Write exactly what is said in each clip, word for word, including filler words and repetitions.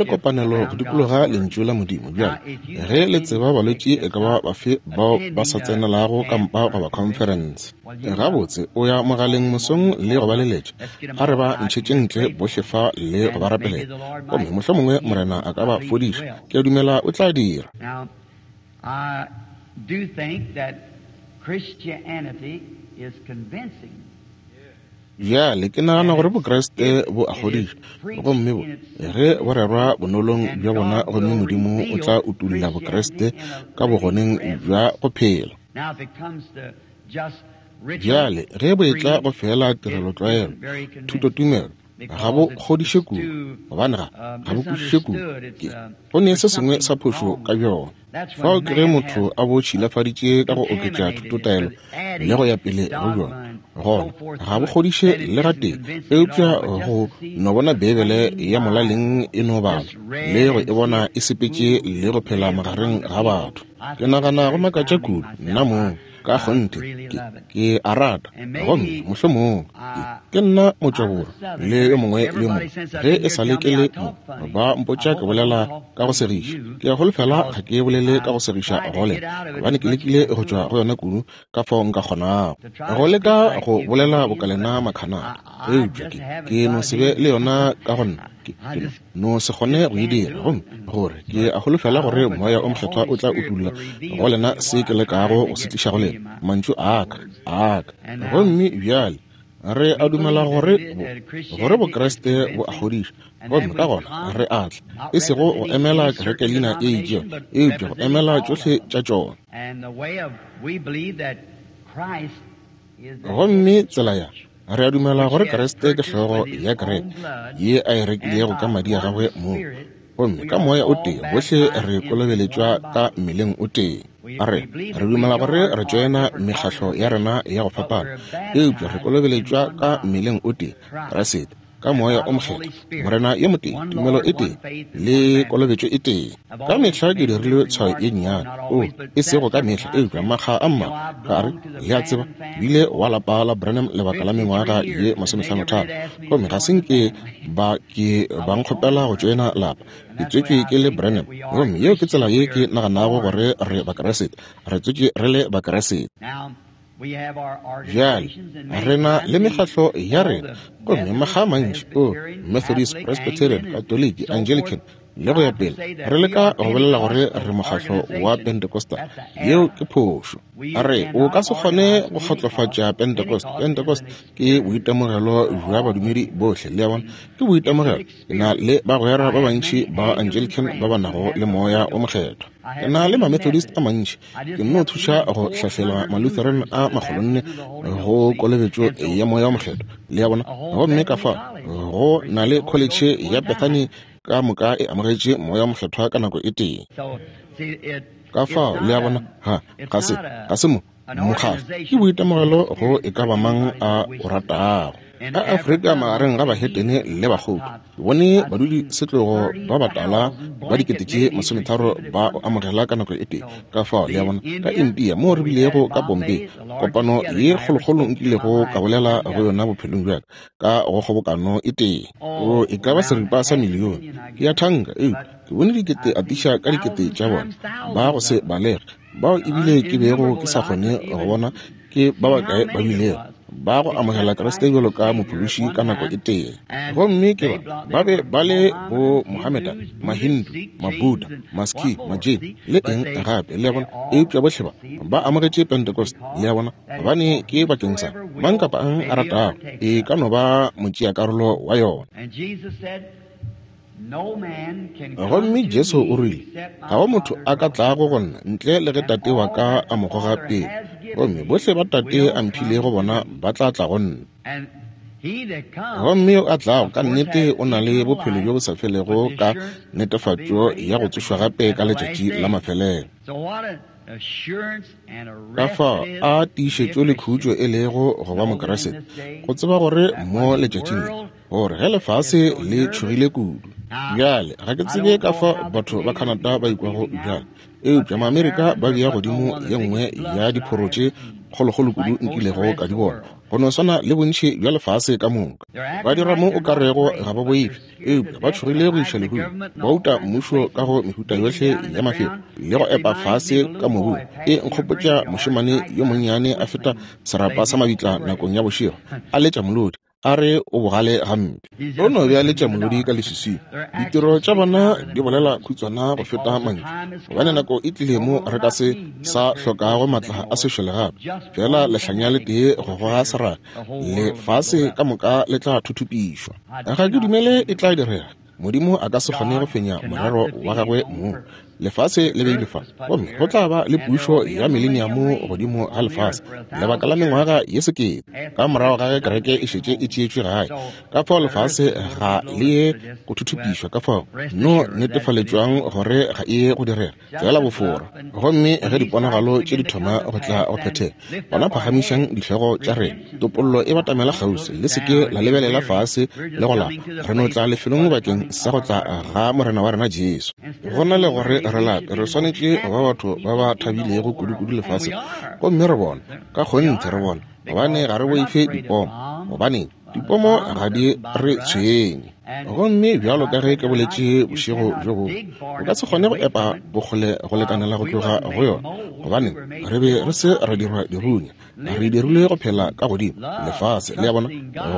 le kopanelo go dikologa Lentšu la Modimo. Bjale, ge le tseba balwetši e ka ba bafe bao ba sa tsenelago kampa goba khonferense, gabotse o ya mogaleng mosong le go ba leletša, a re ba ntšhetše ntle bohle fa le go ba rapelela, gomme mohlomongwe Morena a ka ba fodiša. Ke a dumela o tla dira. Now, I do think that Christianity is convincing. Bjale ke nagana gore Bokriste bo a kgodiša, gomme bo ge bo rerwa bonolong bja bona, gomme Modimo o tla utolla Bokriste ka bogoneng bja go phela. Bjale ge bo etla go fela tirelotlwaelo, thutotumelo, ga bo kgodiše kudu, gobane ga ga bo kwešiše kudu, ke go ne se sengwe sa phošo ka bjona. Fao ke ge motho a bo tšhilafaditše ka go oketša thutotaelo le go ya pele go bjona, gona ga bo kgodiše le gatee, eupša go no bona Beibele ya molaleng e no balwa le go e bona e sepetše le go phela magareng ga batho. Ke nagana go makatša kudu nna mong, ka kgonthe ke, ke a rata, gomme mohlomong ke, ke nna motšwaborwa le yo mongwe le yo mongwe. Ge e sa le ke le mo, ba mpotša ke bolela ka go segiša. Ke a holofela ga ke bolele ka go segiša go lena, gobane ke lekile go tšwa go yona kudu ka fao nka kgonago. Go leka go bolela boka lena Makhanada, eupša ke, ke no se be le yona ka go nna. Ke, ke no se kgone go e dira, gomme gore ke a holofela gore Moya o Mokgethwa o tla utolla go lena se ke lekago go se tliša go lena, mantšu a ka, a ka. Gomme bjale re a dumela gore bo, gore Bokriste bo a kgodiša, gomme ka gona re a tla, e sego go emela kerekelina e itšego, eupša go emela tšohle tša tšona. Gomme tsela ya re a dumela gore Kriste ke hlogo ya kereke ye a e rekilego ka madi a gagwe mong, gomme ka moya o tee bohle re kolobeletšwa ka mmeleng o tee. A re re dumela gore re tšoena mekgahlo ya rena ya go fapana, eupša re kolobeletšwa ka mmeleng o tee, Kriste, ka moya o mokgethwa, Morena yo motee, tumelo e tee le kolobetšo e tee. Ka mehla ke dirile tshwayo ye nnyane, o e sego ka mehla, eupša makga a mmalwa, ka re, le a tseba, bile wa lapa la Branham lebaka la mengwaga ye masomehlanotharo, gomme ga se nke ba ke ba nkgopela go tšoena lapa. Ke tswetšwe ke le Branham, gomme yeo ke tsela ye ke naganago gore re Bakriste, re tswetšwe re le Bakriste. Bjale re na le mekgahlo ya rena, gomme makga a mantši, o Methodist, Presbyterian, Katoliki, Anglican le go ya pele, re leka go bolela gore re mokgahlo wa Pentecostal. Yeo ke phošo. A re o ka se kgone go kgotlofatša Pentecost. Pentecost ke boitemogelo bja badumedi bohle, le a bona, ke boitemogelo. Ke na le bagwera ba bantši ba Anglican ba ba nago le Moya o Mokgethwa. Ke na le ma-Methodist a mantši. Ke nno thuša go hlahlela ma-Lutheran a makgolonne go kolobetšo ya Moya o Mokgethwa, le a bona. Gomme ka fao go na le kholetšhe ya Bethany ka moka e amogetše Moya o Mokgethwa ka nako e tee. Ka fao le a bona, ha ga se ga se mo mokgahlo, ke boitemogelo go e ka ba mang a o ratago. Ka Afrika magareng ga bahetene le bakgotho, ke bone badudi setlogo ba batala ba dikete tše masometharo ba o amogela ka nako e tee. Ka fao le a bona, ka India moo re bilego ka Bombay, kopano ye kgolokgolo nkilego ka bolela go yona bophelong bja ka, ka go kgobokano e tee, o e ka ba seripa sa milione. Ke a thanka, eupša ke bone dikete atiša ka dikete tša bona ba go se balege, bao ebile ke bego ke sa kgone go bona ke ba bakae ba bilego ba go amogela Kriste bjalo ka mophološi ka nako e tee. Gomme ke ba ba be ba le bo Mohammedan, Mahindu, Mabuddha, Masikh, Majain le eng gape, le a bona, eupša bohle ba ba amogetše Pentecost, le a bona, gobane ke bakeng sa mang kapa ang a ratago, e ka no ba motšeakarolo wa yona. Gomme Jesu o rile, ga go motho a ka tlago go nna ntle le ge Tate wa ka a mo goga pele, gomme bohle ba Tate a mphilego bona ba tla tla go nna. Gomme yo a tlago ka nnete o na le bophelo bjo bo sa felego ka netefatšo ya go tsošwa gape ka letšatši la mafelelo. Ka fao a tiišetšo le khutšo e lego go ba Mokriste, go tseba gore mo letšatšing le, gore ge lefase le tšhogile kudu. Bjale ga ke tsebe ka fa batho ba Canada ba ikwago bjale, eupša Maamerika ba bea godimo ye nngwe ya diphoro tše kgolokgolo kudu nkilego ka di bona, go no swana le bontši bja lefase ka moka. Ba dira mo o ka rego ga ba boife, eupša ba tšhogile go iša lehung, ba uta mmušo ka go mehuta yohle ya mafelo le go epa fase ka mobung. E nkgopotša mošemane yo monnyane a feta serapa sa mabitla nakong ya bošego, a letša molodi, A re o bogale gampe. O no bjaletša molodi ka leswiswing. Ditiro tša bona di bolela khutswana go feta mantšu, gobane nako e tlile mo re ka se sa hlokago matla a sešole gape. Fela lehlanya le tee go goga seraka, lefase ka moka le tla thuthupišwa. Ga ke dumele e tla direga. Modimo a ka se kgone go fenya morero wa gagwe mong. Lefase le beile fa, gomme go tla ba le pušo ya mileniamo godimo ga lefase lebaka la mengwaga ye sekete ka morago ga ge kereke e šetše e tšeetšwe gae. Ka fao lefase ga le ye go thuthupišwa, ka fao no netefaletšwang gore ga e ye go direga, fela bofora. Gomme ge diponagalo tše di thoma go tla go phethega, gona phagamišang dihlogo tša rena, topollo e batamela kgauswi. Le se ke la lebelela fase le go lapa, re no tla lefelong bakeng sa go tla ga Morena wa rena Jesu. Go na le gore re lape, re swanetše go ba batho ba ba thabilego kudu-kudu lefaseng, gomme re bona ka kgonthe re bona, gobane ga re boife dipomo, gobane dipomo ga di re tshwenye. Gomme bjalo ka ge ke boletše bošego bjo bongwe, o ka se kgone go epa bokgole go lekanela go tloga go yona, gobane re be re se ra dirwa dirunya, re dirilwe go phela ka godimo lefase, le a bona,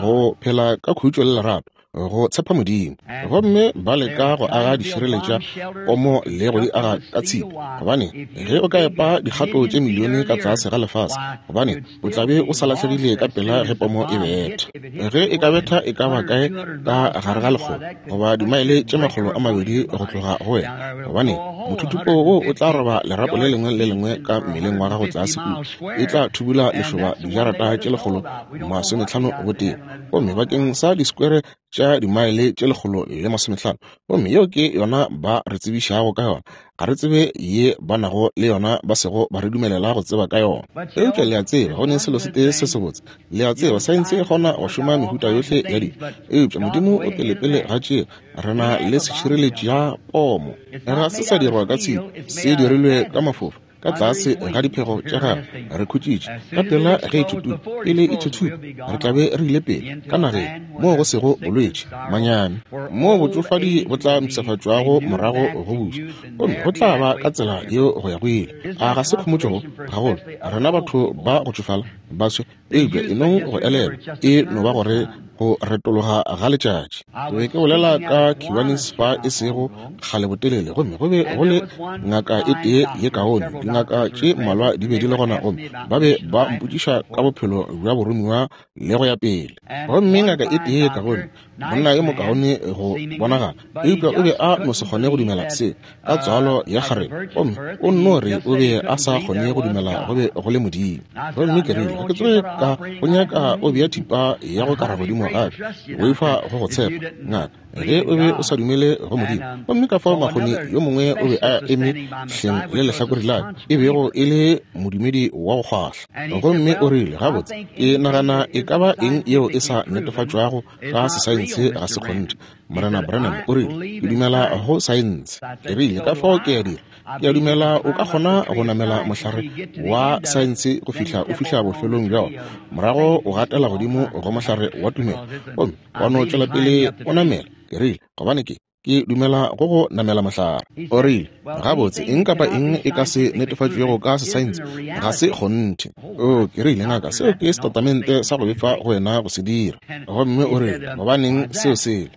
go phela ka khutšo le lerato, go tshepa Modimo. Gomme ba leka go aga dišireletša pomo le go di aga ka tshipi, gobane ge o ka epa dikgato tše milione ka tlase ga lefase, gobane o tla be o sa lahlegile ka pela ge pomo e betha. Ge e ka betha e ka ba kae ka gare ga lekgolo goba dimaele tše makgolo a mabedi go tloga go wena, gobane mothuthupo wo o tla roba lerapo le lengwe le lengwe ka mmeleng wa gago tlase kua, e tla thubula lešoba dijarata tše lekgolo masometlhano botee, gomme bakeng sa diskwere tša dimaele tše lekgolo le masometlhano. Gomme yeo ke yona ba re tsebišago ka yona. Ga re tsebe ye ba nago le yona, ba sego ba re dumelela go tseba ka yona. Eupša le a tseba, go ne selo se tee se sebotse. Le a tseba, saense e kgona go šoma mehuta yohle ya dilo, eupša Modimo o pelepele ga tšeo. Re na le sešireletši ya pomo. Ga se sa dirwa ka tshipi, se dirilwe ka mafofa. Ka tlase ga diphego tša gagwe re khutšitše. Ka pela ge e thuthupa, pele e thuthupa, re tla be re ile pele ka nageng moo go sego bolwetši, manyami, moo botšofadi bo tla mpshafatšwago morago go buša, gomme go tla ba ka tsela yeo go ya go ile. A ga se khomotšo gagolo rena batho ba go tšofala baswe? Eupša e nong go elelwa, e no ba gore go retologa ga letšatši. Ke be ke bolela ka Kiwanis fa e sego kgale botelele, gomme go be go le ngaka e tee ye kaone. Dingaka tše mmalwa di be di le gona, gomme ba be ba mpotšiša ka bophelo bja boromiwa le go ya pele. Gomme ngaka e tee ye kaone, monna yo mokaone go bonagala, eupša o be a no se kgone go dumela se ka tswalo ya kgarebe, gomme o nno re o be a sa kgone go dumela go be go le Modimo. Gomme ke rile, ga ke tsoge ka go nyaka o bea thipa ya go kara godimo gape, boifa go go tshepa ngaka ge o be o sa dumele go Modimo. Gomme ka fao makgoni yo mongwe o be a eme hleng le lehlakore la ka, e bego e le modumedi wa go kgwahla. Gomme o rile, gabotse, ke nagana e ka ba eng yeo e sa netefatšwago ka sesaense ga se kgonthe. Morena Branham o rile, ke dumela go saense. Ke rile, ka fao ke a dira. Ke a dumela o ka kgona go namela mohlare wa saense go fihla o fihla bofelong bja wona, morago o gatela godimo go mohlare wa tumelo, gomme wa no tšwela pele o namela. Ke rile, gobane ke ke dumela go go namela mohlare. O rile, gabotse, eng kapa eng e ka se netefatšwego ka sesaense ga se kgonthe. O, ke rile, ngaka, seo ke setatamente sa go befa go wena go se dira. Gomme o rile, gobaneng seo sele?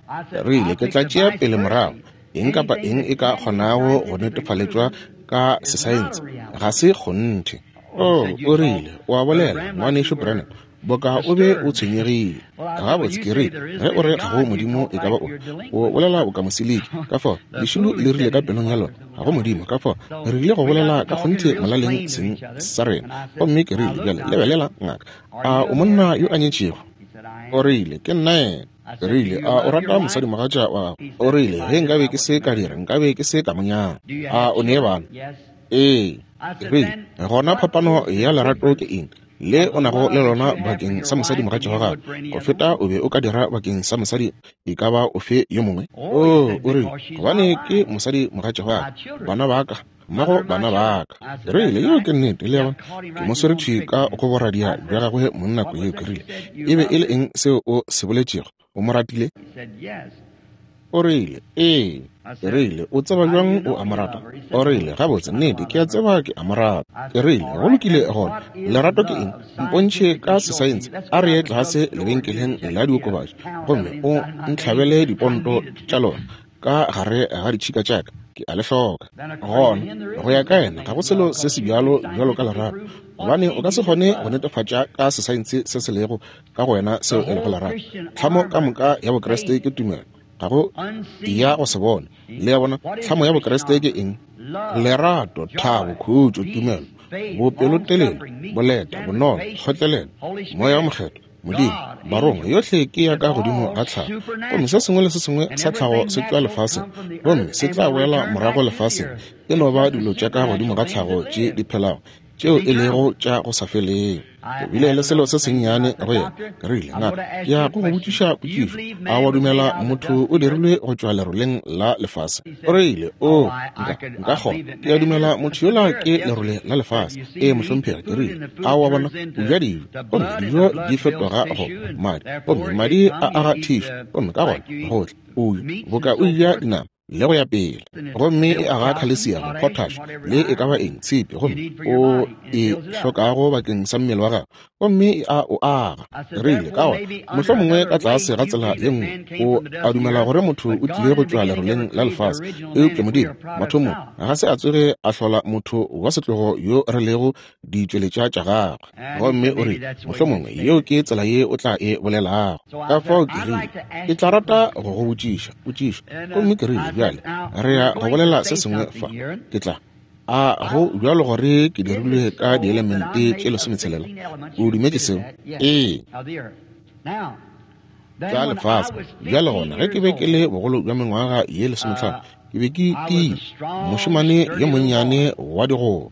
Rile, ke tla tšea pele morago. Eng kapa eng e ka kgonago go netefaletšwa ka sesaense ga se kgonthe. O, o rile, o a bolela, ngwanešu Branham, boka o be o tshwenyegile. Gabotse, ke rile, ge o re ga go Modimo e ka ba o, o bolela boka mosiliki. Ka fao lešilo le rile ka pelong ya lona, ga go Modimo. Ka fao re ile go bolela ka kgonthe molaleng seng sa rena. Gomme ke rile, bjale lebelela ngaka, a o monna yo a nyetšego? O rile, ke nna yena. Ke rile, a o rata mosadimogatša wa gago? O rile, ge nkabe ke se ka dira, nkabe ke se ka mo nyala. A o ne bana? Ee. Ke rile, gona phapano ya lerato ke eng le o nago le lona bakeng sa mosadimogatša wa gago go feta o be o ka dira bakeng sa mosadi e ka ba ofe yo mongwe? O, o rile, gobane ke mosadimogatša wa ka, bana ba ka, mmago bana ba ka. Ke rile, yeo ke nnete. Le a bona, ke mo swere thwi ka go boradia bja gagwe monna ko yeo. Ke rile, e be e le eng seo o se boletšego? O mo ratile? O rile, ee. Ke rile, o tseba bjang o a mo rata? O rile, gabotse, nnete, ke a tseba ke a mo rata. Ke rile, go lokile gona, lerato ke eng? Mpontšhe ka sesaense. A re ye tlase lebenkeleng la diokobatši gomme o ntlhabele diponto tša lona ka gare ga ditšhika tša ka. Ke a le hloka. Gona, go ya ka yena, ga go selo se se bjalo bjalo ka lerato, gobane o ka se kgone go netefatša ka sesaense se se lego ka go wena seo e lego lerato. Tlhamo ka moka ya Bokriste ke tumelo, ga go ya go se bone. Le a bona, tlhamo ya Bokriste ke eng? Lerato, thabo, khutšo, tumelo, bopelotelele, boleta, bonolo, kgotlelelo, Moya o Mokgethwa, Modimo, barongwa, yohle ke ya ka godimo ga tlhago. Gomme se sengwe le se sengwe sa tlhago se tšwa lefaseng, gomme se tla boela morago lefaseng. E no ba dilo tša ka godimo ga tlhago tše di phelago, tšeo e lego tša go sa felego. Ke bile le selo se sennyane go yena. Ke rile, ngaka, ke ya go go botšiša potšišo. A wa dumela motho o dirilwe go tšwa leroleng la lefase? O rile, o, nka, nka kgona. Ke a dumela motho yola ke lerole la lefase. Ee, mohlomphegi. Ke rile, a wa bona, o ja dijo, gomme dijo di fetoga go madi, gomme madi a aga thišu, gomme ka gona gohle o boka o ja dinama le go ya pele, gomme e aga khalesiamo, potash, le e ka ba eng, tshipi, gomme o e hlokago bakeng sa mmele wa gago, gomme e a o aga. Rile, ka gona mohlomongwe ka tlase ga tsela ye nngwe o a dumela gore motho o tlile go tšwa leroleng la lefase, eupša Modimo mathomong ga se a tsoge a hlola motho wa setlogo yo re lego ditšweletša tša gagwe. Gomme o rile, mohlomongwe yeo ke tsela ye o tla e bolelago. Ka fao ke rile, ke tla rata go go botšiša potšišo. Gomme ke rile, bjale re ya go bolela se sengwe fa. Ke tla a go bjalo gore ke dirilwe ka dielemente tše lesometshelela. O dumetše seo? Ee, tša lefase. Bjale gona, ge ke be ke le bogolo bja mengwaga ye lesometlhano, ke be ke tiile, mošemane yo monnyane wa digolo.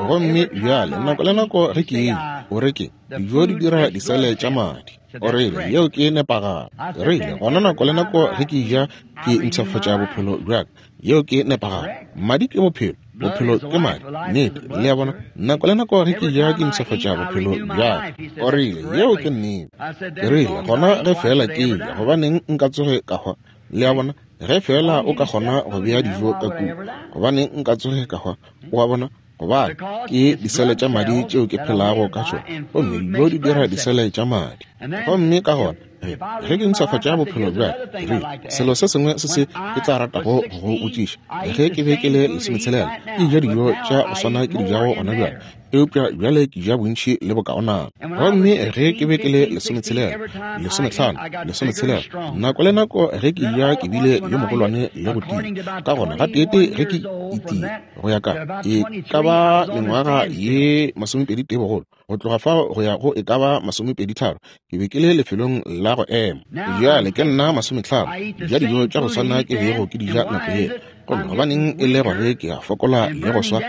Gomme bjale nako le nako ge ke eja, o re ke dijo di dira disele tša madi. O rile, yeo ke nepagalo. Ke rile, gona nako le nako ge ke ja, ke mpshafatša bophelo bja ka. Yeo ke nepagalo. Madi ke bophelo, bophelo ke madi. Nnete, le a bona, nako le nako ge ke ja, ke mpshafatša bophelo bja ka. O rile, yeo ke nnete. Ke rile, gona ge fela ke ja, gobaneng nka tsoge ka hwa? Le a bona, ge fela o ka kgona go bea dijo ka kua, gobaneng nka tsoge ka hwa? O a bona, gobane ke disele tša madi tšeo ke phelago ka tšona, gomme dijo di dira disele tša madi. Gomme ka gona ge ke mpshafatša bophelo bja ka, rile, selo se sengwe se se ke tla ratago go go botšiša. Ge ke be ke le lesometshelela, ke ja dijo tša go swana ke di jago gona bjale, eupša bjale ke ja bontši le bokaonana. Gomme ge ke be ke le lesometshelela, lesometlhano, lesometshelela, nako le nako ge ke ja ke bile yo mogolwane le go tia. Ka gona gateetee ge ke itia go ya ka e ka ba mengwaga ye masomepedi tee bogolo, go tloga fao go ya go e ka ba masomepedi tharo, ke be ke le lefelong la go ema. Bjale ke nna masometlhano, ja dijo tša go swana ke bego ke di ja nako yela. Gomme gobaneng e le gore ke a fokola le go swa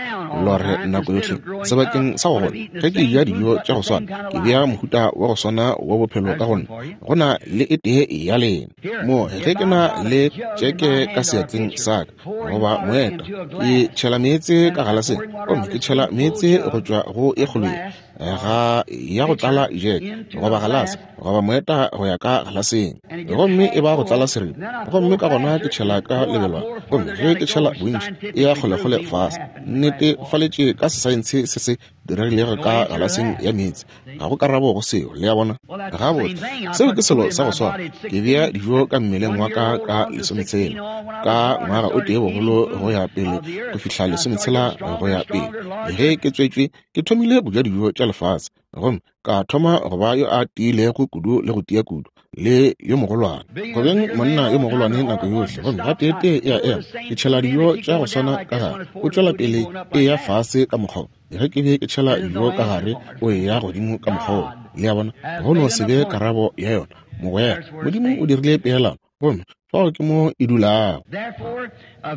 lore nako yohle? Sebakeng sa go gola, ge ke ja dijo tša go swana, ke bea mohuta wa go swana wa bophelo ka go nna. Go na le e tee ya lena mo ge ke na le tšeke ka seatleng sa ka goba moeta, ke tšhela meetse ka galaseng, gomme ke tšhela meetse go tšwa go e kgolo ye ga ya go tlala jeke goba galase goba moeta go ya ka galaseng, gomme e ba go tlala seripa. Gomme ka gona ke tšhela ka lebelwana, gomme ge ke tšhela bontši e ya kgolekgole fase. Nnete faletše ka sesaense se se diregilego ka galaseng ya meetse. Ga go karabo go seo, le a bona. Gabotse, seo ke selo sa go swana. Ke bea dijo ka mmeleng wa ka ka lesometshela, ka ngwaga o tee bogolo go ya pele go fihla lesometshela go ya pele. Ge ke tswetšwe, ke thomile go ja dijo tša lefase, gomme ka thoma go ba yo a tiilego kudu le go tia kudu le yo mogolwane, go beng monna yo mogolwane nako yohle. Gomme gateetee e a ema, ke tšhela dijo tša go swana ka gare, o tšwela pele e ya fase ka mokgwa. Ge ke be ke tšhela dijo ka gare, o e ya godimo ka mokgwa. Le a bona, go no se be karabo ya yona. Mogwera, Modimo o dirile peelano, gomme fao ke mo e dulago.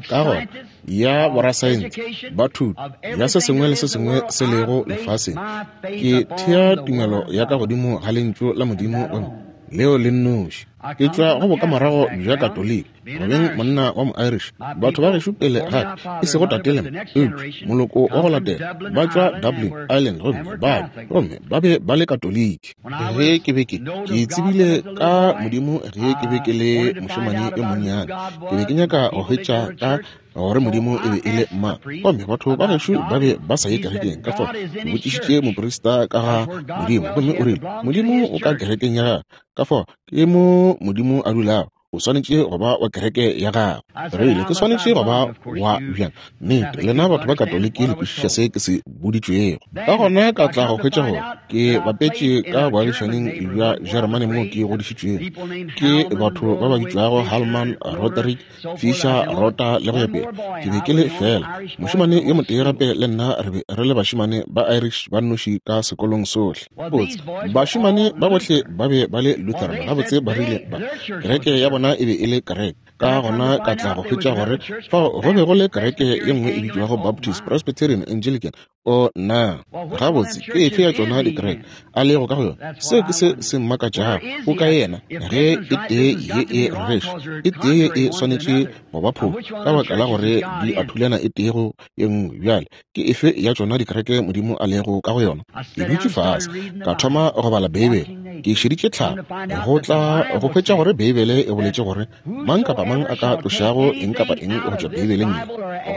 Ka gona ya borasaense ba thuto ya se sengwe le se sengwe se lego lefaseng, ke thea tumelo ya ka godimo ga lentšu la Modimo, gomme leo le nnoši. Ke tšwa go bokamorago bja Katoliki, Gobeng monna wa mo-Irish, batho ba gešo pele ga e sego tate le mma, eupša moloko wa go latela ba tšwa Dublin, Ireland, gomme ba gomme ba be ba le Katoliki. Ge ke be ke ke tsebile ka Modimo ge ke be ke le mošemane yo monnyane, ke be ke nyaka go hwetša ka gore Modimo e be e le mang. Gomme batho ba gešo ba be ba sa ye kerekeng, ka fao ke botšišitše moprista ka ga Modimo, gomme o rile Modimo o ka kerekeng ya gagwe, ka fao ke mo Modimo a dulago. O swanetše go ba wa kereke ya gagwe. Rile ke swanetše go ba wa bjang? Nnete, lena batho ba Katoliki le kwešiša se ke se boditšwego. Ka gona ka tla go hwetša gore ke bapetše ka boagišaneng bja Jeremane moo ke godišitšwego ke batho ba ba bitšwago Hallman, Roderick, Fisher, Rota le go ya pele. Ke be ke le fela mošemane yo motee gape le nna re be re le bašemane ba Irish ba nnoši ka sekolong sohle. Botse bašemane ba bohle ba be ba le Lutheran. Gabotse ba rile ba kereke ya bona e be e le kereke. Ka gona ka tla go hwetša gore fao go be go le kereke ye nngwe e bitšwago Baptist, Presbyterian, Anglican. O na gabotse ke efe ya tšona dikereke a lego ka go yona? Seo ke se se mmakatšago. O ka yena ge e tee ye e rereša, e tee ye e swanetše go ba phošo ka baka la gore di a thulana e tee go ye nngwe. Bjale ke efe ya tšona dikereke Modimo a lego ka go yona? Ke dutše fase ka thoma go bala Beibele. Ke šeditše tlhago go tla go hwetša gore Beibele e boletše gore mang kapa mang a ka tlošago eng kapa eng go tšwa Beibeleng ye,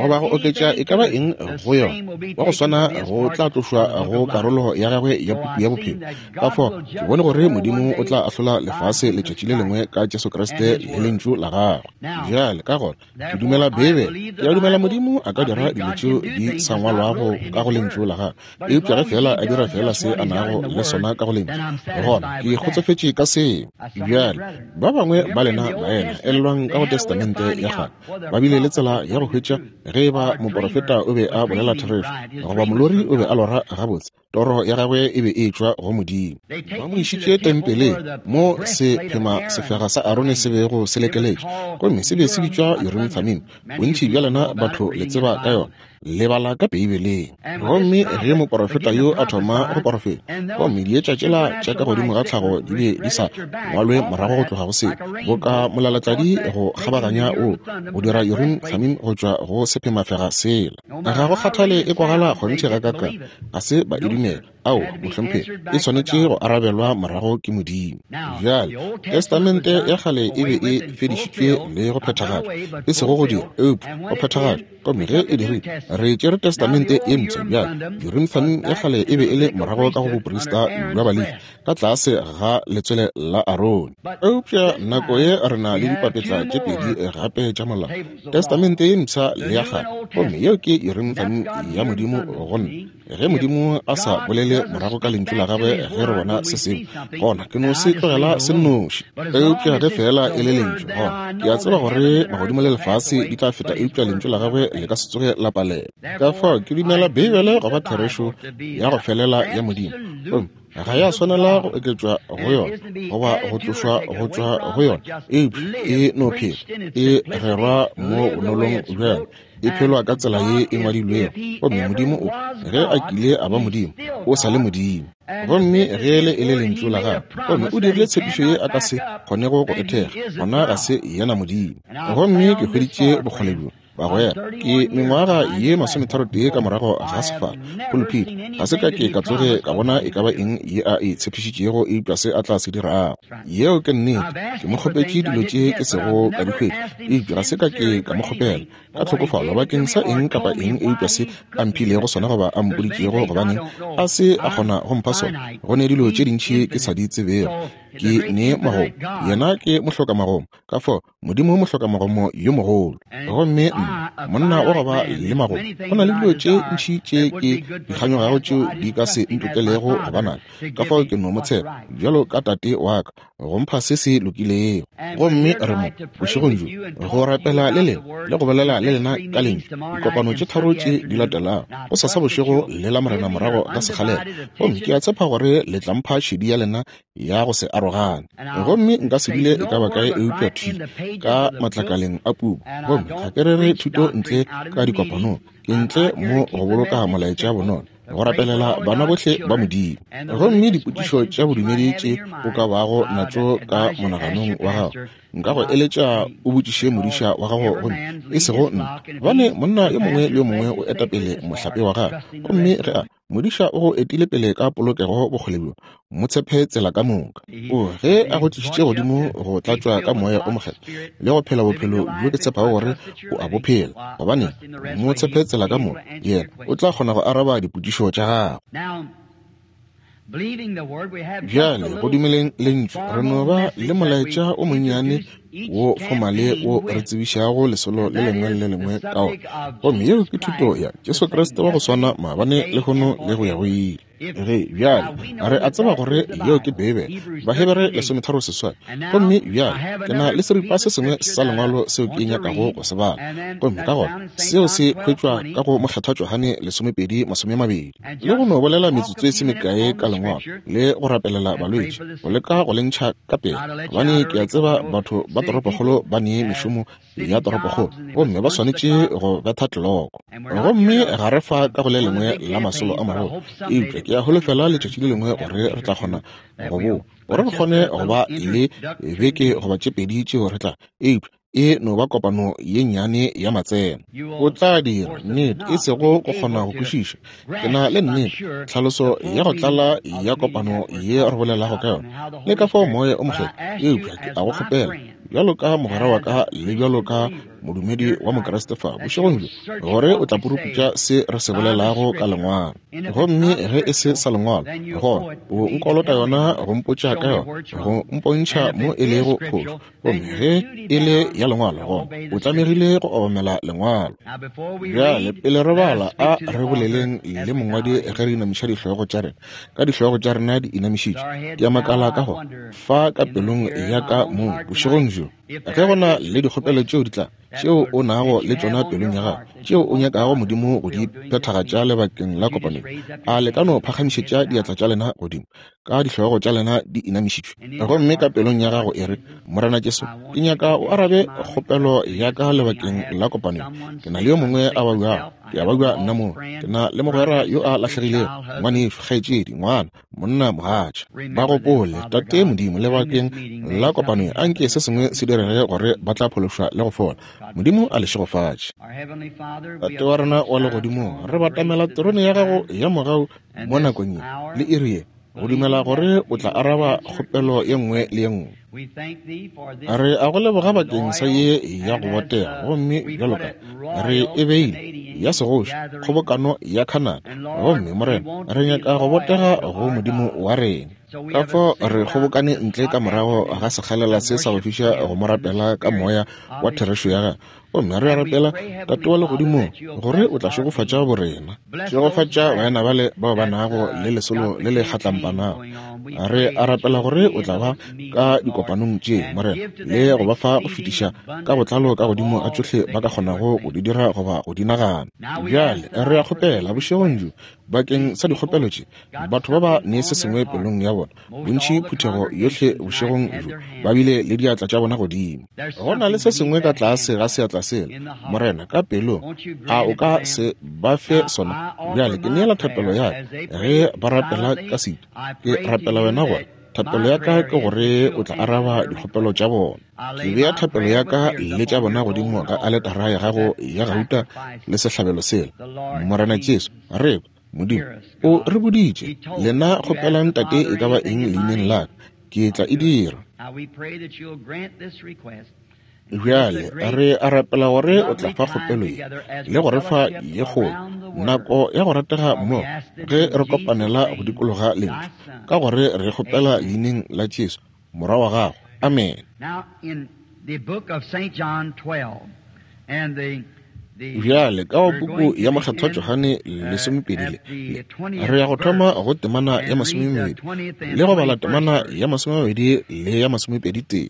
goba go oketša e ka ba eng go yona, wa go swana go tla tlošwa go karolo ya gagwe ya puku ya bophelo. Ka fao ke bone gore Modimo o tla ahlola lefase letšatši le lengwe ka Jesu Kriste le lentšu la gagwe. Bjale ka gona ke dumela Beibele, ke a dumela Modimo a ka dira dilo tšeo di sa ngwalwago ka go lentšu la gagwe, eupša ge fela a dira fela se a nago le sona ka go lentšu, gona ke kgotsofetše ka seo. Bjale ba bangwe ba lena baena elelwang ka go Testamente ya kgale ba bile le tsela ya go hwetša ge e ba moporofeta o be a bolela therešo goba molori o be a lora gabotse. Toro ya gagwe e be e tšwa go Modimo. Ba mo išitše tempeleng mo sephema sefega sa Arone se bego se lekeletše, gomme se be se bitšwa Urim Thummim. Bontši bja lena batho le tseba ka yona, le bala ka Beibeleng. Gomme ge moporofeta yo a thoma go porofeta, gomme dietša tšela tša ka godimo ga tlhago di be di sa ngwalwe morago go tloga go seo, boka molalatladi go kgabaganya o go dira Urim Thummim go tšwa go sephemafega sela. Ga go kgathale e kwagala kgonthe ga kaka, ga se ba e dumela. Ao, mohlomphegi, e swanetše go arabelwa morago ke Modimo. Bjale Testamente ya kgale e be e fedišitšwe le go phethagatšwa, e sego go dira, eupša go phethagatšwa. Gomme ge e dirile, re tšere Testamente ye mpsha. Bjale Urim Thummim ya kgale e be e le morago ka go boprista bja Balefi ka tlase ga letswele la Arone. Eupša nako ye re na le dipapetla tše pedi gape tša molao, Testamente ye mpsha le ya kgale, gomme yeo ke Urim Thummim ya Modimo go nna. Ge Modimo a sa bolele morago ka lentšu la gagwe ge re bona se sengwe, gona ke no se tlogela se nnoši. Eupša ge fela e le lentšu, gona ke a tseba gore magodimo le lefase di tla feta, eupša lentšu la gagwe le ka se tsoge la palela. Ka fao ke dumela Beibele go ba therešo ya go felela ya Modimo, gomme ga ya swanela go oketšwa go yona goba go tlošwa go tšwa go yona, eupša e no phela e rerwa mo bonolong bja yona, e phelwa ka tsela ye e ngwadilwego. Gomme Modimo o, ge a kile a ba Modimo, o sa le Modimo. Gomme ge le e le lentšu la gagwe, gomme o dirile tshepišo ye a ka se kgonego go e thekga, gona ga se yena Modimo. Gomme ke hweditše bokgole bjo, bagwera, ke mengwaga ye masometharotee ka morago ga sefala pulpit, ga se ka ke ka tsoge ka bona e ka ba eng ye a e tshepišitšego, eupša se a tla se dirago. Yeo ke nnete. Ke mo kgopetše dilo tše ke sego ka di hwetša, eupša ga se ka ke ka mo kgopela ka tlhokofalo bakeng sa eng kapa eng eupša se a mphilego sona goba a mpoditšego, gobaneng a se a kgona go mpha sona. Go ne dilo tše dintši ke sa di tsebego. Ke ne magomo, yena ke mohloka magomo, ka fao Modimo mohloka magomo yo mogolo. Gomme nna monna wa go ba le magomo, go na le dilo tše ntši tše ke di kganyogago tšeo di ka se ntokelego go ba nayo, ka fao ke no mo tshepa bjalo ka tate wa ka go mpha se se lokilego. Gomme re mo bošegong bjo go rapela le lena le go bolela le lena ka lentšu dikopano tše tharo tše di latelago, go sasa bošego le la Morena morago ga sekgalela. Gomme ke a tshepa gore le tla mpha šedi ya lena ya go se arogane. Gomme nka se dule e ka ba kae eupša thwi ka matlakaleng a puku. Gomme ga ke rere thuto ntle ka dikopanong, ke ntle mo go boloka molaetša bonolo. go rapelela bana bohle ba Modimo. Gomme dipotšišo tša bodumedi tše o ka bago natšo ka monaganong wa gago, nka go eletša o botšiše modiša wa gago gomme e sego nna, gobane monna yo mongwe le yo mongwe o eta pele mohlape wa gagwe. Gomme ge a modiša o go etile pele ka polokego bokgole bjo, mo tshepe tsela ka moka. O ge a go tlišitše godimo go tlatšwa ka moya o mokgethwa le go phela bophelo bjo ke tshepago gore o a bo phela, gobane mo tshepe tsela ka moka, yena o tla kgona go araba dipotšišo tša gago. Bjale go dumeleng lentšu, re no ba le molaetša o monnyane wo fomale wo re tsebišago lesolo le lengwe le lengwe ka ona, gomme yeo ke thuto ya Jesu Kriste wa go swana maabane, lehono le go ya go ile. Ge bjale re a tseba gore yeo ke Beibele, Bahebere lesometharo seswai. Gomme bjale ke na le seripa se sengwe sa lengwalo seo ke nyakago go se bala, gomme ka gona seo se hwetšwa ka go Mokgethwa Johane lesomepedi masome mabedi. Le go no bolela metsotso e se mekae ka lengwalo le go rapelela balwetši, go leka go le ntšha ka pele, gobane ke a tseba batho ba toropokgolo ba ne mešomo ya toropokgolo gomme ba swanetše go betha tleloko. Gomme ga re fa ka go le lengwe la masolo a magolo, eupša ke a holofela letšatši le lengwe gore re tla kgona go boa, gore re kgone go ba le beke goba tše pedi tšeo re tla, eupša e no ba kopano ye nnyane ya matseno. O tla dira nnete, e sego go kgona go kwešiša. Ke na le nnete tlhaloso ya go tlala ya kopano ye re bolelago ka yona le ka fao moya o mokgethwa, eupša ke a go kgopela bjalo ka mogwera wa ka le bjalo ka modumedi wa Mokriste fa bošegong bjo, gore o tla puruputša se re se bolelago ka lengwalo. Gomme ge e se sa lengwalo, gona o nkolota yona go mpotša ka yona, go mpontšha mo e lego phošo. Gomme ge e le ya lengwalo, gona o tlamegile go obamela lengwalo. Bjale pele re bala, a re boleleng le mongwadi ge re inamiša dihlogo tša rena. Ka dihlogo tša rena di inamišitšwe, ke a makala ka gore fa ka pelong ya ka mong bošegong bjo, ge go na le dikgopelo tšeo di tla tšeo o nago le tšona pelong ya gago, tšeo o nyakago Modimo go di phethagatša lebakeng la kopanong, a le ka no phagamišetša diatla tša lena godimo ka dihlogo tša lena di inamišitšwe, gomme ka pelong ya gago e re, Morena Jesu, ke nyaka o arabe kgopelo ya ka lebakeng la kopanong. Ke na le yo mongwe a babjago, ke a babja nna moo, ke na le mogwera yo a lahlegilego, ngwanešu, kgaetšedi, ngwana, monna, mogatša. Ba gopole, Tate Modimo, lebakeng la kopanong anke se sengwe se direge gore ba tla phološwa le go fola. Modimo a le šegofatše. Tate wa rena wa legodimong, re batamela terone ya gago ya mogau mo nakong ye le iri ye, go dumela gore o tla araba kgopelo ye nngwe le ye nngwe. Re a go leboga bakeng sa ye ya go botega, gomme bjalo ka re e beile ya segoši kgobokano ya Canada, gomme Morena, re nyaka go botega go Modimo wa rena. Ka fao re kgobokane ntle ka morago ga sekgalela se sa go fiša go mo rapela ka moya wa therešo ya gagwe. Gomme re a rapela, Tate wa legodimong, gore o tla šegofatša borena, šegofatša baena bale bao ba nago le lesolo le le kgatlampanago. Re a rapela gore o tla ba ka dikopanong tše, Morena, le go ba fa go fetiša ka botlalo ka godimo ga tšohle ba ka kgonago go di dira goba go di nagana. Bjale re a kgopela bošegong bjo bakeng sa dikgopelo tše, batho ba ba ne se sengwe pelong ya bona. Bontši phuthego yohle bošegong bjo ba bile le diatla tša bona godimo. Go na le se sengwe ka tlase ga seatla sela, Morena, ka pelong, a o ka se ba fe sona? Bjale ke neela thapelo ya ka ge ba rapela ka setu. Ke rapela wena gore thapelo ya ka ke gore o tla araba dikgopelo tša bona. Ke bea thapelo ya ka le tša bona godimo ga aletara ya gago ya gauta le sehlabelo sela. Morena Jesu, re Modimo o re boditše, lena kgopelang Tate e ka ba eng leineng la ka, ke tla e dira. Bjale re a rapela gore o tla fa kgopelo ye le go re fa ye kgolo nako ya go ratega mmogo ge re kopanela go dikologa lentšu, ka gore re kgopela leineng la Jesu morwa wa gago. Amen. Bjale ka go puku ya Mokgethwa Johane lesomepedi le re ya go thoma go temana ya masomemebedi le go bala temana ya masomemabedi le ya masomepedi tee.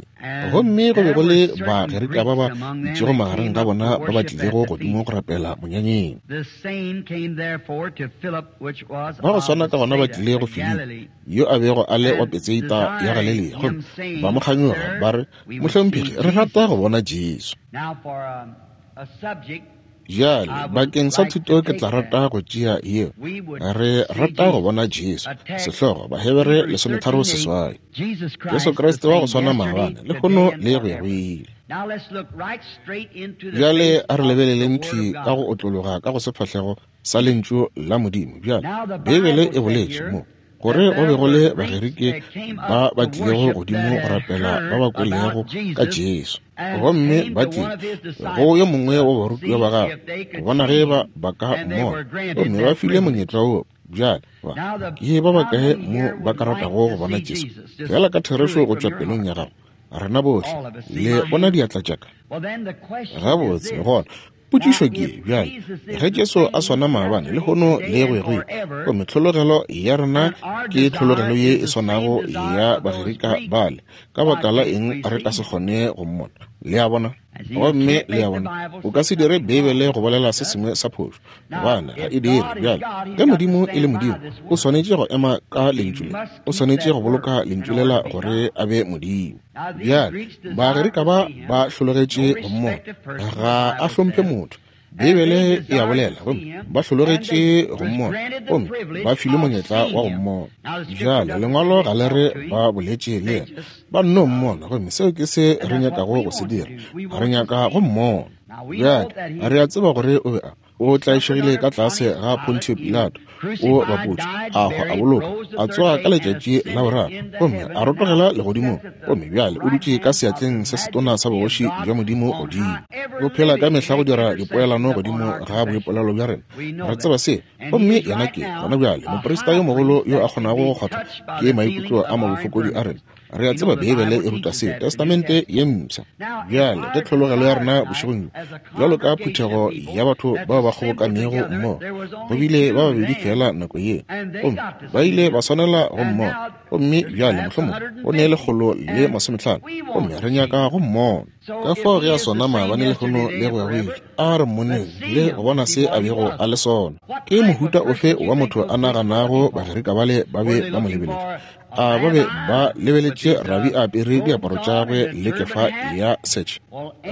Gomme go be go le Bagerika ba ba itšego magareng ga bona ba ba tlilego godimo go rapela monyanyeng. Ba go swana ka gona ba tlile go Filipi, yo a bego a le wa Betsaida ya Galilea, gomme ba mo kganyoga ba re, Mohlomphegi, re rata go bona Jesu. Bjale bakeng sa thuto ke tla rata go tšea yeo, re rata go bona Jesu, sehlogo Bahebere lesometharo seswai. Jesu Kriste wa go swana maabane, lehono le go ya go ile. Bjale a re lebeleleng thwi ka go otlologa ka go sefahlego sa lentšu la Modimo. Bjale Beibele e boletše mo gore go be go le Bagerike ba ba tlilego godimo go rapela ba ba kwelego ka Jesu, gomme ba tlile go yo mongwe wa barutiwa ba gagwe go bona ge ba ba ka mmona, gomme ba file monyetla wo. Bjale ba ke ba bakae mo ba ka ratago go bona Jesu? Fela ka therešo go tšwa pelong ya gago, rena bohle le bona diatla tša ka. Gabotse, gona potšišo ke bjale, ge Jesu a swana maabane, lehono le go ya go ile, gomme tlhologelo ya rena ke tlhologelo ye e swanago ya Bagerika bale, ka baka la eng re ka se kgone go mmona? Le a bona? Gomme le a bona, o ka se dire Beibele go bolela se sengwe sa phošo, gobane ga e dire. Bjale ge Modimo e le Modimo, o swanetše go ema ka lentšu le, o swanetše go boloka lentšu lela gore a be Modimo. Bjale Bagerika ba ba hlologetše go mmona, ga a hlomphe motho. Beibele e a bolela, gomme ba hlologetše go mmona, gomme ba filwe monyetla wa go mmona. Bjale lengwalo ga le re ba boletše le yena, ba nno mmona, gomme seo ke se re nyakago go se dira, re nyaka go mmona. Bjale re a tseba gore o be a o tlaišegile ka tlase ga Pontio Pilato, o bapotše, a hwa, a boloka, a tsoga ka letšatši la boraro, gomme a rotogela legodimong, gomme bjale o dutše ka seatleng se setona sa bogoši bja Modimo godimo. O phela ka mehla go dira dipoelano godimo ga boipolelo bja rena. Re tseba se, gomme yena ke gona bjale moprista yo mogolo yo a kgonago go kgwathwa ke maikutlo a mabofokodi a rena. Re a tseba Beibele e ruta seo, Testamente ye mpsha. Bjale ge tlhologelo ya rena bošegong bjo, bjalo ka phuthego ya batho bao ba kgobokanego mmogo, go bile ba babedi fela nako ye, gomme ba ile ba swanela go mmona, gomme bjale mohlomongwe go ne lekgolo le masometlhano, gomme re nyaka go mmona. Ka fao ge a swana maabane, lehono le go ya go ile, a re mmoneng le go bona se a bego a le sona. Ke mohuta ofe wa motho a naganago Bagerika bale ba be ba mo lebeletše? A ba be ba lebeletše rabi a apere diaparo tša gagwe le kefa ya setšhe?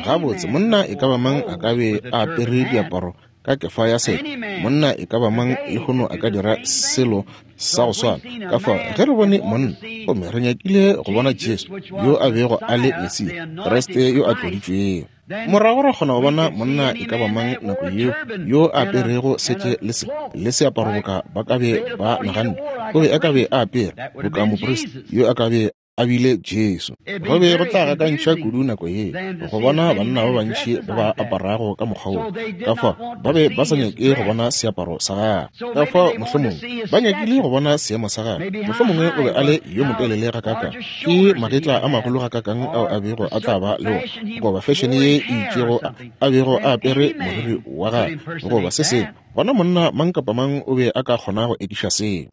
Gabotse, monna e ka ba mang a ka be a apere diaparo ka kefa ya setšhe? Monna e ka ba mang lehono a ka dira selo sa go swana? Ka fao ge re bone monna, gomme re nyakile go bona Jesu yo a bego a le Mesia, Kriste yo a tloditšwego, morago ra kgona go bona monna e ka ba mang nako yeo yo a aperego setše le se le seaparo boka ba ka be ba naganne o be a ka be a apere boka moprista yo a ka be a bile Jesu. Go be go tla gakantšha kudu nako ye go bona banna ba bantši ba ba aparago ka mokgwa wo. Ka fao ba be ba sa nyake go bona seaparo sa gagwe. Ka fao mohlomongwe ba nyakile go bona seemo sa gagwe. Mohlomongwe o be a le yo motelele gakaakang, ke magetla a magolo gakaakang ao a bego a tla ba le ona, goba fešene ye e itšego a bego a apere moriri wa gagwe, goba se sengwe. Gona monna mang kapa mang o be a ka kgona go ekiša seo.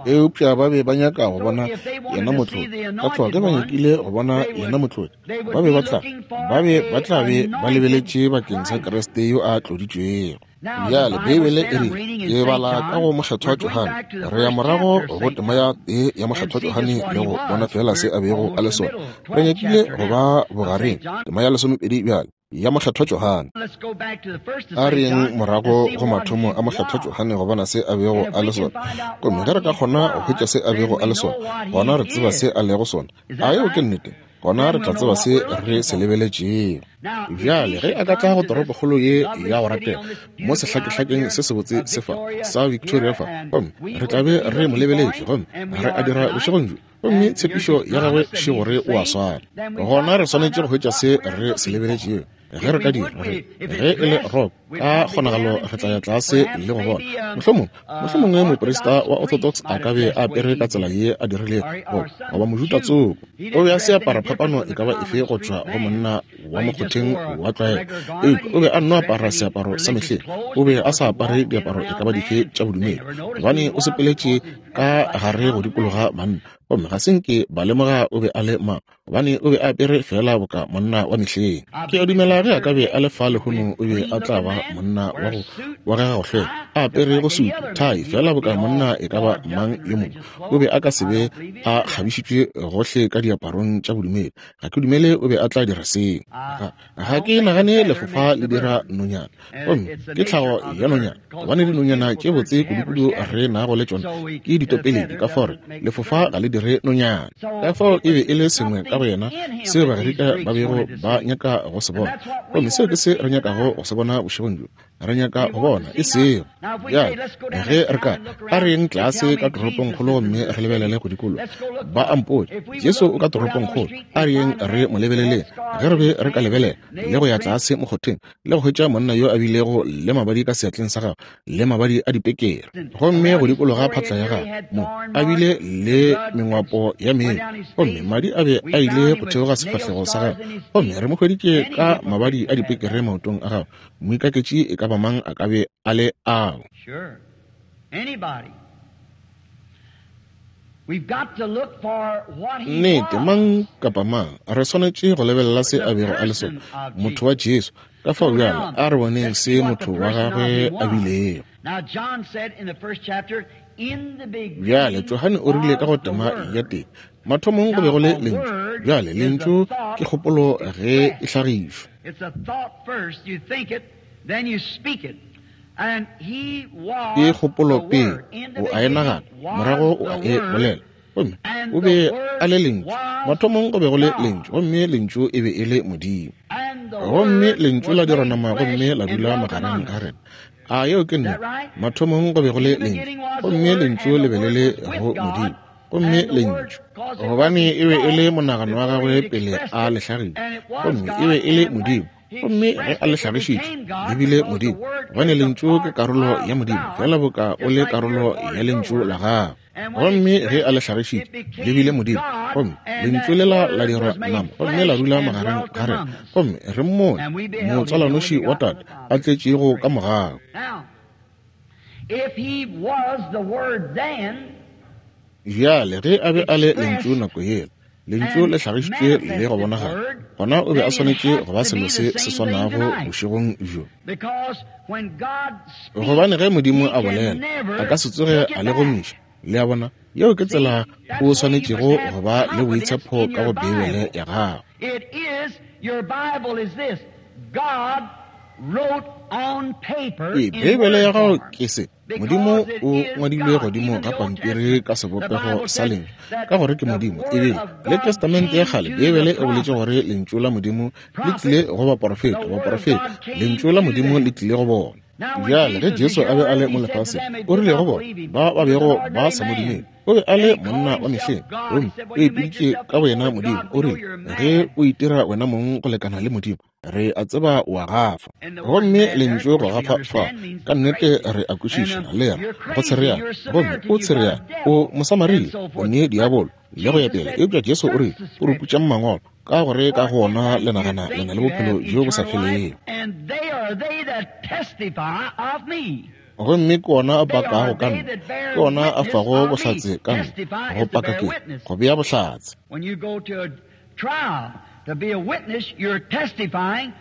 Eupša ba be ba nyaka go bona yena motlodi. Ka fao ge ba nyakile go bona yena motlodi, ba be ba tla ba be ba tla be ba lebeletše bakeng sa Kriste yo a tloditšwego. Bjale Beibele e rile, ke bala ka go Mokgethwa Johane, re ya morago go tema ya tee ya Mokgethwa Johane le go bona fela se a bego a le sona. Re nyakile go ba bogareng, tema ya lesomepedi bjale ya Mokgethwa Johane. A re yeng morago go mathomo a Mokgethwa Johane go bona se a bego a le sona. Gomme ge re ka kgona go hwetša se a bego a le sona, gona re tseba se a lego sona. A yeo ke nnete? Gona re tla tseba se re se lebeletšego. Bjale ge a ka tla go toropokgolo ye ya go ratega mo sehlakehlakeng se sebotse se fa sa Victoria fa, gomme re tla be re mo lebeletše, gomme re a dira bošegong bjo, gomme tshepišo ya gagwe še gore o a swana, gona re swanetše go hwetša se re se lebeletšego. Ge re ka dira, re ge e le rock, ka kgonagalo re tla ya tlase le go bona. Mohlomongwe, mohlomongwe moprista wa Orthodox a ka be a apere ka tsela ye a dirilego, goba mojuta tsoko. O be a se apara phapano e ka ba efe go tšwa go monna wa mokgotheng wa tlwaelo, eupša o be a nno apara seaparo sa mehleng. O be a sa apare diaparo e ka ba dife tša bodumedi, gobane o sepeletše ka gare go dikologa banna. Gomme ga se nke ba lemoga o be a le mang, gobane o be a apere feela boka monna wa mehleng. Ke a dumela ge a ka be a le fa lehono o be a tla ba monna wa go bogega go hlweka, a apere go sutu, thai, feela boka monna e ka ba mang yo mongwe. O be a ka se be a kgabišitšwe gohle ka diaparong tša bodumedi. Ga ke dumele o be a tla dira seo. Ga, ga ke nagane lefofa le dira nonyana. Gomme ke tlhago ya nonyana, gobane dinonyana tše botse kudukudu re nago le tšona ke ditopeledi, ka fao lefofa ga le dire nonyana. Ka fao e be e le sengwe ka go yena seo Bagerika ba bego ba nyaka go se bona. Gomme seo ke se re nyakago go se bona bošegong bjo. Re nyaka go bona e seo. Bjale ge re ka a re yeng tlase ka toropongkgolo gomme re lebelele go dikologa, ba a mpotša Jesu o ka toropongkgolo, a re yeng re mo lebeleleng. Ge re be re ka lebelela le go ya tlase mokgotheng le go hwetša monna yo a bilego le mabadi ka seatleng sa gagwe le mabadi a dipekere, gomme go dikologa phatla ya gagwe mo a bile le mengwapo ya mebu, gomme madi a be a ile go theoga sefahlego sa gagwe, gomme re mo hweditše ka mabadi a dipekere maotong a gagwe, moikaketši e ka ba mang a ka be a le ao. Sure. Anybody. We've got to look for what he Nnete, was. mang kapa mang, re swanetše go lebelela se a bego a le sona, motho wa Jesu. Ka fao bjale a re boneng se motho wa gagwe a bilego. Now John said in the first chapter, in the Bjale beginning Johane o rile ka go was the tema Word. ya tee, mathomong go be go le lentšu. Bjale lentšu ke kgopolo ge e hlagišwa. It's a thought first. You think it, then you speak it. And he Ke was kgopolo the pele, Word. In the o a e beginning nagana, was morago o a the e Word, bolela. Gomme and o the be Word a le lentšu. was Mathomong go be go le God. lentšu, gomme lentšu e be e le Modimo. And the Gomme Word lentšu was la dira made nama flesh gomme la and dula dwelt magareng among ga us. rena. A yeo ke Is that nnete. right? Mathomong go be go le In the lentšu, beginning was the gomme Word, lentšu and le the be le Word le was with go God, Modimo. Gomme and the Word, lentšu, because it was gobane his e be e le thought monagano wa before gagwe he pele expressed a it, le hlagiša, and it was gomme e God, be e le and when Modimo. he Gomme ge expressed a le it, it hlagišitše, became God, le bile because the Modimo, Word gobane is a lentšu ke part karolo ya of Modimo, God, fela boka o just le like you're karolo a part ya of your lentšu la word. gago. And when he Gomme ge a le expressed it, hlagišitše, it le bile became Modimo. God, Gomme and lentšu that lela la Word dira was made nama, gomme la flesh dula and magareng dwelt ga rena. among us. Gomme re mmone, And we beheld him, the only motswalwanoši wa begotten of Tate, the a Father. tletšego ka mogau. Now, if he was the Word then, Bjale ge a be a le lentšu expressed nako yela, lentšu and le hlagišitšwe le go manifested bonagala, Word, gona o be a then it swanetše has go ba to selo be the se se same thing swanago tonight. bošegong bjo. Because when God speaks, Gobane ge Modimo he a can bolela, a never ka se tsoge take a it le back. gomiša. Le a bona, yeo ke See, tsela that's o why you must swanetšego have go ba le confidence boitshepo in ka your go Beibele Bible. ya gago. It is, your Bible is this. God wrote on paper Ee, in Beibele ya word gago form. ke se. Modimo Because it o is ngwadilwe God. godimo Even ga the Old pampiri Testament, ka the sebopego Bible sa said lentšu, that ka gore ke the Modimo. Word Ebile of le God Testamente ya came kgale, to Beibele the e boletše prophets. gore lentšu la Modimo le tlile Prophets, go the baporofeta, Word of baporofeta, God came lentšu la to Modimo le them. tlile go bona. Now, when Bjale ge Jesus was Jesu here a on be a earth, le he mo said to lefaseng, them, they o did rile go not bona believe him. ba ba He was an bego ba ordinary sa mo man. dumele. O be a And le he called monna wa himself mehleng, God. He gomme said, o Well, you make ipiditše yourself ka equal boyena with Modimo. God. O We know rile, you're a ge man. o itira wena mong go lekana le Modimo, re a tseba o a gafa. And the word Gomme mad there, of lentšu go course, we gafa fa, understand means ka nnete crazy. re a And kwešiša, um, le re you're go crazy. tshereana. You're a Gomme Samaritan. o You got a tshereana, o devil. And Mosamaria, so o forth. ne But diabolo, le go ya Jesus pele. said, Eupša Jesu o search rile, the puruputšang scriptures. mangwalo, ka gore ka For go in ona them le you nagana le think na le you bophelo have bjo bo sa eternal life, felego. and they are they that testify of me. Gomme ke ona a They are pakago ka they nna, that ke bear ona a witness fago of me. bohlatse ka nna. Testify Go is to paka bear ke witness. go bea bohlatse. When you go to a trial to be a witness, you're testifying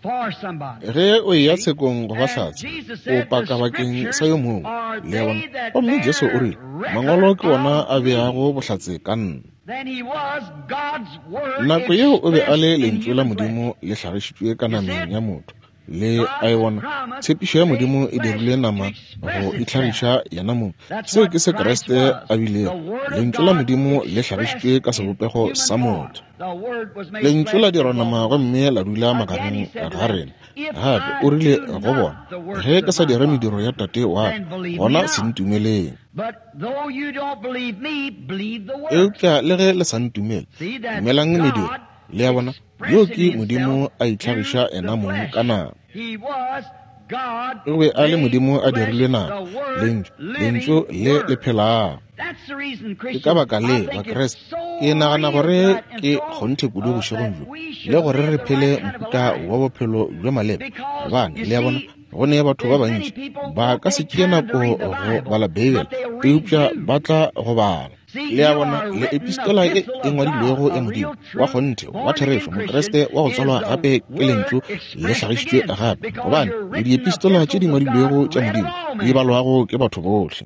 for somebody. Ge o eya See? tshekong go ba And hlatse, Jesus o said, The paka bakeng sa scriptures yo mongwe. are Le a bona? they that Gomme Jesu o bear rile, mangwalo record ke ona of a me. beago bohlatse ka nna. Then he was God's word Nako yeo o be a le expressed in lentšu la human flesh. Modimo le hlagišitšwe ka You see nameng it? ya motho. Le a e God's bona, promise tshepišo ya made Modimo e flesh dirile to nama express go itself. itlhagiša yena mong. That's Seo what ke se Christ Kriste was. a The bilego. Word of Lentšu la God Modimo le expressed hlagišitšwe ka in sebopego human sa form. motho. The Word was made Lentšu flesh la and dirwa dwelt nama among us. gomme la dula Again he magareng said to ga them, rena. If Gape I o rile do go not bona, the works ge ke of sa my dire Father, mediro ya Tate wa ka, then believe me gona se not. ntumeleng. But though you don't believe me, believe the works. Eupša le ge le sa ntumele, See, that's dumelang mediro. God Le a bona, yo expressing ke himself Modimo a through itlhagiša the yena mong flesh. ka nama. He was God O be a le made Modimo a flesh, dirilwe nama, the Word, lentšu, lentšu living le le Word. phelago. That's the reason, Ke ka Christians, baka I le think it's Bakreste, so ke nagana real gore tonight and ke so kgonthe kudu uh, bošegong that bjo, we le should gore live re the right phele kind of a mohuta life. wa bophelo bjo maleba. Because Gobane you le a bona, see, go ne batho ba there's many bantši people ba won't ka se take tšee time to nako read the go Bible, bala Beibele, but they'll read eupša you. ba tla go bala. Le a bona, le epistola ye e ngwadilwego ya Modimo wa kgonthe wa therešo, Mokriste wa go tswalwa gape ke Lentšu le hlagišitšwe gape, gobane le diepistola tše di ngwadilwego tša Modimo di balwago ke batho bohle.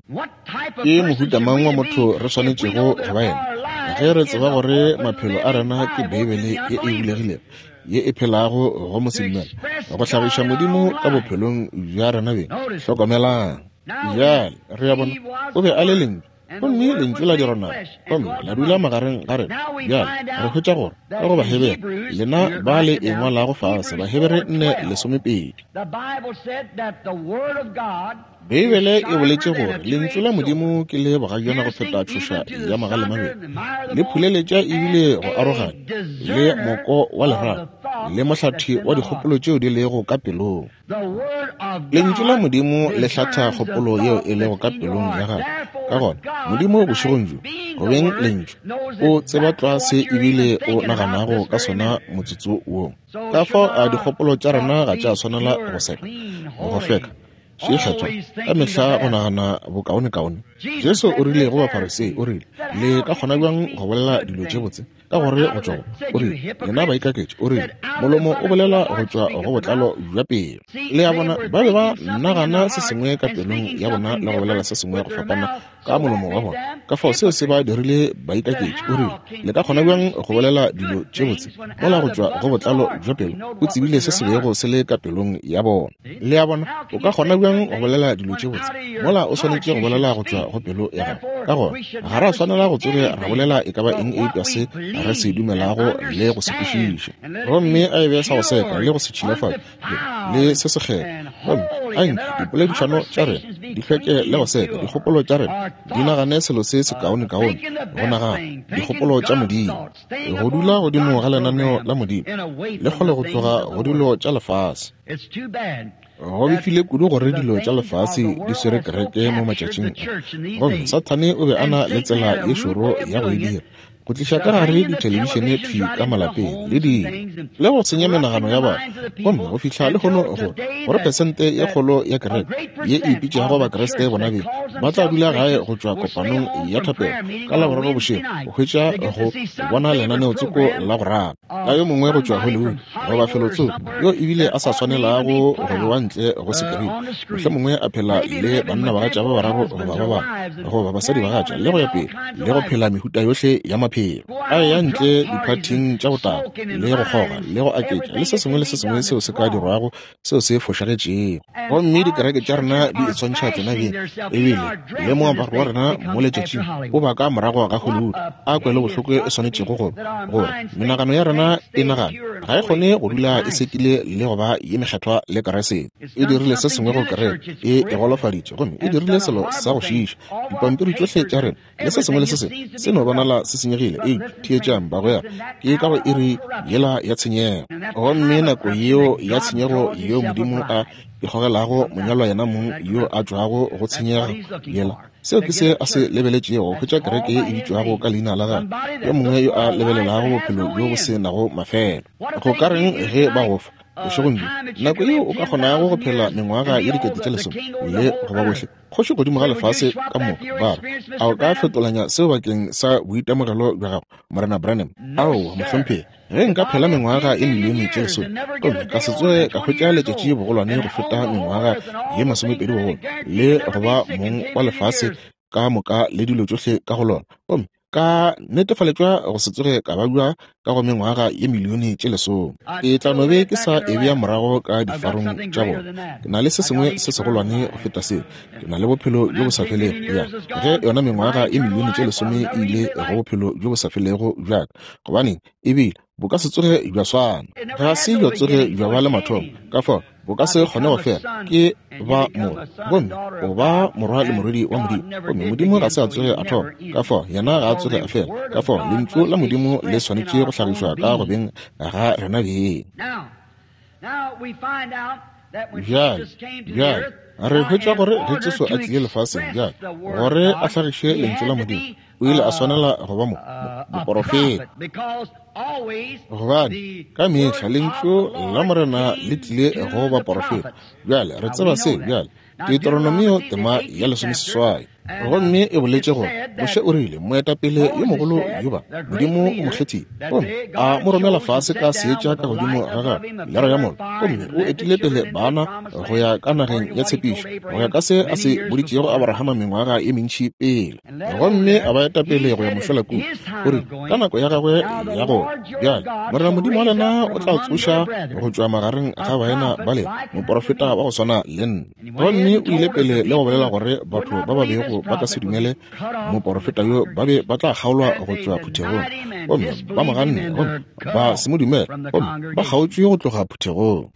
Ke mohuta mang wa motho re swanetšego go ba yena ge re tseba gore maphelo a rena ke Beibele ye e bulegilego ye e phelago go mosedumele go hlagiša Modimo ka bophelong bja rena beng? Hlokomelang bjale, re a bona o be a le Lentšu, gomme Lentšu la dirwa nama gomme la dula magareng ga rena. Bjale re hwetša gore ka go Bahebere, lena ba le e ngwalago fase, Bahebere nne lesomepedi, Beibele e boletše gore Lentšu la Modimo ke le bogajana go feta tšhoša ya magalemabedi, le phuleletša ebile go aroganya le moko wa lerato le mohlathi wa dikgopolo tšeo di lego ka pelong. Lentšu la Modimo le hlatha kgopolo yeo e lego ka pelong ya gago. Ka gona Modimo bošegong bjo, go beng Lentšu, o tseba tlwa se ebile o naganago ka sona motsotso wo. Ka fao a dikgopolo tša rena ga tša swanela go seka, go hlweka, še kgethwa, ka mehla go nagana bokaonekaone. Jesu o rile go Bafarisei, o rile, le ka kgona bjang go bolela dilo tše botse? Ka gore go tšwa go, o rile, lena baikaketši, o rile, molomo o bolela go tšwa go botlalo bja pelo. Le a bona, ba be ba nagana se sengwe ka pelong ya bona le go bolela se sengwe go fapana ka molomo wa bona. Ka fao seo se ba dirile baikaketši. O rile, le ka kgona bjang go bolela dilo tše botse mola go tšwa go botlalo bja pelo? O tsebile se se bego se le ka pelong ya bona. Le a bona, o ka kgona bjang go bolela dilo tše botse mola o swanetše go bolela go tšwa go pelo ya gago? Ka gona ga ra swanela go tsoge ra bolela e ka ba eng eupša se re se dumelago le go se kwešiša, gomme a e be sa go seka le go se tšhilafatša le se sekgethwa. Gomme a nke dipoledišano tša rena di hlweke le go seka, dikgopolo tša rena di nagane selo se sekaonekaone, go nagana dikgopolo tša Modimo, go dula godimo ga lenaneo la Modimo le kgole go tloga go dilo tša lefase. Go befile kudu gore dilo tša lefase di swere kereke mo matšatšing a, gomme Sathane o be a na le tsela ye šoro ya go e dira, go tliša ka gare dithelebišene thwi ka malapeng le dilo le go senya menagano ya batho. Gomme go fihla lehono gore gore pesente ye kgolo ya kereke ye e ipitšago Bakriste bona beng ba tla dula gae go tšwa kopanong ya thapelo ka Laboraro bošego go hwetša go bona lenaneotsoko la go rata la yo mongwe go tšwa Hollywood goba felotsoko yo ebile a sa swanelago go bewa ntle go sekirini, mohlomongwe a phela le bannabagatša ba bararo goba ba bane goba basadibagatša le go ya pele, le go phela mehuta yohle ya maphelo, a ya ntle diphathing tša botala le go kgoga le go aketša le se sengwe le se sengwe seo se ka dirwago seo se fošagetšego. Gomme dikereke tša rena di itshwantšha tsena beng, ebile le moaparo wa rena mo letšatšing o ba ka morago ga Hollywood. A kwele bohloko e swanetšego go gore menagano ya rena e nagana ga e kgone go dula e sekile le go ba ye mekgethwa le Keresete. E dirile se sengwe go kereke, e e golofaditše, gomme e dirile selo sa go šiiša. Dipampiri tšohle tša rena le se sengwe le se sengwe se no bonala se senyegile. Eupša theetšang bagwera, ke ka go iri yela ya tshenyego, gomme nako yeo ya tshenyego yeo Modimo a ikgogelago monyalwa yena mong yo a tšwago go tshenyego yela, seo ke se a se lebeletšego go hwetša kereke ye e bitšwago ka leina la gagwe, yo mongwe yo a lebelelago bophelo bjo bo se nago mafelo. Go ka reng ge ba go fa bošegong bjo nako yeo o ka kgonago go phela mengwaga ye dikete tše lesome le go ba bohle kgoši godimo ga lefase ka moka, ba re, a o ka fetolanya seo bakeng sa boitemogelo bja gago, Morena Branham? Aowa, mohlomphegi, ge nka phela mengwaga ye milione tše lesome gomme ka se tsoge ka hwetša letšatši bogolwane go feta mengwaga ye masomepedi bogolo le go ba mong wa lefase ka moka le dilo tšohle ka go lona, gomme ka netefaletšwa go se tsoge ka babja ka go mengwaga ye milione tše lesome, ke tla no be ke sa e bea morago ka difarong tša bona. Ke na le se sengwe se segolwane go feta seo, ke na le bophelo bjo bo sa felego. Ya ge yona mengwaga ye milione tše lesome e ile go bophelo bjo bo sa felego bjaka, gobaneng ebile bo ka se tsoge bja swana, ga se bja tsoge bja ba le mathomo, ka fao bo ka se kgone go fela. Ke ba morwa, gomme o ba morwa le morwedi wa Modimo, gomme Modimo ga se a tsoge a thoma, ka fao yena ga a tsoge a fela. Ka fao lentšu la Modimo le swanetše go hlagišwa ka go beng ga rena beng. Bjale, bjale re hwetša gore ge Jesu a tlile lefaseng bjale gore a hlagiše lentšu la Modimo, o O ile a swanela go ba mo, moporofeta, gobane ka mehla lentšu la Morena le tlile go baporofeta. Bjale re tseba se. Bjale Deuteronomio tema ya lesomeseswai, gomme e boletše gore Moshe o rile moetapele yo mogolo yoba Modimo o mo kgethile, gomme a mo romela fase ka seetša ka godimo ga gagwe lero ya mollo, gomme o etile pele bana go ya ka nageng ya tshepišo, go ya ka se a se boditšego Abrahama mengwaga ye mentši pele, gomme a ba etapele go ya mošola kua. O rile ka nako ya gagwe ya go bjale Morena Modimo wa lena o tla tsoša go tšwa magareng ga baena ba lena moporofeta wa go swana le nna. Gomme o ile pele le go bolela gore batho ba ba bego ba ka se dumele moporofeta yo ba be ba tla kgaolwa go tšwa phuthegong, gomme ba mo ganne, gomme ba se mo dumele, gomme ba kgaotšwe go tloga phuthegong.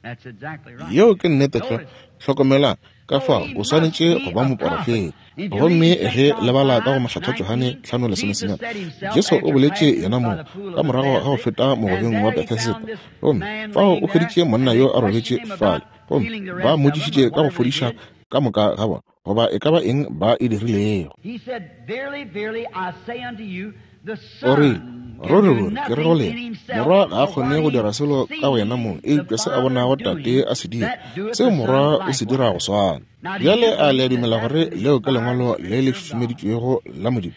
Yeo ke nnete tlwa. Hlokomelang ka fao o swanetše go ba moporofeta. Gomme ge lebala ka go Mohlatha Johane hlano lesomesenyane, Jesu o boletše yena moo ka morago ga go feta mogobeng wa Bethesda, gomme fao o hweditše monna yo a robetše fale, gomme ba mmotšišitše ka go fodiša ka moka ga bona, goba e ka ba eng ba e dirilego. O rile, ruri ruri ke re go lena, morwa ga a kgone go dira selo ka go yena mong, eupša se a bonago tate a se dira, seo morwa o se dira go swana. Bjale a le a dumela gore leo ke lengwalo le le šušumeditšwego la Modimo?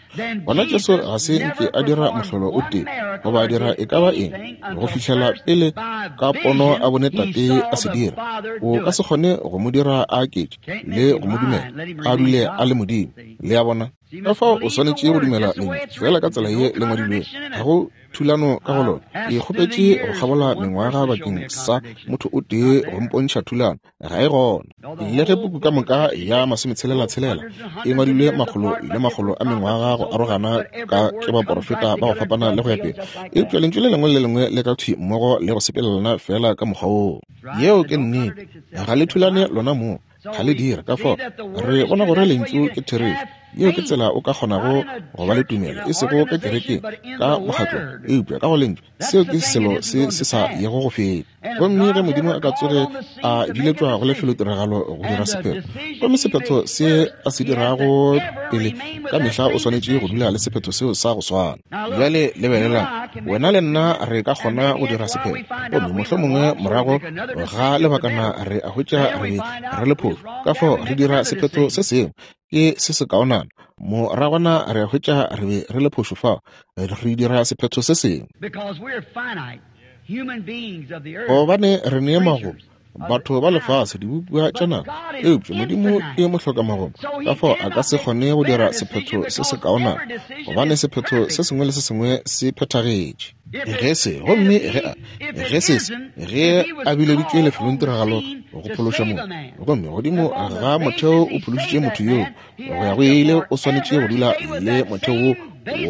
Gona Jesu ga se nke a dira mohlolo o tee goba a dira e ka ba eng go fihlela pele ka pono a bone tate a se dira. O ka se kgone go mo dira a aketše le go mo dumela a dule a le Modimo. Le a bona? Ka fao o swanetše go dumela lentšu fela ka tsela ye le ngwadilwego. Ga go thulano ka go lona. Ke kgopetše go kgabola mengwaga bakeng sa motho o tee go mpontšha thulano, ga e gona. Le ge puku ka moka ya masometshelela-tshelela e ngwadilwe makgolo le makgolo a mengwaga go arogana ka ke baporofeta ba go fapana le go ya pele, eupša lentšu le lengwe le lengwe le ka thwi mmogo le go sepelelana fela ka mokgwa woo. Yeo ke nnete. Ga le thulane lona moo, ga le dira. Ka fao re bona gore lentšu ke therešo. Yeo ke tsela o ka kgonago go ba le tumelo, e sego ka kerekeng, ka mokgatlong, eupša ka go lentšu. Seo ke selo se se sa yego go feta. Gomme ge Modimo a ka tsoge a biletšwa go lefelotiragalo go dira sephetho, gomme sephetho se a se dirago pele ka mehla o swanetše go dula le sephetho seo sa go swana. Bjale lebelelang, wena le nna re ka kgona go dira sephetho, gomme mohlomongwe morago ga lebakana re a hwetša re be re le phošo. Ka fao re dira sephetho se sengwe ke se se kaonana, moragwana re a hwetša re be re le phošo fao, re dira sephetho se sengwe. Gobane re ne magomo, batho ba lefase, dibopiwa tša naga, eupša Modimo ke mohloka-magomo, ka fao a ka se kgone go dira sephetho se se kaonana, gobane sephetho se sengwe le se sengwe se phethagetše. Ge se, gomme ge a, ge se se, ge a bileditšwe lefelong tiragalo go phološa motho, gomme godimo ga motheo o phološitše motho yoo go ya go ile, o swanetše go dula le motheo wo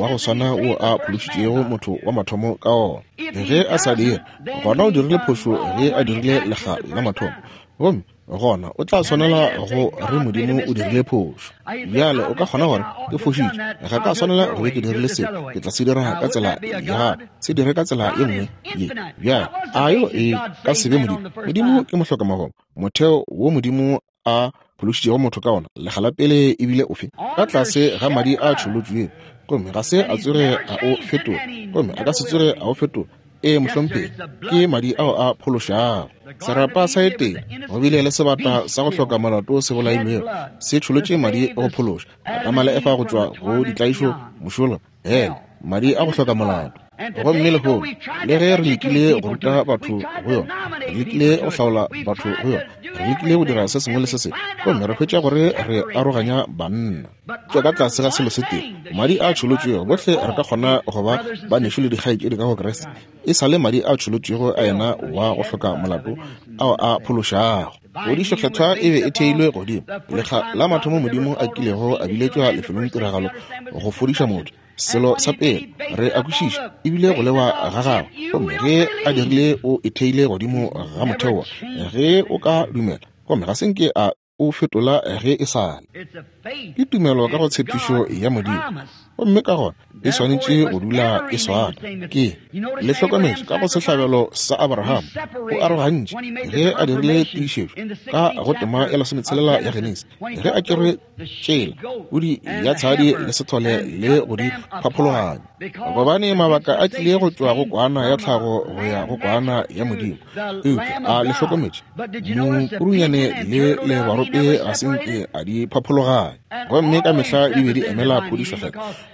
wa go swana wo a phološitšego motho wa mathomo ka ona. Ge a sa dira, gona o dirile phošo ge a dirile lekga la mathomo, gomme gona o tla swanela go re Modimo o dirile phošo. Bjale o ka kgona gore ke fošitše, ga ka swanela go be ke dirile se, ke tla se dira ka tsela ya se dire ka tsela ye nngwe ye. Bjale a yo e ka se be Modimo? Modimo ke mohloka-magomo. Motheo wo Modimo a phološitšego motho ka ona lekga la pele ebile ofe? Ka tlase ga madi a tšholotšwego, gomme ga se a tsoge a o fetola, gomme a ka se tsoge a o fetola. Ee mohlomphegi, ke madi ao a phološago. Serapa sa Etene go bile le sebata sa go hloka molato se bolailwego, se tšholotše madi go phološa Adama le Efa go tšwa go ditlaišo mošola, hele, madi a go hloka molato. Gomme lehono, le ge re lekile go ruta batho go yona, re lekile go hlaola batho go yona, re lekile go dira se sengwe le se sengwe, gomme re hwetša gore re aroganya banna. Tšwa ka tlase ga selo se tee, madi a tšholotšwego, bohle re ka kgona go ba banešu le dikgaetšedi ka go Kriste, e sa le madi a tšholotšwego a yena wa go hloka molato ao a phološago. Phodišo kgethwa e be e theilwe godimo lekga la mathomo Modimo a kilego a biletšwa lefelong tiragalo go fodiša motho. Selo sa pele re a kwešiša ebile go lewa ga gagwe, gomme ge a dirile o e theile godimo ga motheo ge o ka dumela, gomme ga se nke a o fetola ge e sa le. Ke tumelo ka go tshepišo ya Modimo, gomme ka gona e swanetše go dula e swana. Ke le hlokometše ka go sehlabelo sa Abraham, o arogantše ge a dirile tiišetšo ka go tema ya lesometshelela ya Genesi, ge a tšere tšela pudi ya tshadi le sethole le go di phaphologanya, gobane mabaka a tlile go tšwa go kwana ya tlhago go ya go kwana ya Modimo. Eupša a le hlokometše mokurunyane le lebarope ga se nke a di phaphologanya, gomme ka mehla di be di emela phodišo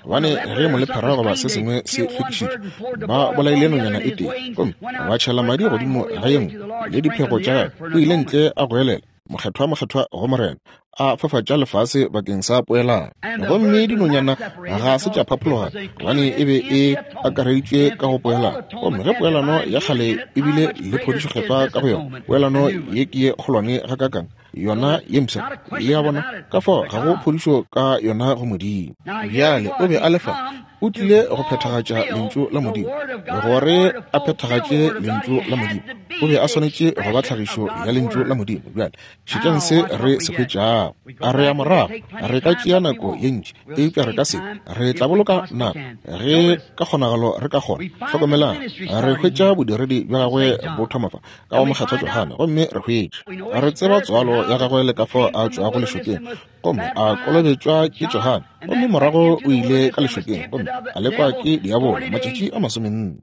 gobane ge molephera goba se sengwe se hlwekišitšwe, ba bolaile nonyana e tee gomme ba tšhela madi godimo ga ye nngwe le diphego tša gagwe. O ile ntle a goelela, mokgethwa mokgethwa go Morena, a fafatša lefase bakeng sa poelano. Gomme dinonyana ga se tša phaphologana gobane e be e akareditšwe ka go poelano. Gomme ge poelano ya kgale e bile le phodišo kgethwa ka go yona, poelano ye ke ye kgolwane gakakang yona ye mpsha. Le a bona, ka fao ga go phodišo ka yona go Modimo. Bjale o be a le fa, o tlile go phethagatša lentšu la Modimo. Gore a phethagatše lentšu la Modimo, o be a swanetše go ba tlhagišo ya lentšu la Modimo. Bjale šetšang se re se hwetšago. A re ya morago, re ka tšea nako ye ntši, eupša re ka se, re tla boloka nako ge ka kgonagalo re ka kgona. Hlokomelang, re hwetša bodiredi bja gagwe bo thoma fa ka go mokgethwa Johane, gomme re hwetša re tseba tswalo ya gagwe le ka fao a tšwago lešokeng, gomme a kolobetšwa ke Johane, gomme morago o ile ka lešokeng gomme a lekwa ke diabolo matšatši a masomenne.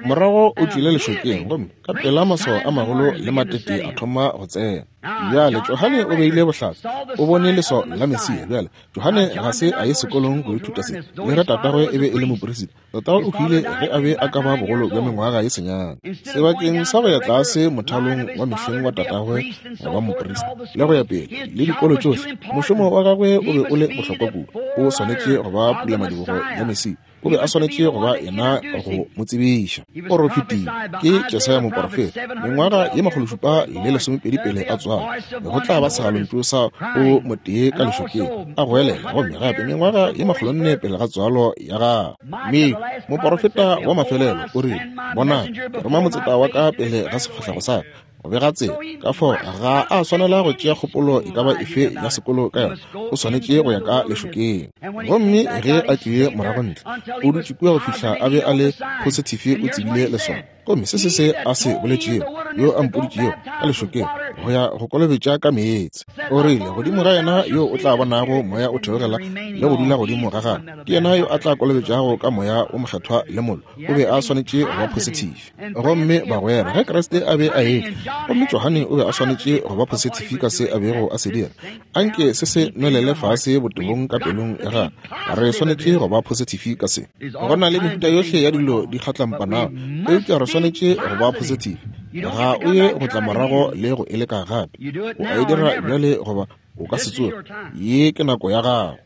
Morago o tšwile lešokeng gomme ka pela maswao a magolo le matete a thoma go tsena. Bjale Johane o beile bohlatse, o bone leswao la Mesia. Bjale Johane ga se a ye sekolong go ithuta se, le ge tatagwe e be e le moperisita. Tatagwe o hwile ge a be a ka ba bogolo bja mengwaga ye senyane. Sebakeng sa go ya tlase mothalong wa mehleng wa tatagwe wa moperisita le go ya pele le dikolo tšohle, mošomo wa gagwe o be o le bohlokwa kudu. O swanetše go ba pulamadibogo ya Mesia. O be a swanetše go ba yena go mo tsebiša. O profetile ke Jesaya moporofeta mengwaga ye makgolo šupa le lesomepedi pele a tswalwa, go tla ba segalontšu sa o motee ka lešokeng a goelela, gomme gape mengwaga ye makgolo nne pele ga tswalo ya gagwe. Mme moporofeta wa mafelelo o rile, bonang, ke roma motseta wa ka pele ga sefahlego sa ka go bega tsela. Ka fao ga a swanela go tšea kgopolo e ka ba efe ya sekolo ka yona, o swanetše go ya ka lešokeng. Gomme ge a tlile morago ntle, o dutše kua go fihla a be a le positive, o tsebile leswao. Gomme se se se a se boletšego, yo a mpoditšego ka lešokeng go ya go kolobetša ka meetse, o rile, godimo ga yena yo o tla bonago moya o theogela le go dula godimo ga gagwe, ke yena yo a tla kolobetšago ka moya o mokgethwa le mollo. O be a swanetše go ba positive. Gomme bagwera, ge Kriste a be a etla, gomme Johane o be a swanetše go ba positive ka se a bego a se dira, anke se se nwelele fase botebong ka pelong ya gagwe. Re swanetše go ba positive ka se. Go na le mehuta yohle ya dilo di kgatlampanago, eupša re swanetše go ba positive. Ga o ye go tla morago le go e leka gape. O a e dira bjale goba o ka se tsoge. Ye ke nako ya gago.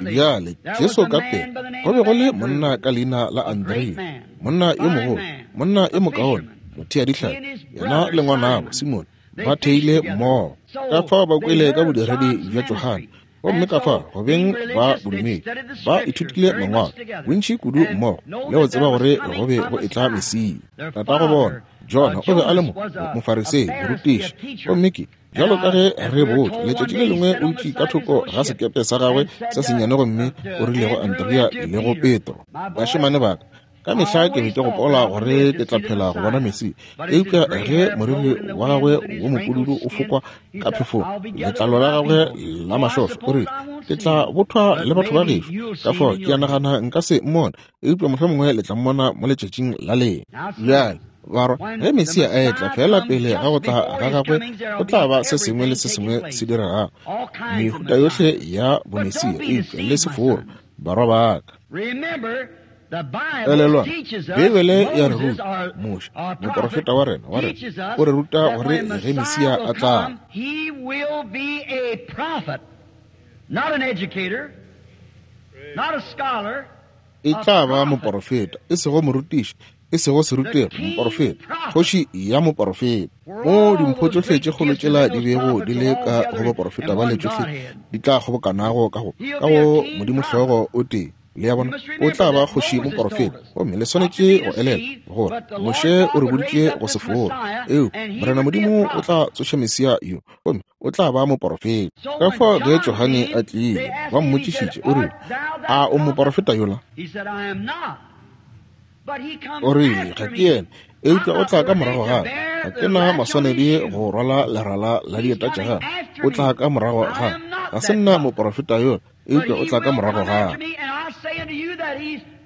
Bjale Jesu ka pele, go be go le monna ka leina la Andrea, monna yo mogolo, monna yo mokaone, mothea dihlapi, yena le ngwanabo Simone ba theile mmogo. Ka fao ba kwele ka bodiredi bja Johane, gomme ka fao go beng ba bodumedi ba ithutile mangwalo bontši kudu mmogo le go tseba gore go be go etla Mesia. Tatago bona Jona o be a le mo mofarisei, morutiši, gomme ke bjalo ka ge re botšwa letšatši le lengwe o dutše ka thoko ga sekepe sa gagwe se sennyane gomme o rile go Andrea le go Petro, bašemane ba ka, ka mehla ke be ke gopola gore ke tla phela go bona Mesia, eupša ge moriri wa gagwe wo mopududu o fokwa ka phefong, letlalo la gagwe la mašošo, o rile, ke tla bothwa le batho ba gešo, ka fao ke a nagana nka se mmone, eupša mohlomongwe le tla mmona mo letšatšing la lena. Bjale barwa, ge Mesia a etla fela pele ga go tla ga gagwe, go tla ba se sengwe le se sengwe se diregago, mehuta yohle ya bomesia, eupša le seforo, barwa ba ka. Elelwa, Beibele ya re ruta, Moshe, moporofeta wa rena wa rena, o re ruta gore ge Mesia a tla, e tla ba moporofeta, e sego morutiši, e sego serutegi, moporofeta, kgoši ya moporofeta. Mo dimpho tšohle tše kgolo tšela di bego di le ka go baporofeta ba le tšohle di tla kgobokanago ka go ka go Modimo hlogo o tee. Le a bona, o tla ba kgoši moporofeta. Gomme le swanetše go elela gore Moshe o re boditše go se fora. Eo, Morena Modimo o tla tsoša Mesia yo, gomme o tla ba moporofeta. Ka fao ge Johane a tlile, ba mmotšišitše, o rile, a o moporofeta yola? O rile, ga ke yena, eupša o tla ka morago ga ga ke na maswanedi go rwala lerala la dieta tša gagwe. O tla ka morago ga ga se nna moporofeta yola, eupša o tla ka morago ga.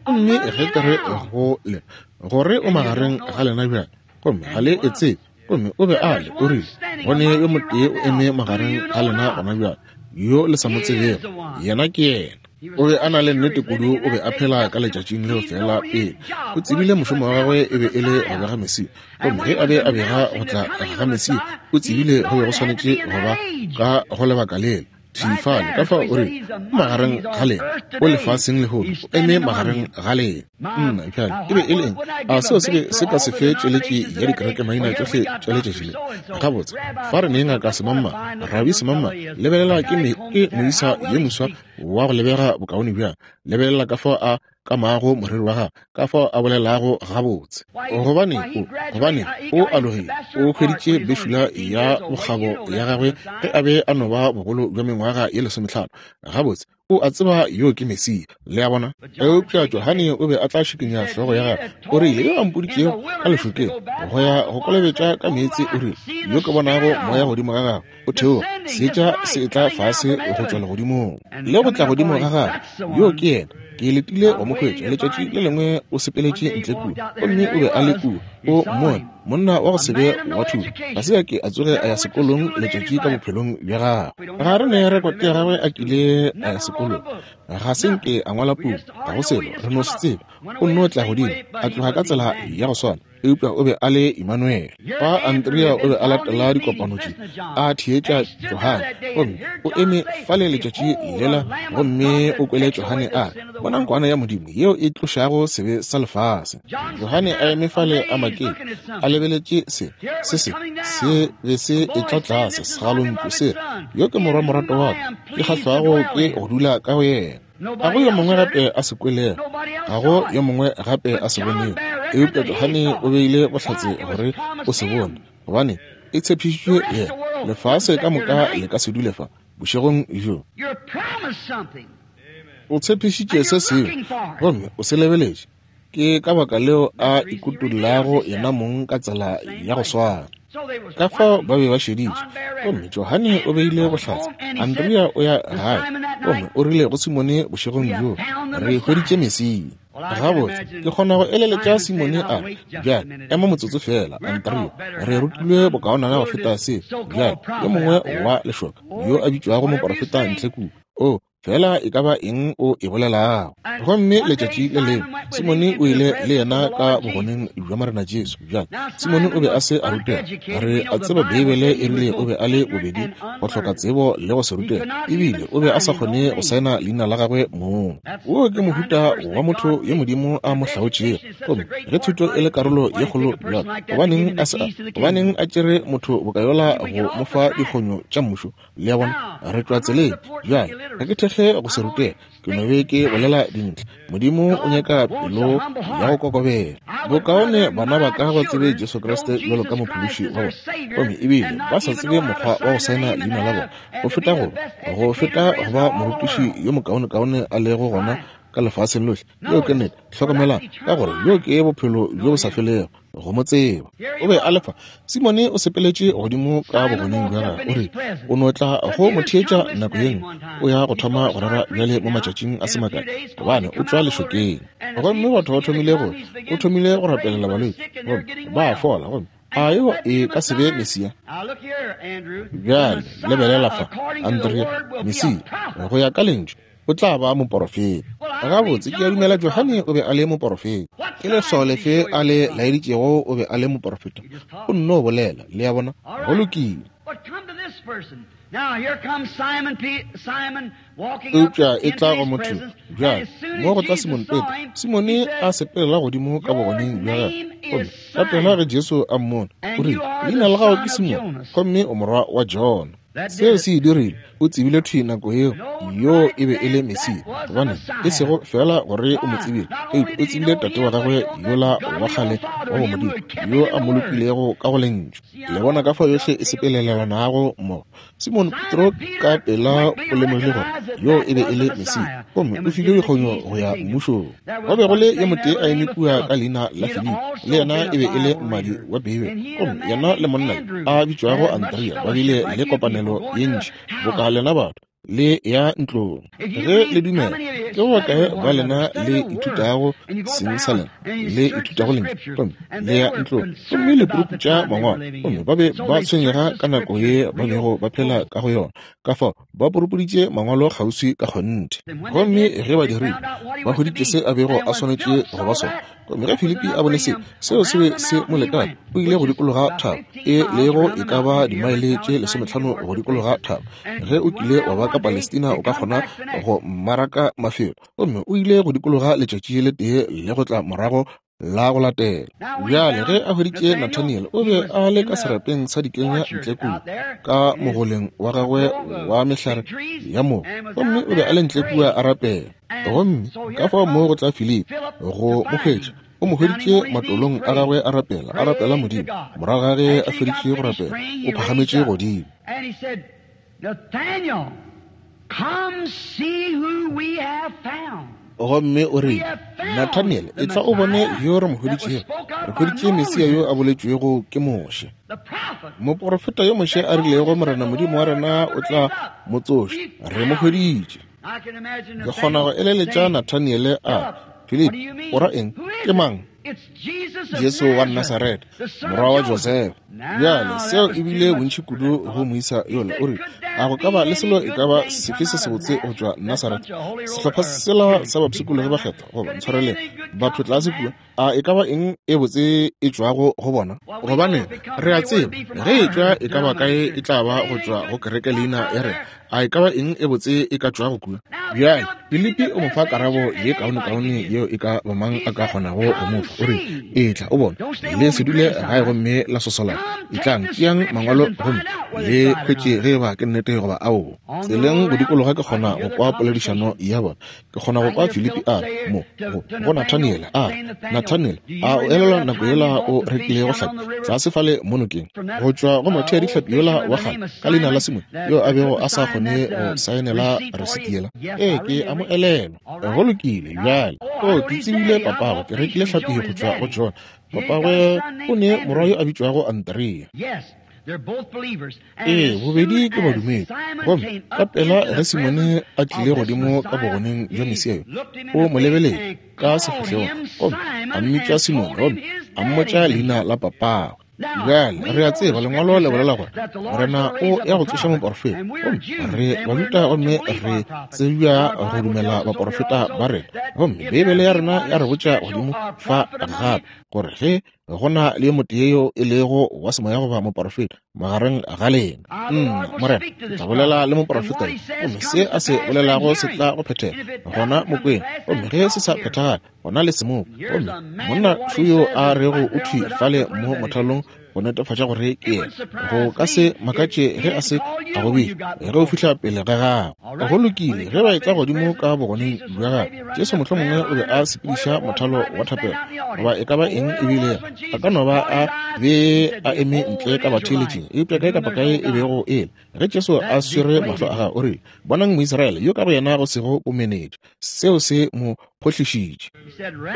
Gomme ge ke re go le gore o magareng ga lena bjale, gomme ga le e tsebe, gomme o be a le, o rile, gone yo motee o eme magareng ga lena gona bjale, yo le sa mo tsebego, yena ke yena. O be a na le nnete kudu, o be a phela ka letšatšing leo fela pele. O tsebile mošomo wa gagwe e be e le go bega Mesia. Gomme ge a be a bega go tla ga Mesia, o tsebile go be go swanetše go ba ka go lebaka lela. Thifale, ka fao o re, magareng ga lena, o lefaseng lehono, o eme magareng ga lena. Nna, bjale, e be e le eng? A seo se be se ka se fe tšeletši ya dikereke maina tšohle tša letšatši le? Gabotse, fa re ne ngaka semamma, rabi semamma, lebelela ke me, ke moisa ye moswa wa go lebega bokaone bjang. Lebelela ka fao a kamago moriri wa gagwe, ka fao a bolelago gabotse. Gobane o, gobane o alogile, o hweditše bešula ya bokgabo ya gagwe ge a be a no ba bogolo bja mengwaga ye lesomehlano. Gabotse, o a tseba yo ke Mesia. Le a bona? Eupša Johane o be a tla šikinya hlogo ya gagwe. O rile, yo a mpoditšego ka lešokeng go ya go kolobetša ka meetse, o rile, yo ke bonago moya godimo ga gagwe o theoga, seetša se etla fase go tšwa legodimong le go tla godimo ga gagwe, yo ke yena. Ke letile go mo hwetša. Letšatši le lengwe o sepeletše ntle kua, gomme o be a le kua, o mmone, monna wa go se be wa thuto. Ga se a ke a tsoge a ya sekolong letšatši ka bophelong bja gagwe. Ga re ne rekote ya gagwe a kile a ya sekolong. Ga se nke a ngwala puku, ga go selo, re no se tsebe. O nno tla godimo, a tloga ka tsela ya go swana, eupša o be a le Emmanuel. Fa Andrea o be a latela dikopano tše, a theetša Johane, gomme o eme fale letšatši lela, gomme o kwele Johane a re, bonang kwana ya Modimo yeo e tlošago sebe sa lefase. Johane a eme fale a maketše, a lebeletše se, se se, se be se etla tlase segalontšu se re, yo ke morwa morato wa ka, ke kgahlwago ke go dula ka go yena. Ga go yo mongwe gape a se kwelego, ga go yo mongwe gape a se bonego, eupša Johane o beile bohlatse gore o se bone, gobane e tshepišitšwe yena. Lefase ka moka le ka se dule fa bošegong bjo. O tshepišitše se sengwe, gomme o se lebeletše. Ke ka baka leo a ikutollago yena mong ka tsela ya go swana. Ka fao ba be ba šeditše, gomme Johane o beile bohlatse. Andrea o ya gae, gomme o rile go Simone bošegong bjo, re hweditše Mesia. Gabotse, ke kgona go eleletša Simone a re, bjale, ema motsotso fela, Andrea, re rutilwe bokaonana go feta se. Bjale, yo mongwe wa lešoka, yo a bitšwago moporofeta ntle kua, o fela e ka ba eng o e bolelago. Gomme letšatši le lengwe Simone o ile le yena ka bogoneng bja Morena Jesu. Bjale Simone o be a se a rutega. Re a tseba Beibele e rile o be a le bobedi go hloka tsebo le go se rutega, ebile o be a sa kgone go saena leina la gagwe mong. Wo ke mohuta wa motho yo Modimo a mo hlaotšego. Gomme ge thuto e le karolo ye kgolo bjalo, gobaneng a se a, gobaneng a tšere motho bokayola go mo fa dikgonyo tša mmušo? Le a bona, re tšwa tseleng. Bjale ga ke thekge go se rutega, ke no be ke bolela dintle. Modimo o nyaka pelo ya go kokobela. Bokaone bana ba ka ba tsebe Jesu Kriste bjalo ka mophološi wa bona, gomme ebile ba sa tsebe mokgwa wa go saena leina la bona, go feta go go feta go ba morutiši yo mokaonekaone a lego gona ka lefaseng lohle. Yeo ke nnete. Hlokomelang, ka gore yo ke bophelo bjo bo sa felego, go mo tseba. O be a lefa. Simone o sepeletše godimo ka bogoneng bja gagwe, o rile o no tla go mo theetša nako ye nngwe. O ya go thoma go rera bjale mo matšatšing a se makae, gobane o tšwa lešokeng. Gomme batho ba thomile go, o thomile go rapelela balwetši, gomme ba fola. Gomme a yo e ka se be Mesia? Bjale lebelela fa, Andrea, Mesia go ya ka lentšu o tla ba moporofeta. Gabotse, ke a dumela Johane o be a le moporofeta. Ke leswao lefe a le laeditšego o be a le moporofeta? O nno bolela, le a bona. Go lokile. Eupša e tla go motho bjale, mo go tla Simone Petro. Simone a sepelela godimo ka bogoneng bja gagwe, gomme ka pela ge Jesu a mmona, o rile, leina la gago ke Simone, gomme o morwa wa Jona. Seo se e dirile, o tsebile thwi nako yeo yo e be e le Mesia, gobane e sego fela gore o mo tsebile, eupša o tsebile tate wa gagwe yola wa kgale wa bomodimo yo a mo lokilego ka go lentšu. Le bona ka fao yohle e sepelelanago mmogo. Simon Petro ka pela o lemogile gore yo e be e le Mesia, gomme o filwe dikgonyo go ya mmušong. Go be go le yo motee a eme kua ka leina la Filipi, le yena e be e le mmadi wa Beibele, gomme yena le monna a bitšwago Andrea ba bile le kopanelo ye ntši boka lena batho le ya ntlong. Ge le dumela, ke bokae ba lena le ithutago seng sa lena, le ithutago lentšu, gomme le ya ntlong gomme le puruputša mangwalo, gomme ba be ba tshwenyega ka nako ye ba bego ba phela ka go yona, ka fao ba purupuditše mangwalo kgauswi ka kgonthe. Gomme ge ba dirile, ba hweditše se a bego a swanetše go ba sona. Gomme ge Filipi a bone se, seo se be se mo lekane, o ile go dikologa thaba, e lego e ka ba dimaele tše lesometlhano go dikologa thaba. Ge o kile wa ba ka Palestina o ka kgona go mmaraka mafelo. Gomme o ile go dikologa letšatši le tee le go tla morago la go latela. Bjale ge a hweditše Nathaniel, o be a le ka serapeng sa dikenya ntle kua ka mogoleng wa gagwe wa mehlare ya mogo, gomme o be a le ntle kua a rapela. Gomme ka fao mo go tla Filipi go mo hwetša, o mo hweditše matolong a gagwe a rapela, a rapela Modimo. Morago ga ge a feditše go rapela, o phagametše godimo. Gomme o rile, Nathaniel, etla o bone yo re mo hweditšego. Re hweditše Mesia yo a boletšwego ke Moshe, moprofeta yo Moshe a rilego Morena Modimo wa rena o tla mo tsoša. Re mo hweditše. Ke kgona go eleletša Nathaniel a Filipi, o ra eng? Ke mang? Jesu wa Nasaretha, morwa wa Josefa. Bjale seo e bile bontši kudu go moisa yola. O rile, a go ka ba le selo e ka ba sefe se sebotse go tšwa Nasaretha? Sehlopha sela sa bapshikologi ba kgethwa, goba ntshwareleng, batho tlase kua, a e ka ba eng e botse e tšwago go bona? Gobane re a tseba ge e tšwa e ka ba kae e tla ba go tšwa go kereke leina ya rena. A e ka ba eng e botse e ka tšwago kua? Bjale Filipi o mo fa karabo ye kaonekaone yeo e ka ba mang a ka kgonago go mo fa. O re, etla o bone, le se dule gae gomme la sosolana. Etlang, tšeang mangwalo gomme le hwetše ge eba ke nnete goba aowa. Tseleng go dikologa ke kgona go kwa poledišano ya bona. Ke kgona go kwa Filipi a re mo go go Nathaniel a re, Nathaniel, a o elelwa nako yela o rekilego hlapi tlase fale mo nokeng go tšwa go mothea dihlapi yola wa kgale ka leina la Simone yo a bego a sa kgone go saenela resiti yela? Ee, ke a mo elelwa. Go lokile bjale. O, ke tsebile papagwe, ke rekile hlapi go tšwa go John. Papagwe o ne morwa yo a bitšwago Andrea. Ee, bobedi ke badumedi. Gomme ka pela ge Simone a tlile godimo ka bogoneng bja Mesia yo, o mo lebeletše ka sefahlegong gomme a mmitša Simone gomme a mmotša leina la papagwe. Bjale re a tseba lengwalo le bolela gore Morena o ya go tsoša moporofeta, gomme re Bajuda gomme re tsebja go dumela baporofeta ba rena. Gomme Beibele ya rena ya re botša godimo fa gape gore ge go na le motee yo e lego wa semoya goba moporofeta magareng ga lena, nna Morena ke tla bolela le moporofeta yo, gomme se a se bolelago se tla go phethega gona mokweng, gomme ge se sa phethagala gona le se mo. Gomme monna šo yo a rego o thwi fale mo mothalong go netefatša gore ke yena. Go ka se makatše ge a se a go bitša ge o fihla pele ga gago. Go lokile, ge ba etla godimo ka bogoneng bja gagwe, Jesu mohlomongwe o be a sepediša mothalo wa thapelo goba e ka ba eng e bile, a ka no ba a be a eme ntle ka batheeletšing, eupša kae kapa kae e bego e le, ge Jesu a swere mahlo a gagwe, o rile, bonang Moisraele yo ka go yena go sego bomenetša. Seo se mo phohlišitše.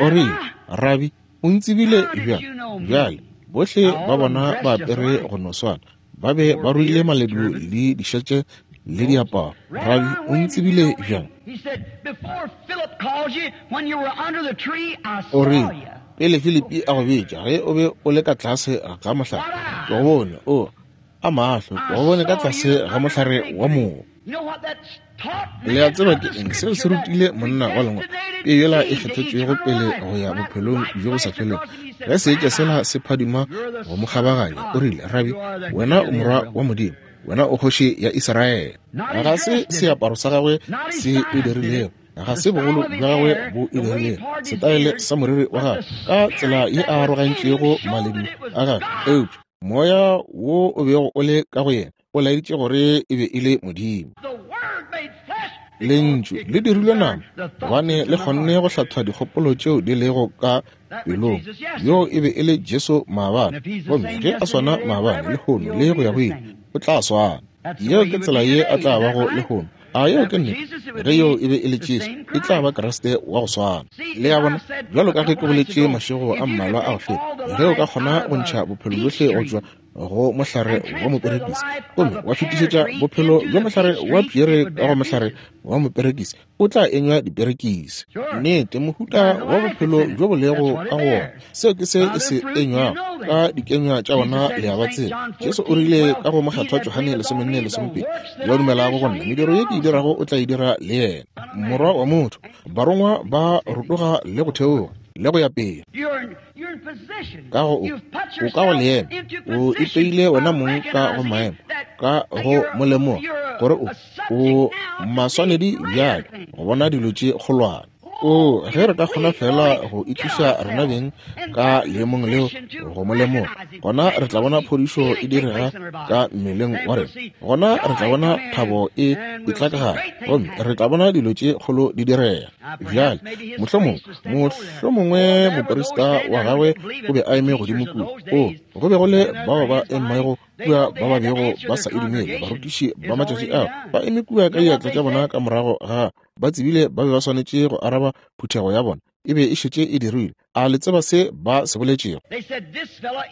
O rile, Rabi, o ntsebile bjang? Bjale bohle ba bona ba apere go no swana, ba be ba ruile maledu le dišetše le diaparo. Rabi, o ntsebile bjang? O rile, pele Filipi a go bitša, ge o be o le ka tlase ga mohlare, ke go bone. O a mahlo, ke go bone ka tlase ga mohlare wa mogo. Le a tseba ke eng seo se rutile monna wa lengwalo peo yela e kgethetšwego pele go ya bophelong bjo bo sa felego? Ge seetša sela se phadima go mo kgabaganya, o rile, Rabi, wena o morwa wa Modimo, wena o kgoši ya Israele. Ga se seaparo sa gagwe se e dirilego, ga se bogolo bja gagwe bo e dirilego, setaele sa moriri wa gagwe ka tsela ye a arogantšego maledu a gagwe, eupša moya wo o bego o le ka go yena O laeditše gore e be e le Modimo. Lentšu le dirilwe nama, gobane le kgonne go hlatha dikgopolo tšeo di lego ka pelong. Yo e be e le Jesu maabane, gomme ge a swana maabane, lehono le go ya go ile, o tla swana. Yeo ke tsela ye a tla bago lehono. A yeo ke nnete? Ge yo e be e le Jesu, e tla ba Kriste wa go swana. Le a bona, bjalo ka ge ke boletše mašego a mmalwa a go feta, ge o ka kgona go ntšha bophelo bjohle go tšwa go mohlare wa moperekisi gomme wa fetišetša bophelo bja mohlare wa pšere ka go mohlare wa moperekisi, o tla enywa diperekisi. Nnete, mohuta wa bophelo bjo bo lego ka go wona, seo ke se e se enywago ka dikenywa tša bona, le a ba tseba. Jesu o rile ka go Mokgethwa Johane lesomenne lesomepedi, yo a dumelago go nna, mediro ye ke e dirago o tla e dira le yena. Morwa wa motho, barongwa ba rotoga le go theoga le go ya pele. Ka go o, o ka go leema, o ipeile wena mong ka go maemo, ka go molemoga gore o, o maswanedi bjale go bona dilo tše kgolwane. O, ge re ka kgona fela go itliša rena beng ka leemong leo go molemoga, gona re tla bona phodišo e direga ka mmeleng wa rena, gona re tla bona thabo e etla ka gare, gomme re tla bona dilo tše kgolo di direga. Bjale, mohlomongwe, mohlomongwe moprista wa gagwe o be a eme godimo kua. O, go be go le bao ba emego kua ba ba bego ba sa e dumele, barutiši ba matšatši ao ba eme kua ka diatla tša bona ka morago ga ba tsebile ba be ba swanetše go araba phuthego ya bona, e be e šetše e dirilwe. A le tseba se ba se boletšego?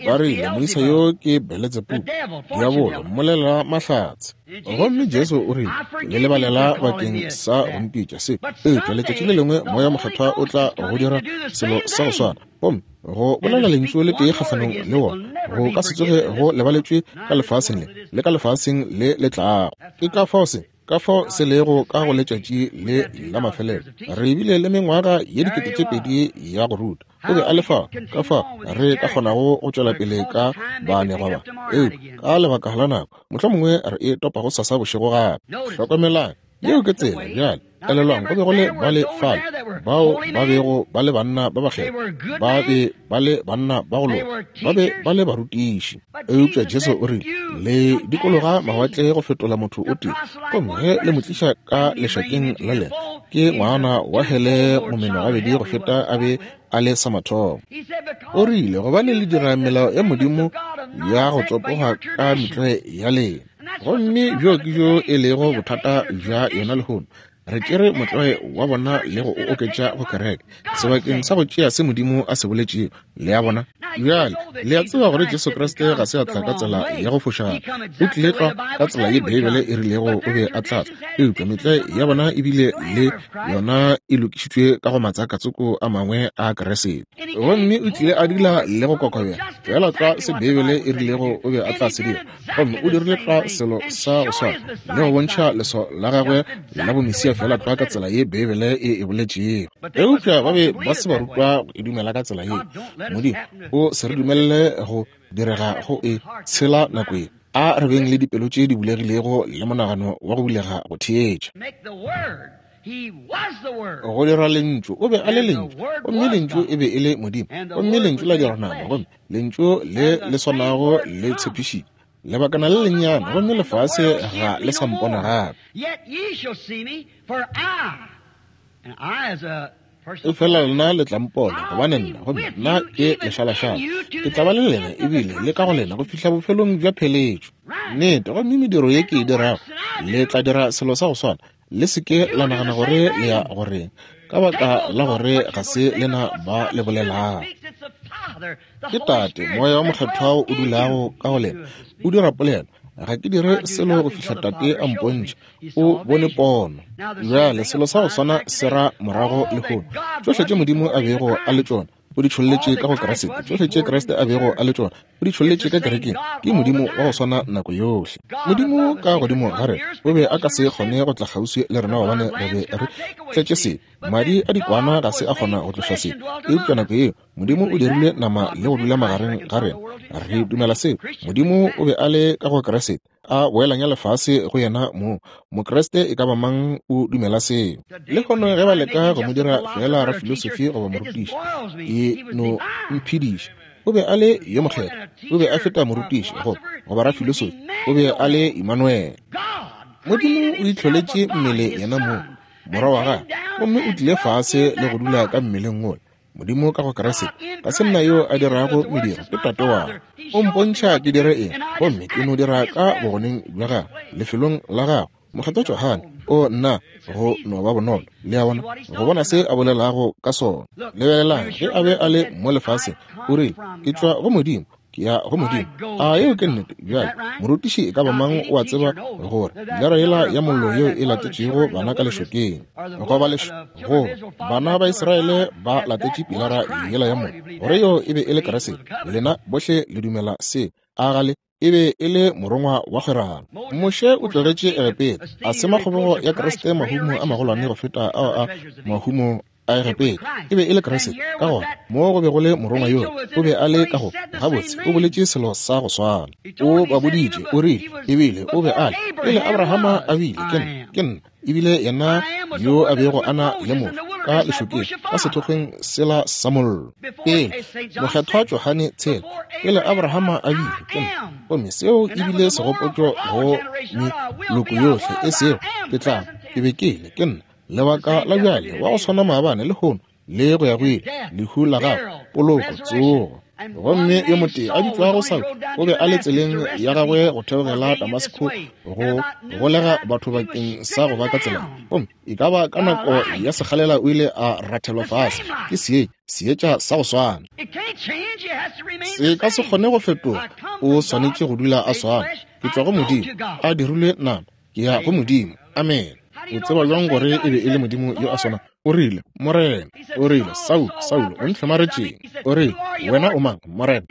Ba rile, moisa yo ke Beletsebubu, diabolo, mmolela mahlatse. Gomme Jesu o rile, le lebalela bakeng sa go mpitša se, eupša letšatši le lengwe Moya Mokgethwa o tla go dira selo sa go swana, gomme go bolela lentšu le tee kgahlanong le wona go ka se tsoge go lebaletšwe ka lefaseng le le ka lefaseng le le tlago. Ke ka fao se ka fao se lego ka go letšatši le la mafelelo. Re bile le mengwaga ye dikete tše pedi ya go ruta. O be a le fao, ka fao re ka kgonago go tšwela pele ka baanegwa ba, eupša ka lebaka la nako mohlomongwe re e topa go sasa bošego gape. Hlokomelang, yeo ke tsela. Bjale elelwang, go be go le ba le fale bao ba bego ba le banna ba bakgethwa, ba be ba le banna ba go loka, ba be ba le barutiši. Eupša Jesu o rile, le dikologa mawatle go fetola motho o tee, gomme ge le mo tliša ka lešakeng la lena, ke ngwana wa hele momenogabedi go feta a be a le sa mathomo. O rile, gobane le dira melao ya Modimo ya go tsopoga ka metlwae ya lena. Gomme bjo ke bjo e lego bothata bja yona lehono. Re tšere motlwae wa bona le go o oketša go kereke sebakeng sa go tšea se Modimo a se boletšego. Le a bona? Bjale le a tseba gore Jesu Kriste ga se a tla ka tsela ya go fošagala, o tlile tlwa ka tsela ye Beibele e rilego o be a tla tla. Eupša metlwae ya bona ebile le yona e lokišitšwe ka go matsakatsoko a mangwe a Kriste. Gomme o tlile a dula le go kokobela fela tlwa se Beibele e rilego o be a tla se dira, gomme o dirile tlwa selo sa go swana le go bontšha leswao la gagwe la bomesia fela tlwa ka tsela ye Beibele e e boletšego. Eupša ba be ba se ba rutwa go e dumela ka tsela ye. Modimo o se re dumelele go direga go e tshela nako ye. A re beng le dipelo tše di bulegilego le monagano wa go bulega go theetša. Go dira lentšu, o be a le lentšu, gomme lentšu e be e le Modimo, gomme lentšu la dira nama, gomme lentšu le le swanago le tshepišitše lebakana le lennyane, gomme lefase ga le sa mpona gape. Efela lena le tla mpona, gobane nna, gomme nna ke lešalašala, ke tla ba le lena ebile le ka go lena go fihla bofelong bja pheletšo. Nnete, gomme mediro ye ke e dirago, le tla dira selo sa go swana. Le se ke la nagana gore le ya goreng, ka baka la gore ga se lena ba le bolelago. Ke Tate, Moya wa Mokgethwa o dulago ka go lena, o dira polelo. Ga ke dire selo go fihla Tate a mpontšha, o bone pono. Bjale selo sa go swana se ra morago lehono. Tšohle tše Modimo a bego a le tšona o di tšholletše ka go Kriste, tšohle tše Kriste a bego a le tšona o di tšholletše ka kerekeng. Ke Modimo wa go swana nako yohle. Modimo ka godimo ga rena o be a ka se kgone go tla kgauswi le rena gobane re be re tletše sebe. Madi a dikwana ga se a kgona go tloša sebe, eupša nako yeo Modimo o dirile nama le go dula magareng ga rena. Re dumela seo. Modimo o be a le ka go Kriste, a boelanya lefase go yena moo. Mokriste e ka ba mang o dumela seo. Lehono ge ba leka go mo dira fela rafilosofi goba morutiši, e no mphediša. O be a le yo mokgethwa, o be a feta morutiši go goba rafilosofi. O be a le Emmanuel. Modimo o itlholetše mmele yena mong, morwa wa gagwe, gomme o tlile fase le go dula ka mmeleng wola. Modimo ka go Kriste, ga se nna yo a dirago mediro, ke Tate wa ka. O mpontšha ke dire eng, gomme ke no dira ka bogoneng bja gagwe, lefelong la gagwe. Mokgethwa Johane, o nna go no ba bonolo, le a bona, go bona se a bolelago ka sona. Lebelelang, ge a be a le mo lefaseng, o rile, ke tšwa go Modimo, ke ya go Modimo. A yeo ke nnete? Bjale, morutiši e ka ba mang o a tseba gore pilara yela ya mollo yeo e latetšego bana ka lešokeng, goba leš go bana ba Israele ba latetše pilara yela ya mollo, gore yeo e be e le Kriste. Lena bohle le dumela se, a gale? E be e le morongwa wa kgwerano. Moshe o tlogetše Egepeta, a sema kgobogo ya Kriste mahumo a magolwane go feta ao a mahumo a Egepeta. E be e le Kriste. Ka gona mo go be go le morongwa yoo, o be a le ka go gabotse, o boletše selo sa go swana. O ba boditše, o rile, ebile o be a le pele Abrahama a bile, ke nna, ke nna, ebile yena yo a bego a na le motho ka lešokeng, ka sethokgweng sela sa mollo. Pele mokgethwa Johane tshela, pele Abrahama a bile, ke nna. Gomme seo ebile segopotšo go meloko yohle, e sego ke tla, ke be ke le, ke nna. Lebaka la bjale, wa go swana maabane le hono le go ya go ile, lehu la gagwe, poloko, tsogo. Gomme yo motee a bitšwago Saulo o be a le tseleng ya gagwe go theogela Damasko go golega batho bakeng sa go ba ka tsela. Gomme e ka ba ka nako ya sekgalela o ile a rathelwa fase ke seetša, seetša sa go swana. Se ka se kgone go fetoga, o swanetše go dula a swana. Ke tšwa go Modimo, a dirilwe nama, ke ya go Modimo. Amen. O tseba bjang gore e be e le Modimo yo a swana? O rile, Morena. O rile, Saulo, Saulo, o ntlhomaretšeng? O rile, wena o mang, Morena?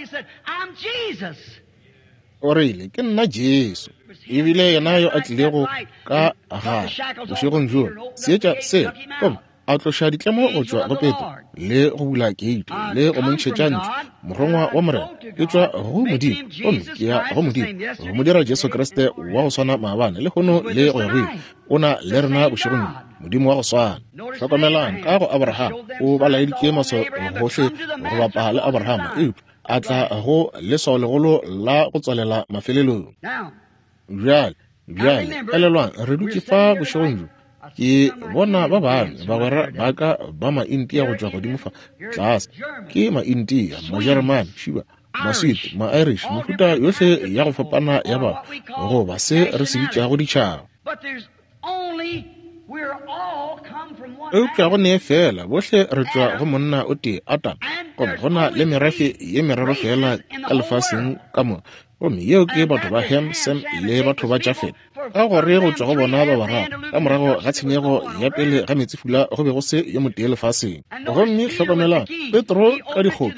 O rile, ke nna Jesu. Ebile yena yo a tlilego ka gare bošegong bjono, seetša sela, gomme a tloša ditlemo go tšwa go Petro, le go bula keiti, le go mo ntšhetša ntle, morongwa wa Morena. Ke tšwa go Modimo, gomme ke ya go Modimo, go mo dira Jesu Kriste wa go swana maabane, lehono le go ya go ile. O na le rena bošegong bjo, Modimo wa go swana. Hlokomelang, ka go Abraham, o ba laeditše maswao gohle go bapa le Abraham, eupša a tla go leswao legolo la go tswalela mafelelong. Bjale, bjale, elelwang, re dutše fa bošegong bjo. Ke bona ba bangwe bagwera ba ka ba Maintia go tšwa godimo fa tlase. Ke Maintia, Majeremane, Šiba, Maswiti, Ma-Irish, mehuta yohle ya go fapana ya batho, goba se re se bitšago ditšhaba. Eupša go nee fela, bohle re tšwa go monna o tee, Adam, gomme go na le merafe ye meraro fela ka lefaseng ka moka, gomme yeo ke batho ba Ham, Sem le batho ba Jafet. Ka gore go tšwa go bona ba bararo, ka morago ga tshenyego ya pele ga meetsefula, go be go se yo motee lefaseng. Gomme hlokomelang, Petro ka dikgopo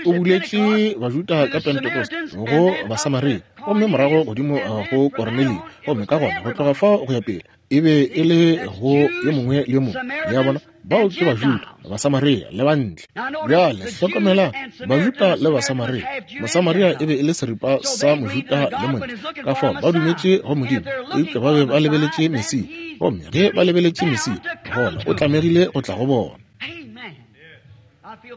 o buletše Bajuda ka Pentecost go Basamaria, gomme morago godimo go Kornelio, gomme ka gona go tloga fao go ya pele e be e le go yo mongwe le yo mongwe. Le a bona, bao ke Bajuda, Basamaria le bantle. Bjale hlokomelang, Bajuda le Basamaria. Mosamaria e be e le seripa sa Mojuda le montle, ka fao ba dumetše go Modimo, eupša ba be ba lebeletše Mesia. Gomme ge ba lebeletše Mesia, gona o tlamegile go tla go bona.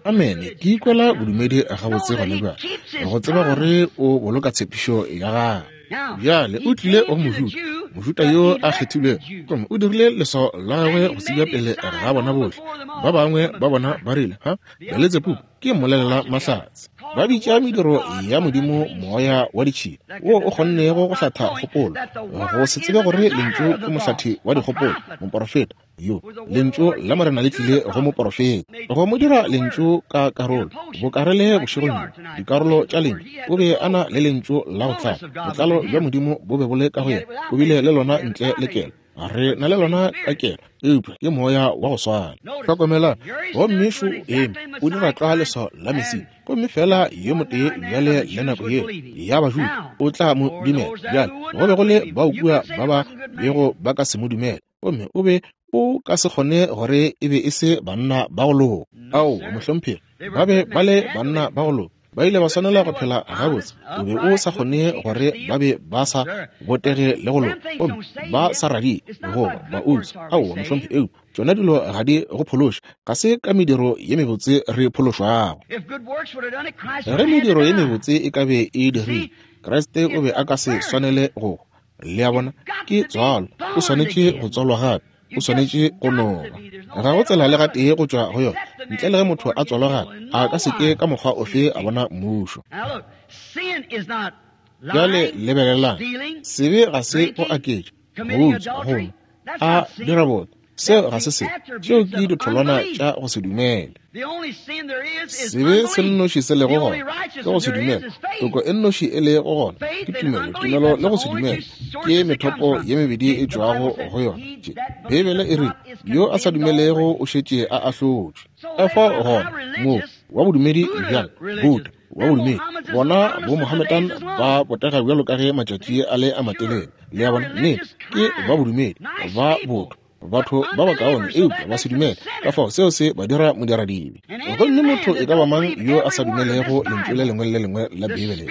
Amene. Ke ikwela bodumedi gabotse gona bjale, go tseba gore o boloka tshepišo ya gagwe. Bjale o tlile go Mojuda, Mojuda yo a kgethilwego, gomme o dirile leswao la gagwe go tsebja pele ga bona bohle. Ba bangwe ba bona ba rile, ha, Beletsebubu ke mmolelela mahlatse. Ba bitša mediro ya Modimo moya wa ditšhila, wo o kgonnego go hlatha kgopolo, go se tsebe gore lentšu ke mohlathi wa dikgopolo, moporofeta yo. Lentšu la Morena le tlile go moporofeta, go mo dira lentšu ka karolo, bokarele bošegong bjo, dikarolo tša lentšu. O be a na le lentšu la go tlala, botlalo bja Modimo bo be bo le ka go yena, o bile le lona ntle le kelo. Re na le lona ka kelo, eupša ke moya wa go swana. Hlokomelang, gomme šo eme, o dira tlwa leswao la Mesia, gomme fela yo motee bjale le nako yeo ya Bajuda o tla mo dumela. Bjale go be go le bao kua ba ba bego ba ka se mo dumele, gomme o be o ka se kgone gore e be e se banna ba go loka. Ao, mohlomphegi, ba be ba le banna ba go loka. Ba ile ba swanela go phela gabotse. O be o sa kgone gore ba be ba sa botege le go loka, gomme ba sa radie goba ba utswa. Aowa, mohlomphegi, eupša tšona dilo ga di go phološe. Ga se ka mediro ye mebotse re phološwago. Ge mediro ye mebotse e ka be e dirile, Kriste o be a ka se swanele go. Le a bona, ke tswalo, o swanetše go tswalwa gape, o swanetše go noba. Ga go tsela le gatee go tšwa go yona, ntle le ge motho a tswalwa gape, a ka se ke ka mokgwa ofe a bona mmušo. Bjale lebelelang, sebe ga se go aketša, go utswa, go nwa, a dira botho. Seo ga se se, tšeo ke ditholwana tša go se dumele. Sebe se nnoši se lego gona ke go se dumele. Toko e nnoši e lego gona ke tumelo. Tumelo le go se dumele ke methopo ye mebedi e tšwago go yona. Beibele e rile, yo a sa dumelego o šetše a ahlotšwe. Ka fao gona moo wa bodumedi bjang Buddha wa bodumedi bona bo Mohammedan ba botega bjalo ka ge matšatši a le a matelele. Le a bona, nnete ke ba bodumedi ba botho, batho ba bakaone, eupša ba se dumele. Ka fao seo se ba dira modiradibe. Gomme motho e ka ba mang yo a sa dumelego lentšu le lengwe le lengwe la Beibele,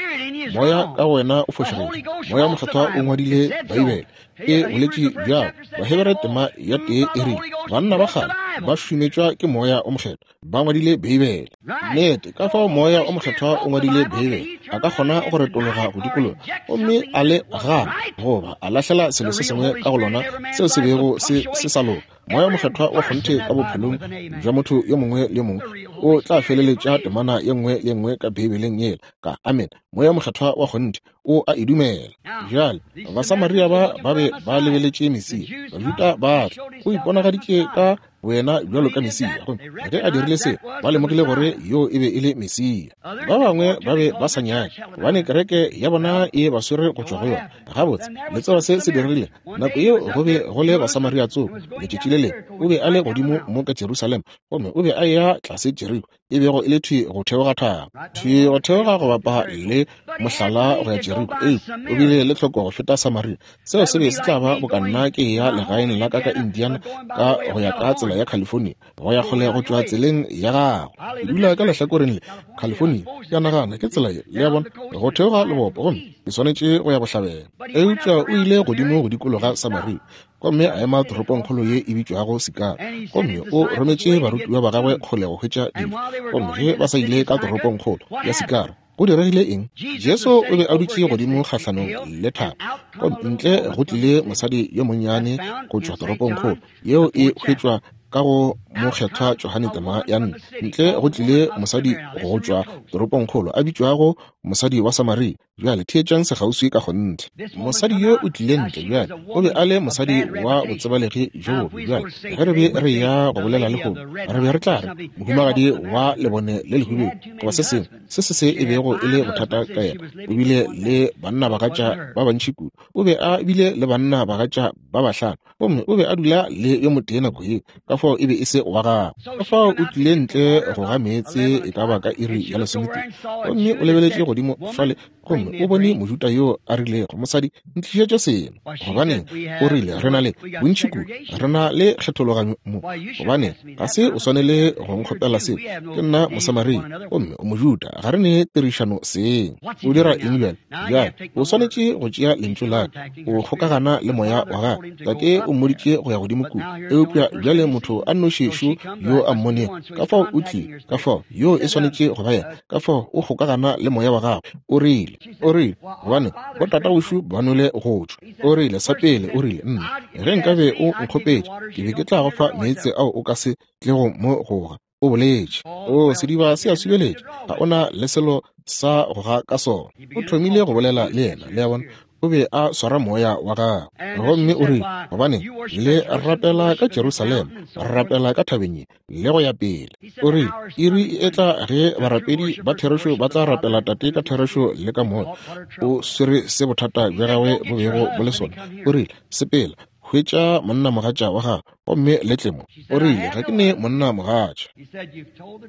moya ka wena o fošagetše. Moya Mokgethwa o ngwadile Beibele, e boletše bjalo. Bahebere tema ya tee e rile, banna ba kgale ba šumetšwa ke Moya o Mokgethwa, ba ngwadile Beibele. Nnete, ka fao Moya o Mokgethwa o ngwadile Beibele, a ka kgona go retologa go dikologa gomme a le gana goba a lahlela selo se sengwe ka go lona seo se bego se se sa loka. Moya Mokgethwa wa kgonthe ka bophelong bja motho yo mongwe le mongwe o tla feleletša temana ye nngwe le nngwe ka Beibeleng yela ka amen. Moya Mokgethwa wa kgonthe o a e dumela. Bjale Basamaria ba ba be ba lebeletše Mesia, Bajuda ba tla, o iponagaditše ka boyena bjalo ka Mesia, gomme ge a dirile seo ba lemogile gore yo e be e le Mesia. Ba bangwe ba be ba sa nyake, gobane kereke ya bona e ba swere go tšwa go yona. Gabotse, le tseba se se diregile nako yeo go be go le Basamaria tsoko. Letšatši le lengwe o be a le godimo mo ka Jerusalema, gomme o be a eya tlase Jeriko, e bego e le thwi go theoga thaba, thwi go theoga go bapa le mohlala go ya Jeriko. Eupša o bile le tlhoko go feta Samaria. Seo se be se tla ba boka nna ke ya legaeng la ka ka Indiana ka go ya ka tsela ya California, go ya kgole go tšwa tseleng ya gago. Ke dula ka lehlakoreng le California, ke a nagana ke tsela ye, le a bona, go theoga lebopo, gomme ke swanetše go ya bohlabela. Eupša o ile godimo go dikologa Samaria, gomme a ema toropongkgolo ye e bitšwago Sikara, gomme o rometše barutiwa ba gagwe kgole go hwetša dijo. Gomme ge ba sa ile ka toropongkgolo ya Sikara, go diregile eng? Jesu o be a dutše godimo kgahlanong le thaba, gomme ntle go tlile mosadi yo monnyane go tšwa toropongkgolo yeo e hwetšwa ka go Mokgethwa Johane tema ya nne. Ntle go tlile mosadi go tšwa toropongkgolo a bitšwago mosadi wa Samaria. Bjale theetšang sekgauswi ka kgonthe. Mosadi yo o tlile ntle bjale, o be a le mosadi wa botsebalegi bjo bobe. Bjale ge re be re ya go bolela lehono, re be re tla re mohumagadi wa lebone le lehubedu goba se sengwe se se se e bego e le bothata ka yena. O bile le banna bagatša ba bantši kudu, o be a bile le banna bagatša ba bahlano, gomme o be a dula le yo motee nako yeo, ka fao e be e se wa gagwe. Ka fao o tlile ntle go ga meetse e ka ba ka iri ya lesometee, gomme o lebeletše godimo fale, gomme o bone Mojuda yo a rilego, mosadi, ntlišetše seno. Gobaneng, o rile, re na le bontši kudu, re na le kgethologanyo mo. Gobaneng, ga se o swanele go nkgopela seo, ke nna Mosamaria gomme o Mojuda, ga re ne tirišano seng. O dira eng bjale? Bjale o swanetše go tšea lentšu la ka, o kgokagana le moya wa gagwe. Tate o mmoditše go ya godimo kua, eupša bjale motho a nnoši šo yo a mmonego, ka fao o tlile, ka fao yo e swanetše go ba yena, ka fao o kgokagana le moya wa gagwe. O rile, o rile, gobane botatawešo ba nwele go tšwa. O rile, sa pele, o rile, nna ge nkabe o nkgopetše, ke be ke tla go fa meetse ao o ka se tlego mo goga. O boletše, o sediba se a subeletša, ga ona le selo sa go ga ka sona. O thomile go bolela le yena, le a bona, o be a swara moya wa gagwe. Gomme o rile, gobane le rapela ka Jerusalema, re rapela ka thabeng ye, le go ya pele. O rile, iri e tla ge barapedi ba therešo ba tla rapela Tate ka therešo le ka moya. O swere se bothata bja gagwe bo bego bo le sona. O rile, sepela, hwetša monnamogatša wa gago, gomme le tle mo. O rile, ga ke ne monnamogatša.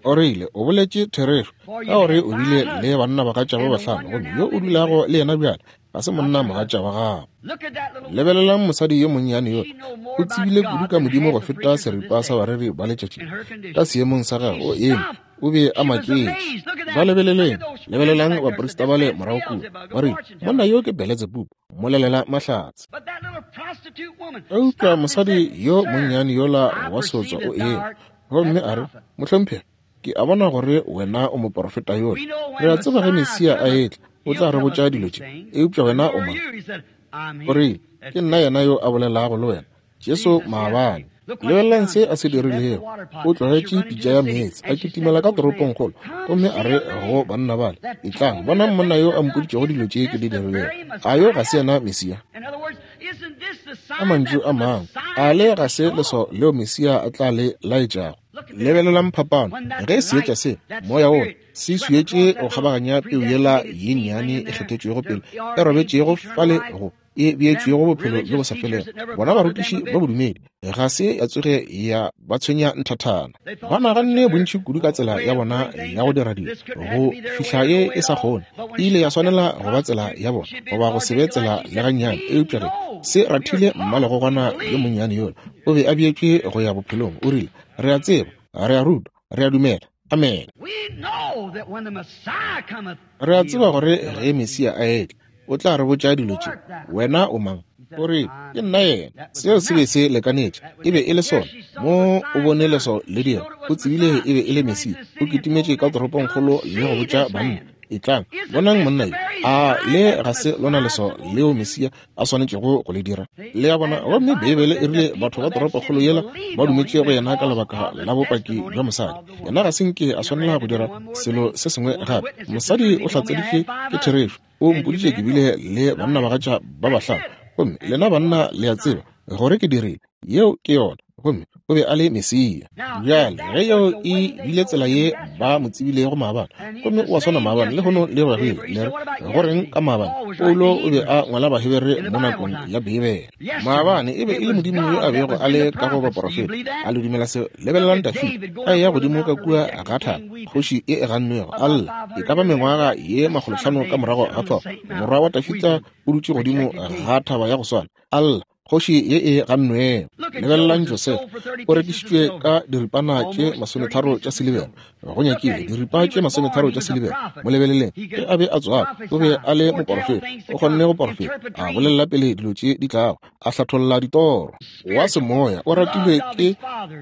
O rile, o boletše therešo, ka gore o bile le bannabagatša ba bahlano, gomme yo o dulago le yena bjale ga se monnamogatša wa gago. Lebelelang mosadi yo monnyane yo, o tsebile kudu ka Modimo go feta seripa sa bareri ba letšatši. Ka seemong sa gagwe o eme, o be a maketše. Ba lebeleleng, lebelelang baprista bale morago kua, ba rile, monna yo ke Beletsebubu, mmolelela mahlatse. Eupša mosadi yo monnyane yola wa seotswa o eme, gomme a re, mohlomphegi, ke a bona gore wena o moprofeta yola. Re a tseba ge Mesia a etla, O tla re botša dilo tše, eupša wena o mang? O rile, ke nna yena yo a bolelago le wena, Jesu maabane. Lebelelang se a se dirilego. O tlogetše pitša ya meetse, a kitimela ka toropongkgolo, gomme a re go banna bale, etlang, bonang monna yo a mpoditšego dilo tše ke di dirilego. A yo ga se yena Mesia? Ka mantšu a mangwe, a le ga se leswao leo Mesia a tla le laetšago? Lebelelang phapano. Ge seetša se, moya wo, se swietše go kgabaganya peu yela ye nnyane e kgethetšwego pele, e robetšego fale go e beetšwego bophelo bjo bo sa felego, bona barutiši ba bodumedi ga se ya tsoge ya ba tshwenya nthathana. Ba naganne bontši kudu ka tsela ya bona ya go dira dilo go fihla ye e sa kgone. E ile ya swanela go ba tsela ya bona goba go se be tsela le gannyane. Eupša ge se rathile mmalegogwana yo monnyane yola, o be a beetšwe go ya bophelong. O rile, re a tseba, re a rutwa, re a dumela. Amen. Re a tseba gore ge Mesia a etla, o tla re botša dilo tše. Wena o mang? O re, ke nna yena. Seo se be se lekanetše. E be e le sona. Mo o bone leswao le dira, o tsebile e be e le Mesia. O kitimetše ka toropongkgolo le go botša banna, etlang, bonang monna yo. A le ga se lona leswao leo Mesia a swanetšego go le dira? Le a bona? Gomme Beibele e rile batho ba toropokgolo yela ba dumetše go yena ka lebaka la bopaki bja mosadi. Yena ga se nke a swanela go dira selo se sengwe gape. Mosadi o hlatseditše ke therešo. O mpoditše ke bile le bannabagatša ba bahlano, gomme lena banna le a tseba gore ke dirile. Yeo ke yona. Gomme o be a le Mesia. Bjale ge yeo e bile tsela ye ba mo tsebilego maabane, gomme o a swana maabane lehono le go ya go ile. Le re, go reng ka maabane? Paulo o be a ngwala Bahebere mo nakong ya Beibele. Maabane e be e le Modimo yo a bego a le ka go baporofeta. A le dumela seo? Lebelelang Dafida a eya godimo ka kua ga thaba, kgoši e e gannwego, a lla e ka ba mengwaga ye makgolohlano ka morago ga fao. Morwa wa Dafida o dutše godimo ga thaba ya go swana, a lla, kgoši ye e gannwego. Lebelelang Joseph, o rekišitšwe ka diripana tše masometharo tša silibera. Go nyakile diripa tše masometharo tša silibera. Mo lebeleleng, ge a be a tswalwa, o be a le moporofeta. O kgonne go porofeta, a bolelela pele dilo tše di tlago, a hlatholla ditoro. Wa semoya, o ratilwe ke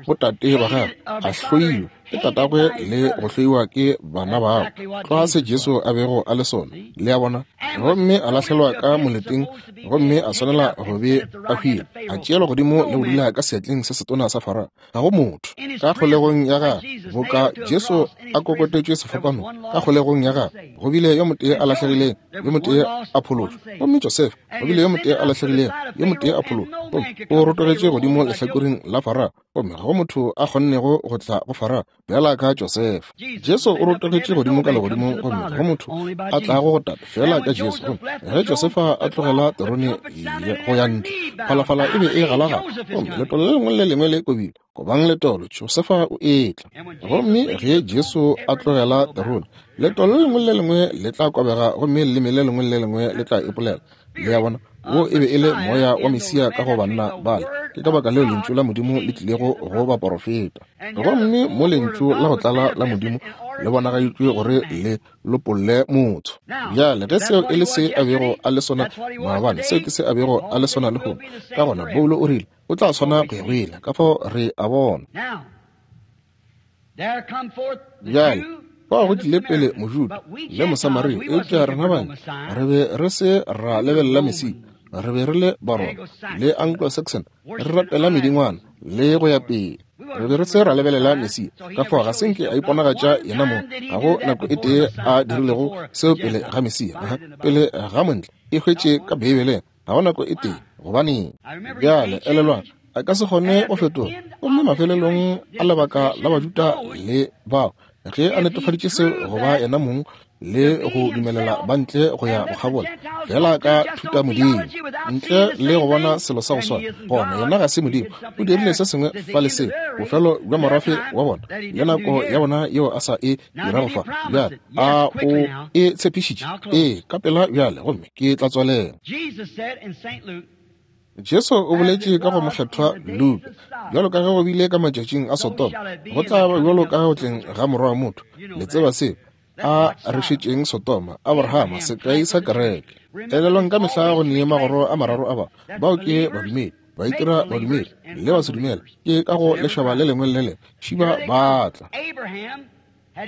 botate ba gagwe, a hloilwe ke tatagwe le go hloiwa ke bana babo. Tlwa se Jesu a bego a le sona, le a bona. Gomme a lahlelwa ka moleteng, gomme a swanela go be a hwile, a tšeelwa godimo le go dula ka seatleng se setona sa Farao. Ga go motho ka kgolegong ya gagwe boka Jesu a kokotetšwe sefapanong. Ka kgolegong ya gagwe go bile yo motee a lahlegileng, yo motee a phološwa. Gomme Joseph go bile yo motee a lahlegileng, yo motee a phološwa. Gomme o rotogetše godimo lehlakoreng la Farao, gomme ga go motho a kgonnego go tla go Farao bjala ka Joseph. Jesu o rotogetše godimo ka legodimong, gomme ga go motho a tlago go Tate fela ka Jesu. Gomme ge Josefa a tlogela terone go ya ntle, phalafala e be e galagala, gomme letolo le lengwe le lengwe le kobile. Kobang letolo, Josefa o etla. Gomme ge Jesu a tlogela terone, letolo le lengwe le lengwe le tla kobega, gomme leleme le lengwe le lengwe le tla ipolela. Le a bona? Wo e be e le moya wa Mesia ka go banna bale. Ke ka baka leo lentšu la Modimo le tlilego go baporofeta. Gomme mo lentšu la go tlala la Modimo le bonagaditšwe gore le lopolle motho. Bjale ge seo e le se a bego a le sona maabane, seo ke se a bego a le sona lehono. Ka gona Paulo o rile o tla swana go ya go ile. Ka fao re a bona. Bjale fao go tlile pele Mojuda le Mosamaria, eupša rena bane re be re se ra lebelela Mesia. Re be re le Baroma le Anglo-Saxon, re rapela medingwana le go ya pele. Re be re se ra lebelela Mesia. Ka fao ga se nke a iponagatša yena mong. Ga go nako e tee a dirilego seo pele ga Mesia, pele ga montle e hwetše ka Beibeleng. Ga go nako e tee. Gobaneng? Bjale elelwang, a ka se kgone go fetoga. Gomme mafelelong a lebaka la Bajuda le bao, ge a netefaditše seo go ba yena mong le go dumelela ba ntle go ya go kgabola fela ka thuta modimo ntle le go bona selo sa go swana, gona yena ga se Modimo. O dirile se sengwe fa le seo, bofelo bja morafe wa bona le nako ya bona yeo a sa e dirago fa. Bjale a o e tshepišitše? Ee, ka pela bjale, gomme ke tla tswalela. Jesu o boletše ka go mokgethwa Luka, bjalo ka ge go bile ka matšatšing a Sodoma, go tla ba bjalo ka go tleng ga morwa wa motho. Le tseba seo a re šetšeng Sodoma, Abrahama, sekai sa kereke. Elelwang ka mehla go nee magoro a mararo a ba, bao ke badumedi, ba itira badumedi le ba se dumela. Ke ka go lešaba le lengwe le le lengwe šiba ba tla.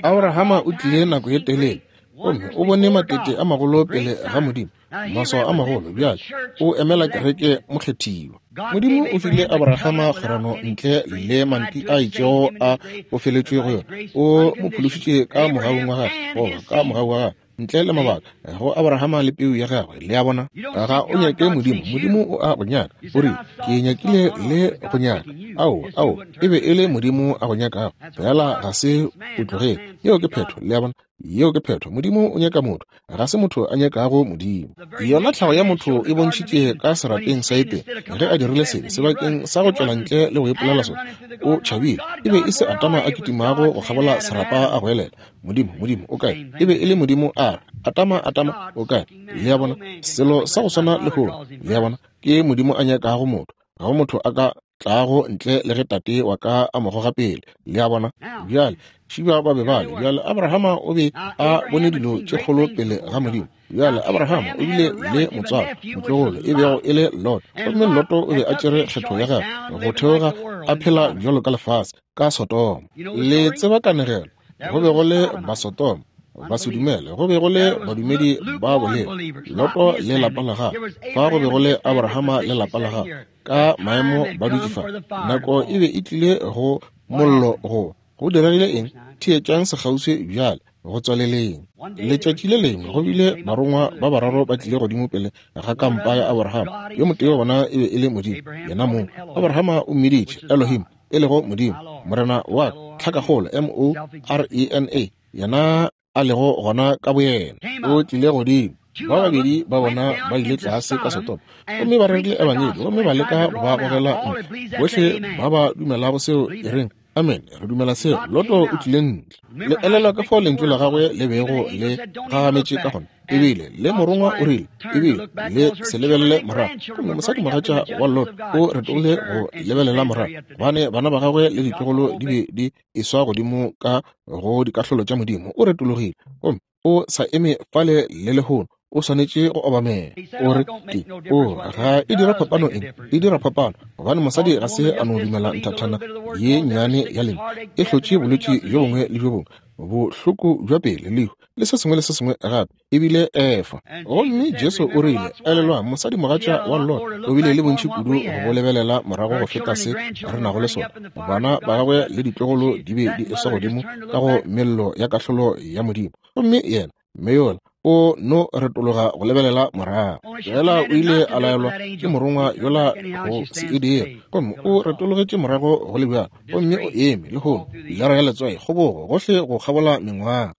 Abrahama o tlile nako ye telele, Gomme o bone matete a magolo pele ga Modimo, maswao a magolo. Bjale o emela kereke mokgethiwa. Modimo o file Abrahama kgwerano ntle le manti a itšego a bofeletšwe go yona. O mo phološitše ka mogaung wa gagwe, goba ka mogau wa gagwe, ntle le mabaka, go Abrahama le peu ya gagwe. Le a bona? Ga o nyake Modimo, Modimo o a go nyaka. O re, ke nyakile le go nyaka. Ao, ao, e be e le Modimo a go nyakago, fela ga se o tlogele. Yeo ke phetho, le a bona? Yeo ke phetho. Modimo o nyaka motho, ga se motho a nyakago Modimo. Yona tlhago ya motho e bontšhitše ka serapeng sa Edene, ge a dirile sebe, sebakeng sa go tšwela ntle le go ipolela sona, o tšhabile. E be e se Adama a kitimago go kgabola serapa a go elela, Modimo, Modimo, o kae? E be e le Modimo a re, Adama, Adama, o kae? Le a bona? Selo sa go swana le lehono, le a bona, ke Modimo a nyakago motho. Ga go motho a ka tlago ntle le ge tate wa ka a mo goga pele. Le a bona? Bjale šiba ba be bale. Bjale Abrahama o be a bone dilo tše kgolo pele ga Modimo. Bjale Abrahama o bile le motswalo, motlogolo, e bego e le Lot. Gomme Loto o be a tšere kgetho ya gagwe go theoga a phela bjalo ka lefase ka Sodoma. Le tseba kanegelo. Go be go le Basodoma, basedumele, go be go le badumedi ba bolelo, Loto le lapa la gagwe. Fa go be go le Abrahama le lapa la gagwe, ka maemo ba dutše fa. Nako e be e tlile go mollo go. Go diregile eng? Theetšang sekgauswi bjale, go tswaleleng. Letšatši le lengwe go bile barongwa ba bararo ba tlile godimo pele ga kampa ya Abrahama. Yo motee wa bona e be e le Modimo, yena mong. Abrahama o mmiditše Elohim, e lego Modimo, Morena wa tlhakakgolo, M O R E N A, yena a lego gona ka boyena. O tlile godimo. Ba babedi ba bona ba ile tlase ka Sodoma, gomme ba rerile ebangedi, gomme ba leka go ba gogela ntle. Bohle ba ba dumelago seo e reng, amen, re dumela seo. Loto o tlile ntle. Le elelwa ka fao lentšu la gagwe le bego le gagametše ka gona. Ebile le morongwa o rile, ebile le se lebelele morago. Gomme mosadimogatša wa Lot o retogile go lebelela morago, gobane bana ba gagwe le ditlogolo di be di eswa godimo ka go dikahlolo tša Modimo. O retologile, gomme o sa eme fale le lehono. O swanetše go obamela. O re, ke, o, ga e dira phapano eng? E dira phapano, gobane mosadi ga se a no dumela nthathana ye nnyane ya lena. E hlotše bolwetši bjo bongwe le bjo bongwe, bohloko bja pele, lehu, le se sengwe le se sengwe gape, ebile efa. Gomme Jesu o rile, elelwang, mosadimogatša wa Lot o bile le bontši kudu go lebelela morago go feta se re nago le sona. Bana ba gagwe le ditlogolo di be di eswa godimo ka go mello ya kahlolo ya Modimo. Gomme yena, mme yola, o no retologa go lebelela morago. Fela o ile a laelwa ke morongwa yola go se e dire, gomme o retologetše morago go le bjalo. Gomme o eme lehono, pilara ya letswai, kgobogo gohle go kgabola mengwaga.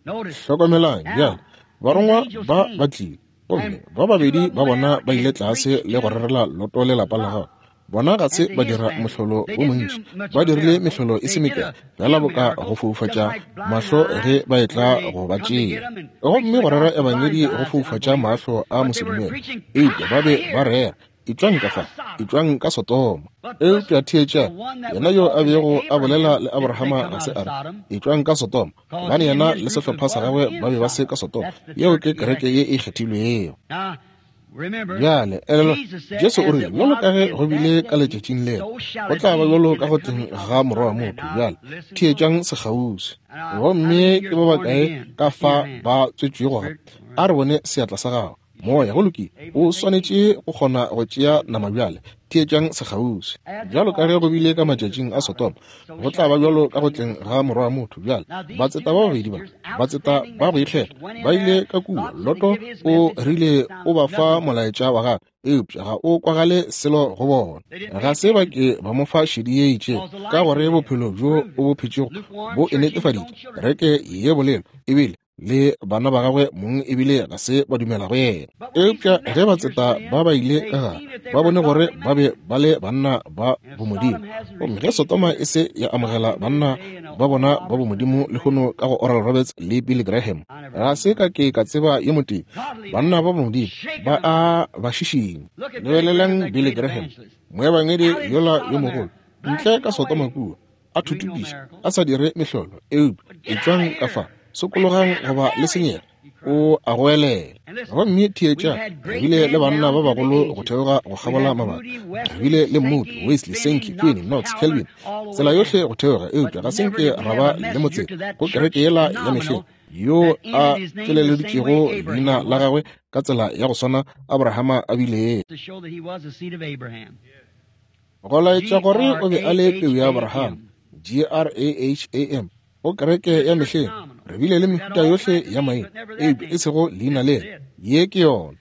Hlokomelang bjale, barongwa ba ba tlile, gomme ba babedi ba bona ba ile tlase le go rerela Loto le lapa la gagwe. Bona ga se ba dira mohlolo o montši, ba dirile mehlolo e se mekae, fela boka go foufatša mahlo ge ba etla go ba tšea. Gomme go rera ebangedi go foufatša mahlo a mosedumele, eupša ba be ba rera, etšwang ka fa, etšwang ka Sodoma. Eupša theetša, yena yo a bego a bolela le Abrahama ga se a re, etšwang ka Sodoma, gobane yena le sehlopha sa gagwe ba be ba se ka Sodoma. Yeo ke kereke ye e kgethilwego. Bjale, elelwa, Jesu o rile, bjalo ka ge go bile ka letšatšing leo, go tla ba bjalo ka go tleng ga Morwa wa motho. Bjale, theetšang sekgauswi. Gomme ke ba bakae ka fa ba tswetšwego gape? A re bone seatla sa gago. Moya, go lokile, o swanetše go kgona go tšea nama bjale. Theetšang sekgauswi. Bjalo ka ge go bile ka matšatšing a Sodoma, go tla ba bjalo ka go tleng ga Morwa wa motho. Bjale, batseta ba babedi ba, batseta ba go ikgetha, ba ile ka kua. Loto o rile o ba fa molaetša wa gagwe, eupša ga o kwagale selo go bona. Ga se ba ke ba mo fa šedi ye itšego, ka gore bophelo bjo o bo phetšego bo e netefaditše. Kereke ye bolelo ebile le bana ba gagwe mong ebile ga se ba dumela go yena. Eupša ge batseta ba ba ile ka gare, ba bone gore ba be ba le banna ba bomodimo. Gomme ge Sodoma e se ya amogela banna ba bona ba bomodimo lehono ka go Oral Roberts le Billy Graham, ga se ka ke ka tseba yo motee. Banna ba bomodimo ba a ba šišinya. Lebelelang Billy Graham, moebangedi yola yo mogolo, ntle ka Sodoma kua, a thutupiša, a sa dire mehlolo, eupša etšwang ka fa, sokologang goba le senyega, o a goelela. Gomme theetša, re bile le banna ba bagolo go theoga go kgabola mabaka. Re bile le Moody, Wesley, Sankey, Finney, Knox, Calvin, tsela yohle go theoga, eupša ga se nke ra ba le motseta go kereke yela ya mehleng. yo a tleleleditšego leina la gagwe ka tsela ya go swana Abrahama a bilego. Go laetša gore o be a le peu ya Abraham, G R A H A M. Go kereke ya mehleng re bile le mehuta yohle ya maina, eupša e sego leina lela. Ye ke yona.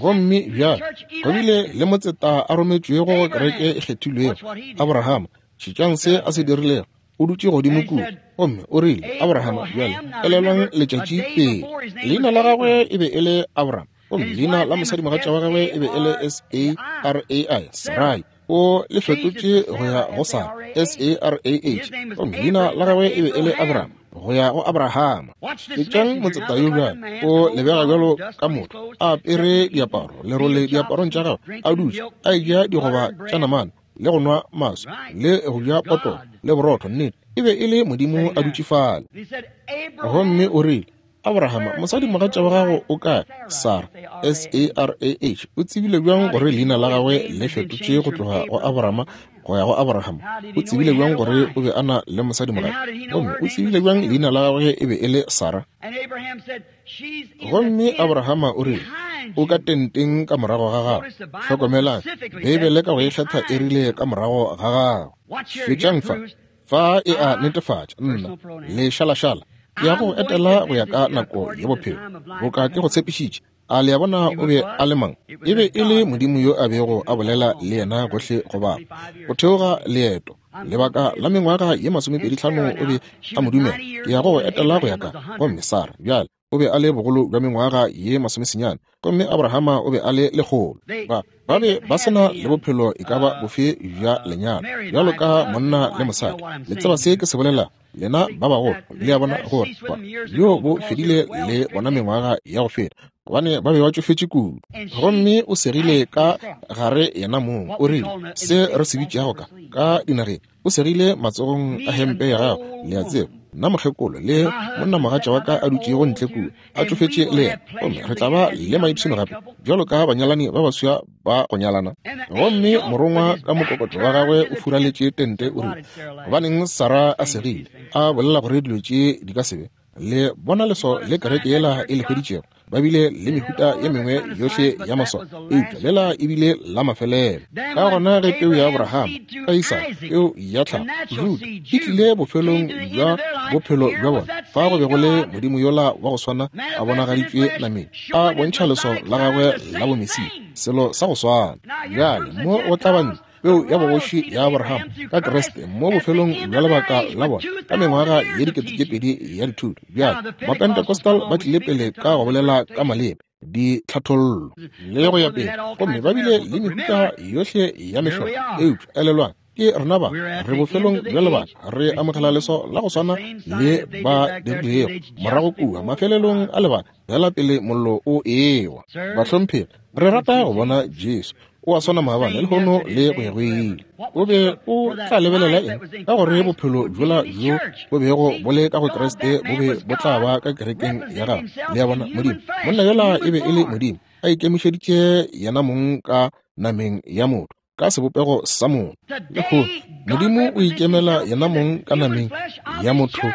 Gomme bjale go bile le motseta a rometšwego go kereke e kgethilwego, Abrahama. Šetšang se a se dirilego. O dutše godimo kua gomme o rile, Abrahama, bjale elelwang letšatši pele. Leina la gagwe e be e le Abraham, gomme leina la mosadimogatša wa gagwe e be e le S A R A I, Sarai. O le fetotše go ya go Sara, S A R A H, gomme leina la gagwe e be e le Abraham, go ya go Abrahama. Šetšang motseta yo bjale, o lebega bjalo ka motho, a apere diaparo, lerole diaparong tša gagwe, a dutše a eja digoba tša namane, le go nwa maswi, le go ja potolo le borotho. Nnete, e be e le Modimo a dutše fale. Gomme o rile, Abrahama, mosadimogatša wa gago o kae? Sara, S A R A H. O tsebile bjang gore leina la gagwe le fetotše go tloga go Abrahama go ya go Abraham? O tsebile bjang gore o be a na le mosadimogatša? Gomme o tsebile bjang leina la gagwe e be e le Sara? Gomme Abrahama o rile, o ka tenteng ka morago ga gago. Hlokomelang, Beibele ka go ikgetha e rile ka morago ga gago. Šetšang fa, fa e a netefatša, nna, lešalašala, ke ya go etela go ya ka nako ya bophelo, boka ke go tshepišitše. A le a bona o be a le mang? E be e le Modimo yo a bego a bolela le yena gohle go bapa. Go theoga leeto lebaka la mengwaga ye masomepedi hlano o be a mo dumela. Ke ya go etela go ya ka. Gomme Sara bjale o be a le bogolo bja mengwaga ye masomesenyane, gomme Abrahama o be a le lekgolo. Ba ba be ba sena le bophelo e ka ba bofe bja lenyalo bjalo ka monna le mosadi. Le tseba se ke se bolela, lena ba bagolo, le a bona gore bjo bo fedile le bona mengwaga ya go feta, gobane ba be ba tšofetše kudu. Gomme o segile ka gare yena mong, o rile se re se bitšago ka ka dinageng, o segile matsogong a hempe ya gagwe, le a tseba, nna mokgekolo le monnamogatša wa ka a dutšego ntle kua a tšofetše le yena, gomme re tla ba le maipshino gape bjalo ka banyalani ba baswa ba go nyalana. Gomme morongwa ka mokokotlo wa gagwe o furaletše tente, o rile, gobaneng Sara a segile a bolela gore dilo tše di ka se be? Le bona leswao le kereke yela e le hweditšego. Ba bile le mehuta ye mengwe yohle ya maswao, eupša lela e bile la mafelelo. Ka gona ge peu ya Abrahama ka Isaka, peu ya tlhago, Juda, e tlile bofelong bja bophelo bja bona, fa go be go le Modimo yola wa go swana a bonagaditšwe nameng, a bontšha leswao la gagwe la bomesia, selo sa go swana. Bjale mo go tla bantle, peu ya bogoši ya Abraham ka Kriste mo bofelong bja lebaka la bona ka mengwaga ye dikete tše pedi ya dithuto. Bjale Mapentecostal ba tlile pele ka go bolela ka maleme, ditlhathollo le go ya pele, gomme ba bile le mehuta yohle ya mehlolo. Eupša elelwang, ke rena ba re bofelong bja lebaka, re amogela leswao la go swana le ba dirilego morago kua mafelelong a lebaka fela pele mollo o ewa. Bahlomphegi, re rata go bona Jesu. O a swana maabane lehono le go ya go ile. O be o tla lebelela eng? Ka gore bophelo bjola bjo bo bego bo le ka go Kriste bo be bo tla ba ka kerekeng ya gagwe. Le a bona, Modimo, monna yola e be e le Modimo, a ikemišeditše yena mong ka nameng ya motho, ka sebopego sa motho. Lehono Modimo o ikemela yena mong ka nameng ya motho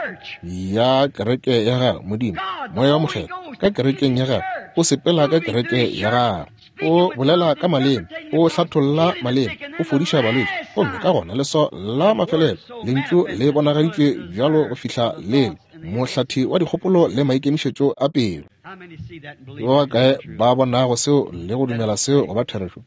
ya kereke ya gagwe. Modimo, Moya wa Mokgethwa, ka kerekeng ya gagwe, o sepela ka kereke ya gagwe, o bolela ka maleme, o hlatholla maleme, o fodiša balwetši. Gomme ka gona leswao la mafelelo, lentšu le bonagaditšwe bjalo go fihla lele, mohlathi wa dikgopolo le maikemišetšo a pelo. Ke ba bakae ba bonago seo le go dumela seo go ba therešo?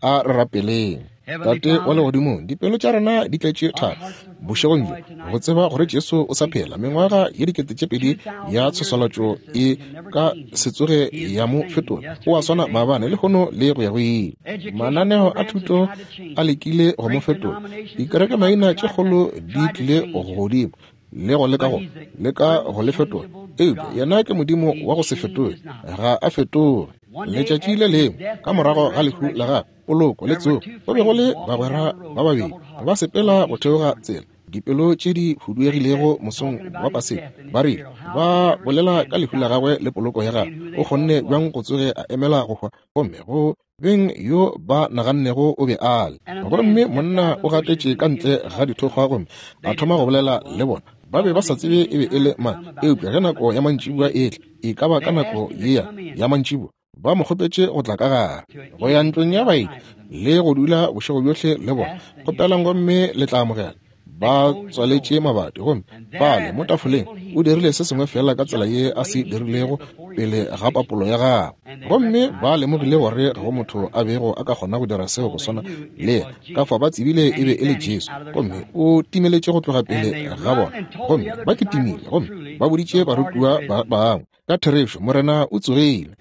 A re rapeleng. Tate wa legodimong, dipelo tša rena di tletše thabo bošegong bjo go tseba gore Jesu o sa phela. Mengwaga ye dikete tše pedi ya tshoswalatšo e ka se tsoge ya mo fetola. O a swana maabane lehono le go ya go ile. Mananeo a thuto a lekile go mo fetola. Dikereke maina tše kgolo di tlile godimo le go leka go leka go le fetola, eupša yena ke Modimo wa go se fetoge, ga a fetoge. Letšatši le lengwe ka morago ga lehu la gagwe, poloko le tsogo, go be go le bagwera ba babedi ba sepela go theoga tsela, dipelo tše di huduegilego mosong wa Paseka. Ba rile ba bolela ka lehu la gagwe le poloko ya gagwe, o kgonne bjang go tsoge a emela go hwa, gomme go beng yo ba nagannego o be a le. Gomme monna o gatetše ka ntle ga dithokgwa gomme a thoma go bolela le bona. Ba be ba sa tsebe e be e le mang, eupša ge nako ya mantšiboa e tla, e ka ba ka nako yea ya mantšiboa, ba mo kgopetše go tla ka gare, go ya ntlong ya baeti le go dula bošego bjohle le bona. Kgopelang gomme le tla amogela. Ba tswaletše mabati, gomme fale mo tafoleng o dirile se sengwe fela ka tsela ye a se dirilego pele ga papolo ya gagwe. Gomme ba lemogile gore ga go motho a bego a ka kgona go dira seo go swana le yena, ka fao ba tsebile e be e le Jesu. Gomme o timeletše go tloga pele ga bona, gomme ba kitimile, gomme ba boditše barutiwa ba bangwe ka therešo, Morena o tsogile.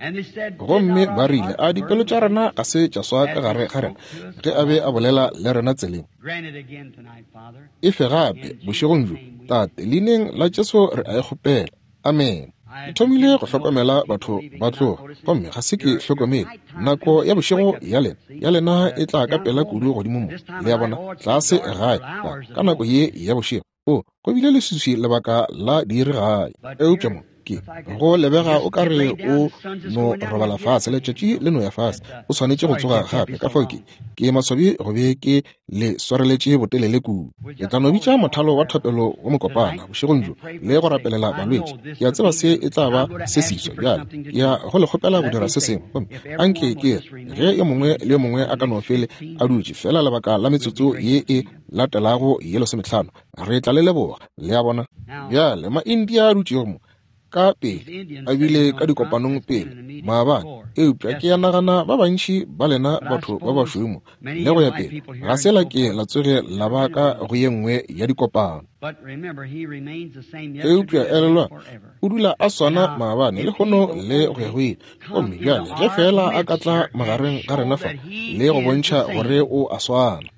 Gomme ba rile, a dipelo tša rena ga se tša swa ka gare ga rena ge a be a bolela le rena tseleng? E fe gape bošegong bjo, Tate, leineng la Jesu re a e kgopela. Amen. Ke thomile go hlokomela batho ba tloga, gomme ga se ke hlokomele nako ya bošego ya lena ya lena e tla ka pela kudu godimo mo, le ya bona, tlase gae ka nako ye ya bošego. O go bile leswiswi lebaka la diiri gae, eupša mo ke go lebega o ka re o no robala fase, letšatši le no ya fase, o swanetše go tsoga gape. Ka fao ke ke maswabi go be ke le swareletše botelele kudu. Ke tla no bitša mothalo wa thapelo wo mokopana bošegong bjo le go rapelela balwetši. Ke a tseba se e tla ba se seswa bjale, ke ya go le kgopela go dira se sengwe. Gomme anke ke re ge yo mongwe le yo mongwe a ka no fele a dutše fela lebaka la metsotso ye e latelago ye lesomehlano, re tla le leboga. Le a bona? Bjale ma-India a dutšego mo ka pele a bile ka dikopanong pele maabane, eupša ke ya nagana ba bantši ba lena batho ba bašweu mo le go ya pele ga se la ke la tsoge la ba ka go ye nngwe ya dikopano. Eupša elelwa, o dula a swana maabane le lehono le go ya go ile. Gomme bjale ge fela a ka tla magareng ga rena fa le go bontšha gore o a swana.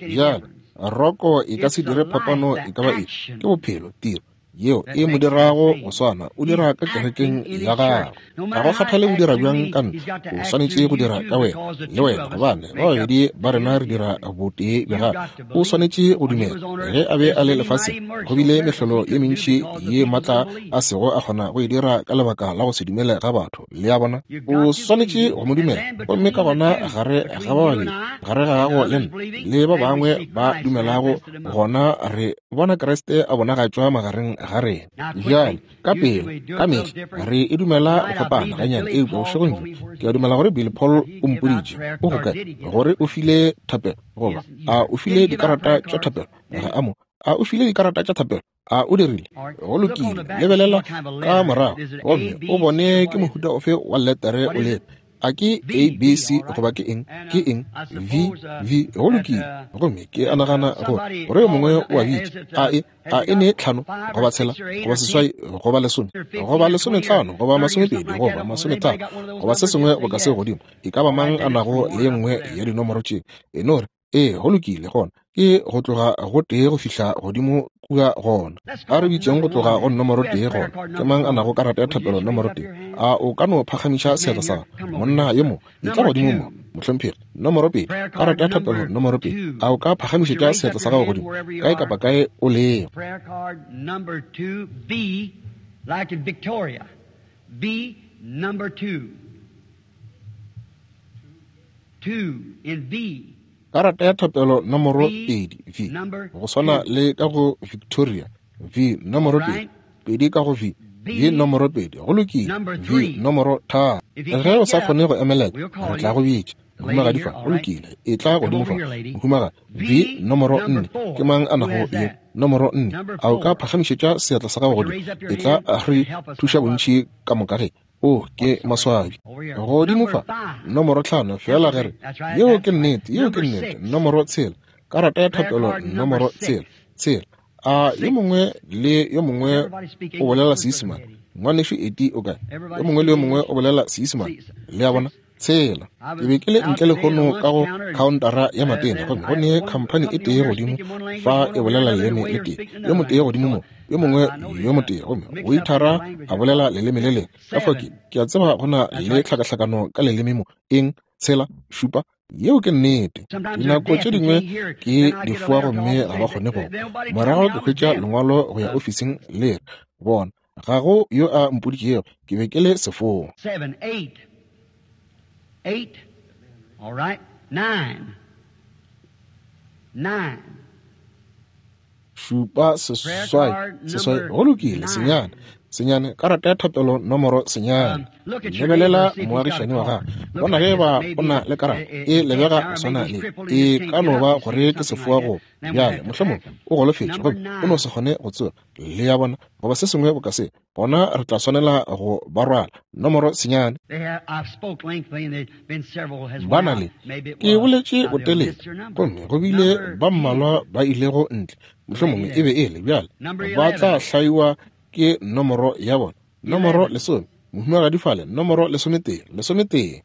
Bjale roko e ka se dire phapano e ka ba eng, ke bophelo, tiro yeo e mo dirago go swana, o dira ka kerekeng ya gagwe. Ga go kgathale o dira bjang ka nna, o swanetše go dira ka wena le wena, gobane ba babedi ba rena re dira botee bja gagwe. O swanetše go dumela. Ge a be a le lefaseng, go bile mehlolo ye mentši ye maatla a sego a kgona go e dira ka lebaka la go se dumele ga batho. Le a bona? O swanetše go mo dumela, gomme ka gona gare ga ba babedi, gare ga gago le nna le ba bangwe ba dumelago, gona re bona Kriste a bonagatšwa magareng ga rena. Bjale ka pele ka mehla re e dumela go fapana ganyane, eupša bošegong bjo ke a dumela gore Billy Paul o mpoditše o go kae gore o file thapelo, goba a o file dikarata tša thapelo. Ga a mo a o file dikarata tša thapelo, a o dirile? Go lokile, lebelela ka morago gomme o bone ke mohuta ofe wa letere o le. A ke A B C goba ke eng? Ke eng? V V. Go lokile. Gomme ke a nagana gore gore yo mongwe o a bitša a e a e ne tlhano goba tshela goba seswai goba lesome goba lesometlhano goba masomepedi goba masometharo goba se sengwe go ka se godimo. E ka ba mang a nago le ye nngwe ya dinomoro tše? E no re ee, go lokile. Gona ke go tloga go tee go fihla godimo kua gona. A re bitšeng go tloga go nomoro tee gona. Ke mang a nago karata ya thapelo nomoro tee? A o ka no phagamiša seatla sa gago? Monna yo mo, e tla godimo mo, mohlomphegi. Nomoro pedi, karata ya thapelo nomoro pedi. A o ka phagamišetša seatla sa gago godimo kae kapa kae o lego? Prayer card number two, V, like in Victoria. V number two. Two in V. Karata ya thapelo nomoro pedi, V, go swana le ka go Victoria. V nomoro pedi, pedi ka go V, V nomoro pedi. Go lokile. V nomoro tharo. Ge o sa kgone go emelela, re tla go bitša. Mohumagadi fa, go lokile, e tla godimo fa. Mohumagadi, V nomoro nne. Ke mang a nago ye nomoro nne? A o ka phagamišetša seatla sa gago godimo? E tla re thuša bontši ka moka ge. O ke maswabi. Godimo fa, nomoro tlhano, fela ge re yeo ke nnete, yeo ke nnete. Nomoro tshela, karata ya thapelo nomoro tshela, tshela. A yo mongwe le yo mongwe o bolela Seisemane? Ngwanešu Eti o kae? Yo mongwe le yo mongwe o bolela Seisemane? Le a bona? Tshela. Ke be ke le ntle lehono ka go khaontara ya matena, gomme go ne khamphani e tee godimo fa e bolela leleme le tee, yo motee godimo mo, yo mongwe yo motee, gomme waitara a bolela leleme le lengwe. Ka fao ke ke a tseba go na le tlhakahlakano ka leleme mo. Eng? Tshela, šupa. Yeo ke nnete. Dinako tše dingwe ke difoa gomme ga ba kgone go. Morago ke hwetša lengwalo go ya ofising le re, bona, ga go yo a mpoditšego, ke be ke le sefoa. Seven, eight. Eight. All right. Nine. Nine. Šupa seswai seswai. Go lokile, senyane senyane, karata ya thapelo nomoro senyane. Lebelela moagišani wa gago, bona ge ba o na le karata e lebega go swana le e ka no ba gore ke sefoa go bjale, mohlomongwe o golofetše gomme o no se kgone go tsoga, le ya bona, goba se sengwe boka se, gona re tla swanela go ba rwala. Nomoro senyane. Ba na le, ke boletše botelele, gomme go bile ba mmalwa ba ilego ntle, mohlomongwe e be e le bjale ba tla hlaiwa ke nomoro ya bona. Nomoro lesome, mohumagadi fale, nomoro lesometee, lesometee.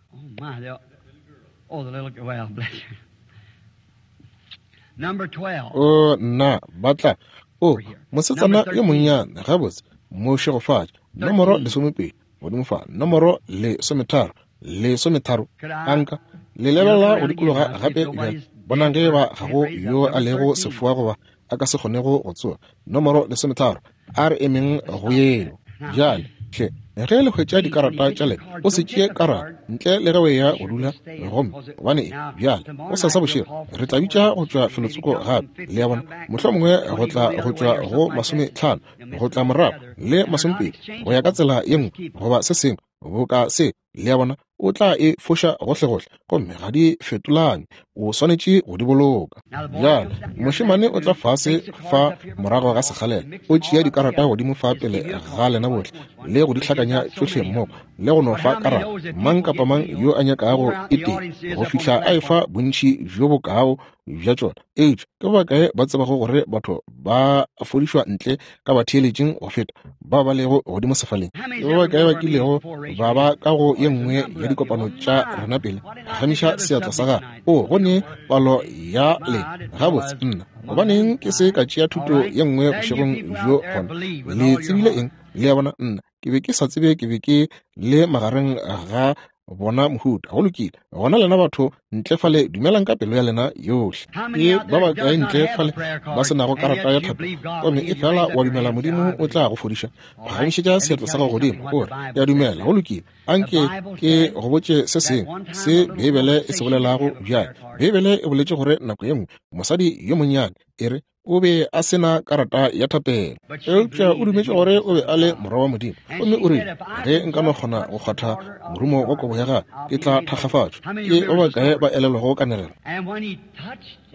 O nna, ba tla. O mosetsana yo monnyane, gabotse, mo šegofatše. Nomoro lesomepedi, godimo fa. Nomoro lesometharo, lesometharo. Anka le lebelela go dikologa gape bjale, bonang ge ba ga go yo a lego sefoa goba a ka se kgonego go tsoga. Nomoro lesometharo, a re emeng go yeo. Bjale hle, ge le hwetša dikarata tša lena, o se tšee karata ntle le ge o eya go dula, gomme gobane bjale go sasa bošego re tla bitša go tšwa felotsoko gape, le ya bona, mohlomongwe go tla go tšwa go masometlhano go tla morago le masomepedi go ya ka tsela ye nngwe goba se sengwe boka se, le ya bona, o tla e foša gohlegohle gomme ga di fetolane, o swanetše go di boloka. Bjale mošemane o tla fase fa morago ga sekgalela, o tšea dikarata godimo fa pele ga lena bohle le go di hlakanya tšohle mmogo le go no fa karata mang kapa mang yo a nyakago e tee go fihla a efa bontši bjo bokao bja tšona. Eupša ke bakae ba tsebago gore batho ba fodišwa ntle ka batheeletšeng go feta ba ba lego godimo sefaleng? Ke ba bakae ba kilego ba ba ka go ye nngwe ya dikopano tša rena pele? Phagamiša seatla sa gago. O go ne palo ya lena. Gabotse, nna gobaneng ke se ka tšea thuto ye nngwe bošegong bjo gona? Le tsebile eng? Le ya bona, nna ke be ke sa tsebe, ke be ke le magareng ga bona mohuta. Go lokile, gona lena batho ntle fale dumelang ka pelo ya lena yohle. Ke ba bakae ntle fale ba se nago karata ya thapelo gomme e fela wa dumela Modimo o tla go fodiša? Phagamišetša seatla sa gago godimo, o re, ke a dumela. Go lokile, anke ke go botše se sengwe se Beibele e se bolelago bjale. Beibele e boletše gore nako ye nngwe mosadi yo monnyane e re o be a se na karata ya thapelo, eupša o dumetše gore o be a le morwa wa Modimo, gomme o rile, ge nka no kgona go kgwatha morumo wa kobo ya gagwe, ke tla thakgafatšwa. Ke ba bakae ba elelwago kanegelo?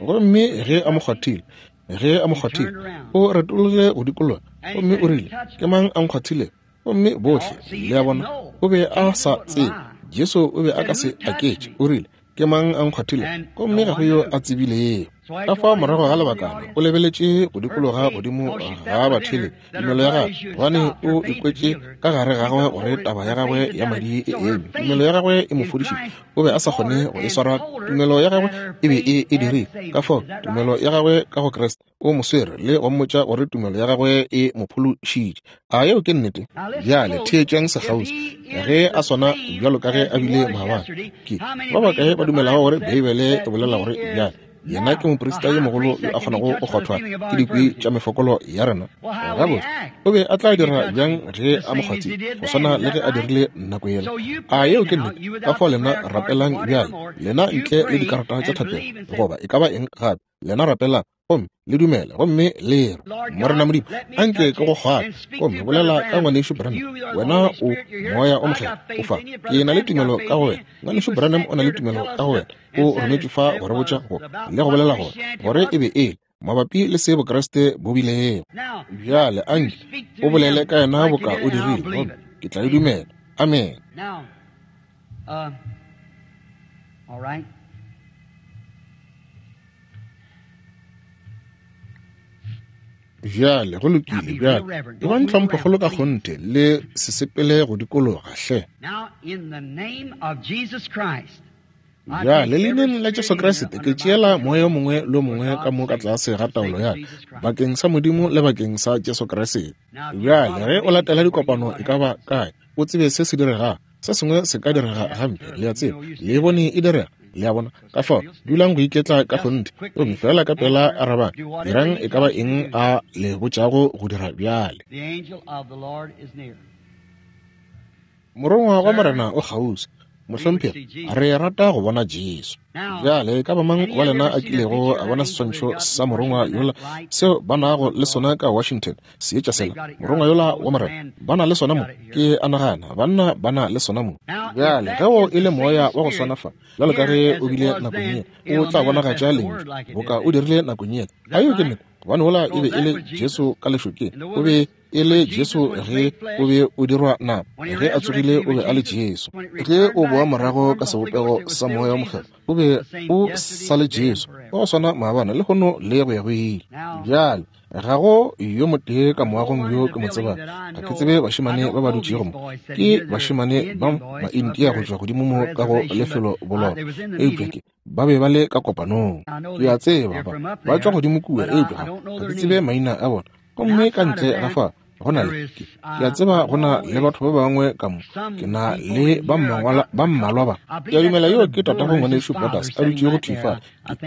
Gomme ge a mo kgwathile, ge a mo kgwathile, o retologile go dikologa, gomme o rile, ke mang a nkgwathile? Gomme bohle, le a bona, o be a sa tsebe. Jesu o be a ka se aketše. O rile, ke mang a nkgwathile? Gomme ga go yo a tsebilego. Ka fao morago ga lebakana o lebeletše go dikologa godimo ga batheeletši tumelo ya gagwe, gobane o ikwetše ka gare gagwe gore taba ya gagwe ya madi e eme. Tumelo ya gagwe e mo fodišitše, o be a sa kgone go e swara. Tumelo ya gagwe e be e e dirile. Ka fao tumelo ya gagwe ka go Kriste o mo swere le go mmotša gore tumelo ya gagwe e mo phološitše. A yeo ke nnete? Bjale theetšang sekgauswi, ge a swana bjalo ka ge a bile maabane. Ke ba bakae ba dumelago gore Beibele e bolela gore bjale yena ke moprista yo mogolo yo a kgonago go kgwathwa ke dikwi tša mefokolo ya rena? Gabotse, o be a tla dira bjang ge a mo kgwathile go swana le ge a dirile nako yela? A yeo ke nnete? Ka fao lena rapelang bjale, lena ntle le dikarata tša thapelo goba e ka ba eng gape, lena rapelang gomme le dumele gomme le re, Morena Modimo, anke ke go kgwathe, gomme bolela ka ngwanešu Branham, wena o Moya o Mokgethwa o fa. Ke na le tumelo ka go wena. Ngwanešu Branham o na le tumelo ka go wena. O rometšwe fa go re botša go le go bolela gore gore e be e le mabapi le se Bokreste bo bilego. Bjale anke o bolele ka yena boka o dirile, gomme ke tla e dumela. Amen. Bjale go lokile. Bjale e ba ntlhomphokgolo ka kgonthe, le se sepele go dikologa hle. Bjale leineng la Jesu Kriste ke tšeela moya o mongwe le o mongwe ka mo ka tlase ga taolo ya bakeng sa Modimo le bakeng sa Jesu Kriste. Bjale ge o latela dikopano e ka ba kae, o tsebe se se diregang. Se sengwe se ka direga gampe, le a tseba, le bone e direga, le a bona. Ka fao dulang go iketla ka kgonthe, gomme fela ka pela arabang, dirang e ka ba eng a le botšago go dira bjale. Morongwa wa Morena o kgauswi. Mohlomphegi, re rata go bona Jesu. Bjale ka ba mang wa lena a kilego a bona seswantšho sa morongwa yola seo ba nago le sona ka Washington, seetša sela, morongwa yola wa Morena, ba na le sona mo? Ke a nagana banna ba na le sona mo. Bjale ge o e le moya wa go swana fa, bjalo ka ge o bile nakong ye, o tla bonagatša lentšu boka o dirile nakong ye. A yeo ke nnete? Gobane wola e be e le Jesu ka lešokeng, o be e le Jesu ge o be o dirwa nama, ge a tsogile o be a le Jesu. Ge o boa morago ka sebopego sa moya wa Mokgethwa, o be o sa le Jesu, wa go swana maabane le lehono le go ya go ile. Bjale ga go yo motee ka moagong yo ke mo tsebang. Ga ke tsebe bašemane ba ba dutšego mo, ke bašemane ba Maindia go tšwa godimo mo ka go lefelo bolona, eupša ke ba be ba le ka kopanong. Ke a tseba ba ba tšwa godimo kua, eupša ga ke tsebe maina a bona. Gomme ka ntle ga fa go na le ke a tseba go na le batho ba bangwe ka mo, ke na le ba mmalwa ba. Ke a dumela yeo ke tatago ngwanešu Borders a dutšego thwi fale.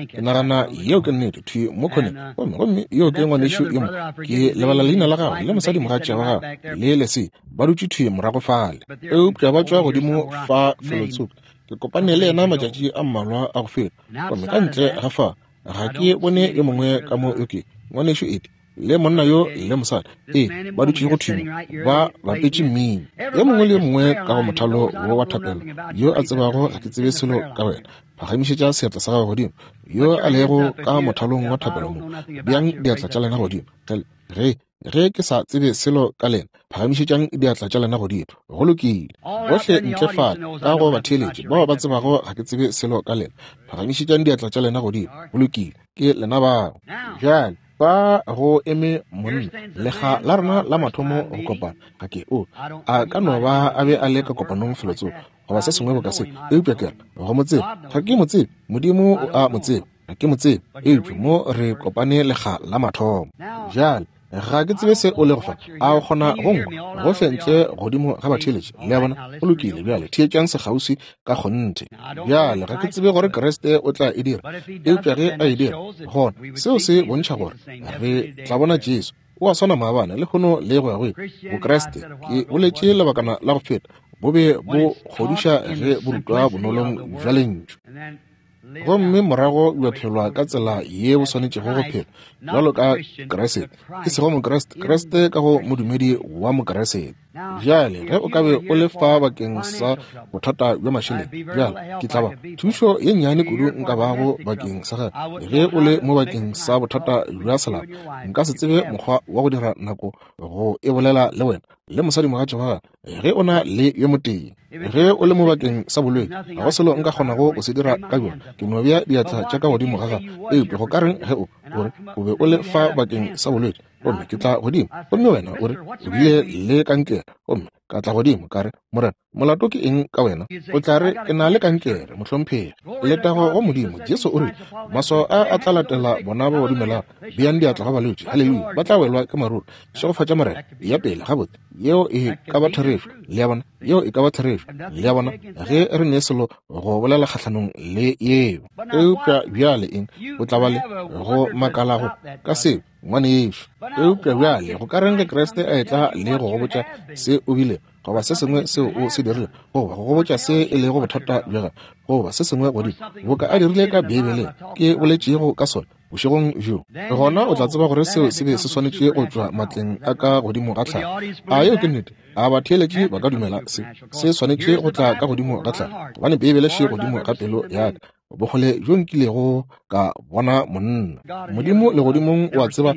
Ke nagana yeo ke nnete, thwi mo khoneng. Gomme gomme yeo ke ngwanešu yo mo, ke lebala leina la gagwe, le mosadi mogatša wa gagwe le Lesi, ba dutše thwi morago fale. Eupša ba tšwa godimo fa felotsoko. Ke kopane le yena matšatši a mmalwa a go feta. Gomme ka ntle ga fa ga ke bone yo mongwe ka mo, yo ke ngwanešu Edi le monna yo le mosadi, ee, ba dutšego thwi ba bapetše mmino. Yo mongwe le yo mongwe ka go mothalo wo wa thapelo yo a tsebago ga ke tsebe selo ka wena, phagamišetša seatla sa gago godimo. Yo a lego ka mothalong wa thapelo mo, beang diatla tša lena godimo. Ge ge ke sa tsebe selo ka lena, phagamišetšang diatla tša lena godimo. Go lokile. Bohle ntle fale ka go batheeletši bao ba tsebago ga ke tsebe selo ka lena, phagamišetšang diatla tša lena godimo. Go lokile, ke lena bao. Bjale ba go eme monna lekga la rena la mathomo go kopana, ga ke o a ka no ba a be a le ka kopanong felotsoko goba se sengwe boka se, eupša ke re go mo tsebe, ga ke mo tsebe. Modimo o a mo tsebe, ga ke mo tsebe, eupša mo re kopane lekga la mathomo. Bjale ga ke tsebe se o lego fa, a o kgona go nkwa gohle ntle godimo ga batheeletši? Le a bona? Go lokile. Bjale theetšang sekgauswi ka kgonthe. Bjale ga ke tsebe gore Kriste o tla e dira, eupša ge a e dira, gona seo se bontšha gore re tla bona Jesu. O a swana maabane le lehono le go ya go ile. Bokriste, ke boletše lebakana la go feta, bo be bo kgodiša ge bo rutwa bonolong bja lentšu, gomme morago bja phelwa ka tsela ye bo swanetšego go phela bjalo ka Kriste, e sego Mokriste, Kriste ka go modumedi wa Mokriste. Bjale ge o ka be o le fa bakeng sa bothata bja mašeleng, bjale ke tla ba thušo ye nnyane kudu nka bago bakeng sa gage. Ge o le mo bakeng sa bothata bja selapa, nka se tsebe mokgwa wa go dira nako go e bolela le wena le mosadi mogatša wa gagwe ge o na le yo motee. Ge o le mo bakeng sa bolwetši, ga go selo nka kgonago go se dira ka bjona, ke no bea diatla tša ka godimo ga gagwe. Eupša go ka reng ge o gore o be o le fa bakeng sa bolwetši, gomme ke tla godimo, gomme wena o re o bile le kankere, gomme ka tla godimo ka re, Morena, molato ke eng ka wena? O tla re, ke na le kankere, mohlomphegi. Letago go Modimo. Jesu o rile, maswao a a tla latela bona ba ba dumelago, beang diatla ga balwetši, haleluya, ba tla welwa ke maruru. Šegofatša Morena. Ya pele gabotse, yeo e ka ba therešo. Le a bona? Yeo e ka ba therešo. Le a bona? Ge re ne selo go bolela kgahlanong le yeo. Eupša bjale eng? O tla ba le go makala go ka seo, ngwanešu. Eupša bjale go ka reng ge Kriste a etla le go go botša se o bile, goba se sengwe seo o se dirile, goba go go botša se e lego bothata bja gago, goba se sengwe godimo boka a dirile ka Beibeleng ke boletšego ka sona bošegong bjo, gona o tla tseba gore seo se be se swanetše go tšwa matleng a ka godimo ga tlhago. A yeo ke nnete? A batheeletši ba ka dumela se se swanetše go tla ka godimo ga tlhago, gobane Beibele še godimo ga pelo ya ka, bokgole bjo nkilego ka bona monna. Modimo legodimong o a tseba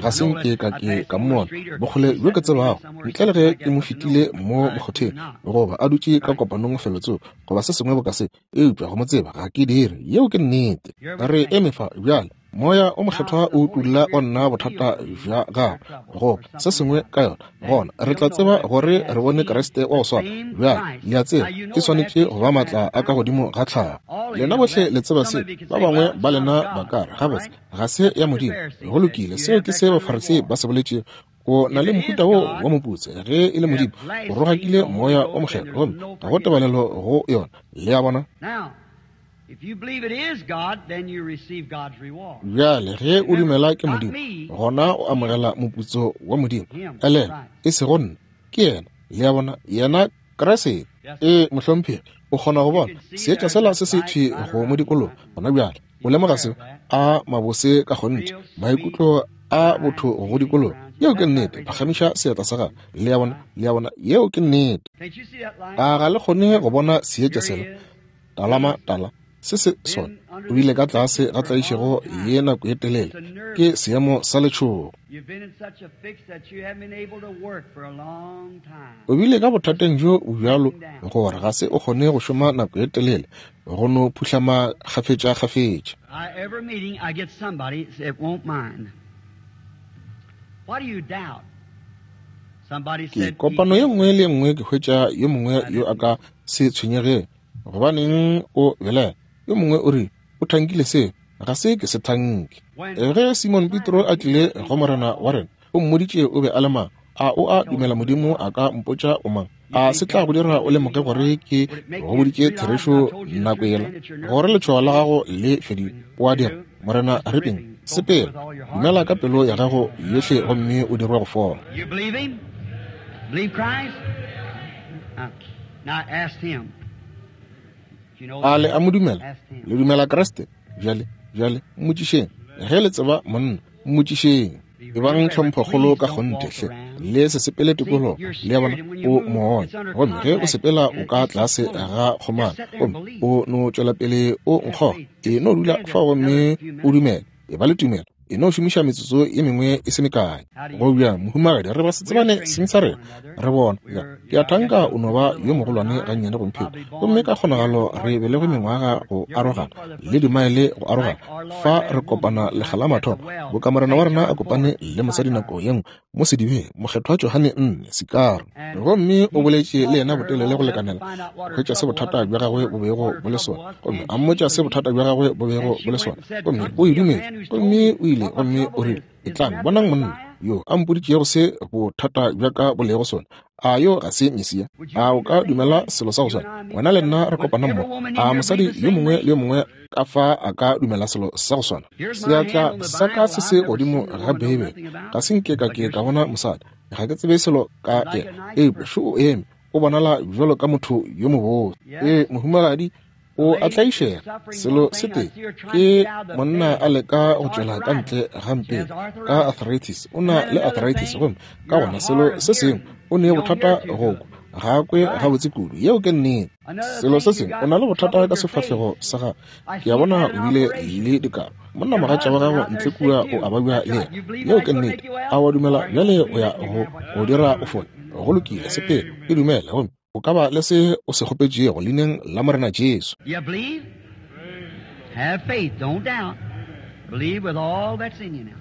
ga se nke ka ke ka mmona, bokgole bjo ke tsebago, ntle le ge ke mo fetile mo mokgotheng goba a dutše ka kopanong felotsoko goba se sengwe boka se, eupša go mo tseba ga ke dire. Yeo ke nnete. Re eme fa bjale. Moya o Mokgethwa o utolla go nna bothata bja gago goba se sengwe ka yona, gona re tla tseba gore re bone Kriste wa go swana. Bjale le a tseba ke swanetše go ba maatla a ka godimo ga tlhago. Lena bohle le tseba se. Ba bangwe ba lena ba ka re, gabotse ga se ya Modimo. Go lokile, seo ke se Bafarisei ba se boletšego. O na le mohuta wo wa moputso ge e le Modimo o rogakile Moya o Mokgethwa, gomme ga go tebalelo go yona. Le a bona? Bjale ge o dumela ke Modimo, gona o amogela moputso wa Modimo. Elelwa, e sego nna, ke yena. Le a bona? Yena Kriste. Ee, mohlomphegi. O kgona go bona seetša sela se se thwi go mo dikologa gona bjale. O lemoga seo? A mabose ka kgonthe, maikutlo a botho go dikologa. Yeo ke nnete. Phagamiša seatla sa gago. Le a bona, le a bona, yeo ke nnete. A ga le kgone go bona seetša sela? Talama tala se se sona. O bile ka tlase ga tlaišego ye nako ye telele. Ke seemo sa letšhogo. O bile ka bothateng bjo bjalo gore ga se o kgone go šoma nako ye telele, go no phuhlama kgafetša-kgafetša. Ke kopano ye nngwe le ye nngwe ke hwetša yo mongwe yo a ka se tshwenyegeng. Gobaneng o belaela? Yo mongwe o rile, o thankile seo, ga se ke se thanke. Ge Simon Petro a tlile go Morena wa rena, o mmoditše o be a le mang. A o a dumela Modimo a ka mpotša o mang? A se tla go dira o lemoge gore ke go boditše therešo nako yela, gore letšhogo la gago le fedile? O a dira, Morena Ripping, sepela, dumela ka pelo ya gago yohle gomme o dirwe go fola. A le a mo dumela? Le dumela Kriste? Bjale, bjale, mmotšišeng. Ge le tseba monna, mmotšišeng. Ebang tlhomphokgolo ka kgonthe hle, le se sepele tikologo. Le a bona, o moya, gomme ge o sepela o ka tlase ga kgomana, gomme o no tšwela pele o nkgoga. E no dula fao gomme o dumele, e ba le tumelo. E no šomiša metsotso ye mengwe e se mekae. Go bjang, mohumagadi, re ba se tsebane seng sa rena, re bona. Ya, ke a thanka o no ba yo mogolwane gannyane gomphelo, gomme ka kgonagalo re belegwe mengwaga go arogana le dimaele go arogana. Fa re kopana lekga la mathomo, boka Morena wa rena a kopane le mosadi nako ye nngwe mo sedibeng, mokgethwa Johane nne Sikaro, gomme o boletše le yena botelele go lekanela go hwetša se bothata bja gagwe bo bego bo le sona, gomme a mmotša se bothata bja gagwe bo bego bo le sona, gomme o e dumetše, gomme o ile gomme o rile, etlang bonang monna yo a mpoditšego se bothata bja ka bo lego sona. A yo ga se Mesia? A o ka dumela selo sa go swana? Wena le nna re kopana mmogo. A mosadi yo mongwe le yo mongwe ka fa a ka dumela selo sa go swana? Seatla sa ka se se godimo ga Beibele. Ga se nke ka ke ka bona mosadi, ga ke tsebe selo ka yena, eupša šo o eme, o bonala bjalo ka motho yo mobose. Ee, mohumagadi, o a tlaišega. Selo se tee ke monna a leka go tšwela ka ntle ga mpeng ka arthritis. O na le arthritis, gomme ka gona selo se sengwe o ne bothata go kwa, ga kwe gabotse kudu. Yeo ke nnete. Selo se sengwe o na le bothata ka sefahlego sa gago. Ke a bona o bile le dikaro. Monna mogatša wa gago ntle kua o a babja le yena. Yeo ke nnete. A wa dumela bjale o ya go go dira o fole? Go lokile, sepela, e dumele, gomme o ka ba le se o se kgopetšego leineng la Morena Jesu. You believe? Have faith, don't doubt. Believe with all that's in you now.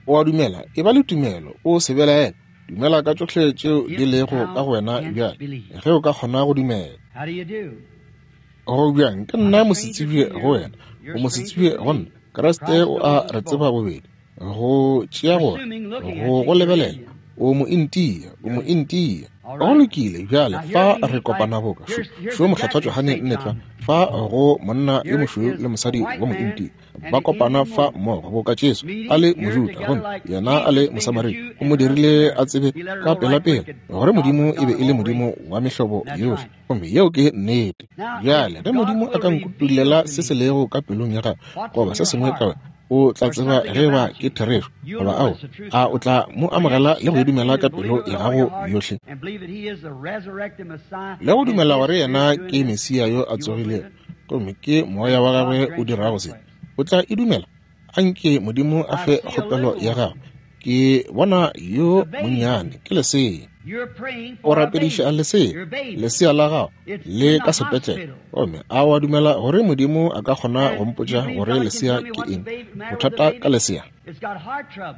O a dumela, e ba le tumelo, o se belaele. Dumela ka tšohle tšeo di lego ka go wena bjale, ge o ka kgona go dumela. How do you do? Go bjang, ke nna mosetsebje go wena, o mosetsebje go nna. Kriste o a re tseba bobedi. Go tšea gore go go lebelela, o mo India, o mo India. Go lokile bjale, fa re kopana boka šo šo mokgethwa Johane nne tlwa fa go monna yo mošweu le mosadi wa mo India ba kopana fa mmogo boka Jesu a le Mojuda gomme yena a le Mosamaria. O mo dirile a tsebe ka pelapela gore Modimo e be e le Modimo wa mehlobo yohle, gomme yeo ke nnete. Bjale ge Modimo a ka nkutulela se se lego ka pelong ya gago goba se sengwe ka wena, o tla tseba ge ba ke therešo goba ao. A o tla mo amogela le go e dumela ka pelo ya gago yohle, le go dumela gore yena ke Mesia yo a tsogilego, gomme ke moya wa gagwe o dirago se? O tla e dumela? Anke Modimo a fe kgopelo ya gago. Ke bona yo monnyane, ke lesea. O rapediša lesea, lesea la gago le ka sepetlele, gomme a wa dumela gore Modimo a ka kgona go mpotša gore lesea ke eng? Bothata ka lesea,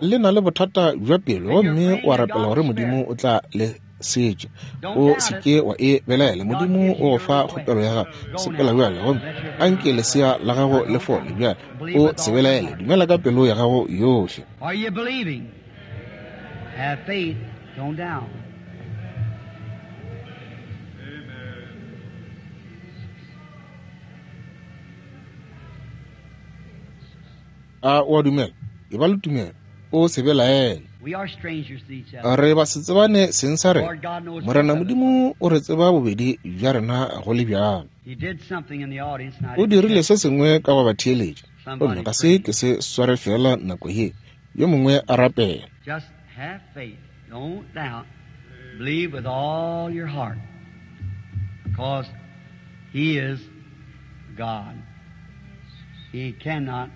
le na le bothata bja pelo, gomme o a rapela gore Modimo o tla le setša. O se ke wa e belaela, Modimo o go fa kgopelo ya gago. Sepela bjale, gomme anke lesea la gago le fole bjale. O se belaele, dumela ka pelo ya gago yohle. Are you believing? Have faith, don't doubt. A o a dumela? E ba le tumelo, o se belaele. Re ba se tsebane seng sa rena. Morena Modimo o re tseba bobedi bja rena go le bjalo. O dirile se sengwe ka go ba theeletša, gomme ga se ke se sware fela nako ye. Yo mongwe a rapela. Just have faith. Don't doubt. Believe with all your heart. Because He is God. He cannot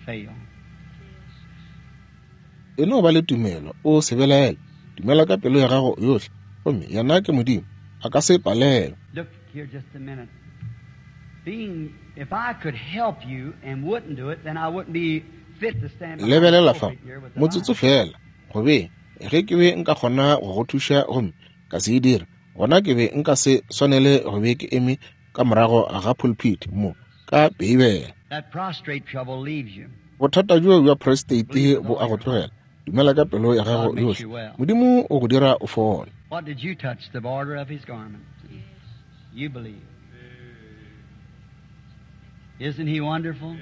fail. E no ba le tumelo, o se belaele. Dumela ka pelo ya gago yohle, gomme yena ke Modimo, a ka se palelwe. Look here just a minute. Being, if I could help you and wouldn't do it, then I wouldn't be fit to stand behind the Lebelela fa, pulpit here with the motsotso Bible. fela, gobe ge ke be nka kgona go go thuša gomme ka se e dira, gona ke be nka se swanele go be ke eme ka morago ga pulpit mo ka Beibele. That prostrate trouble leaves you. Bothata bjo bja prostate bo a go tlogela. Dumela ka pelo ya gago yohle, Modimo o go dira o fole. What did you touch? The border of his garment. You believe. Isn't he wonderful?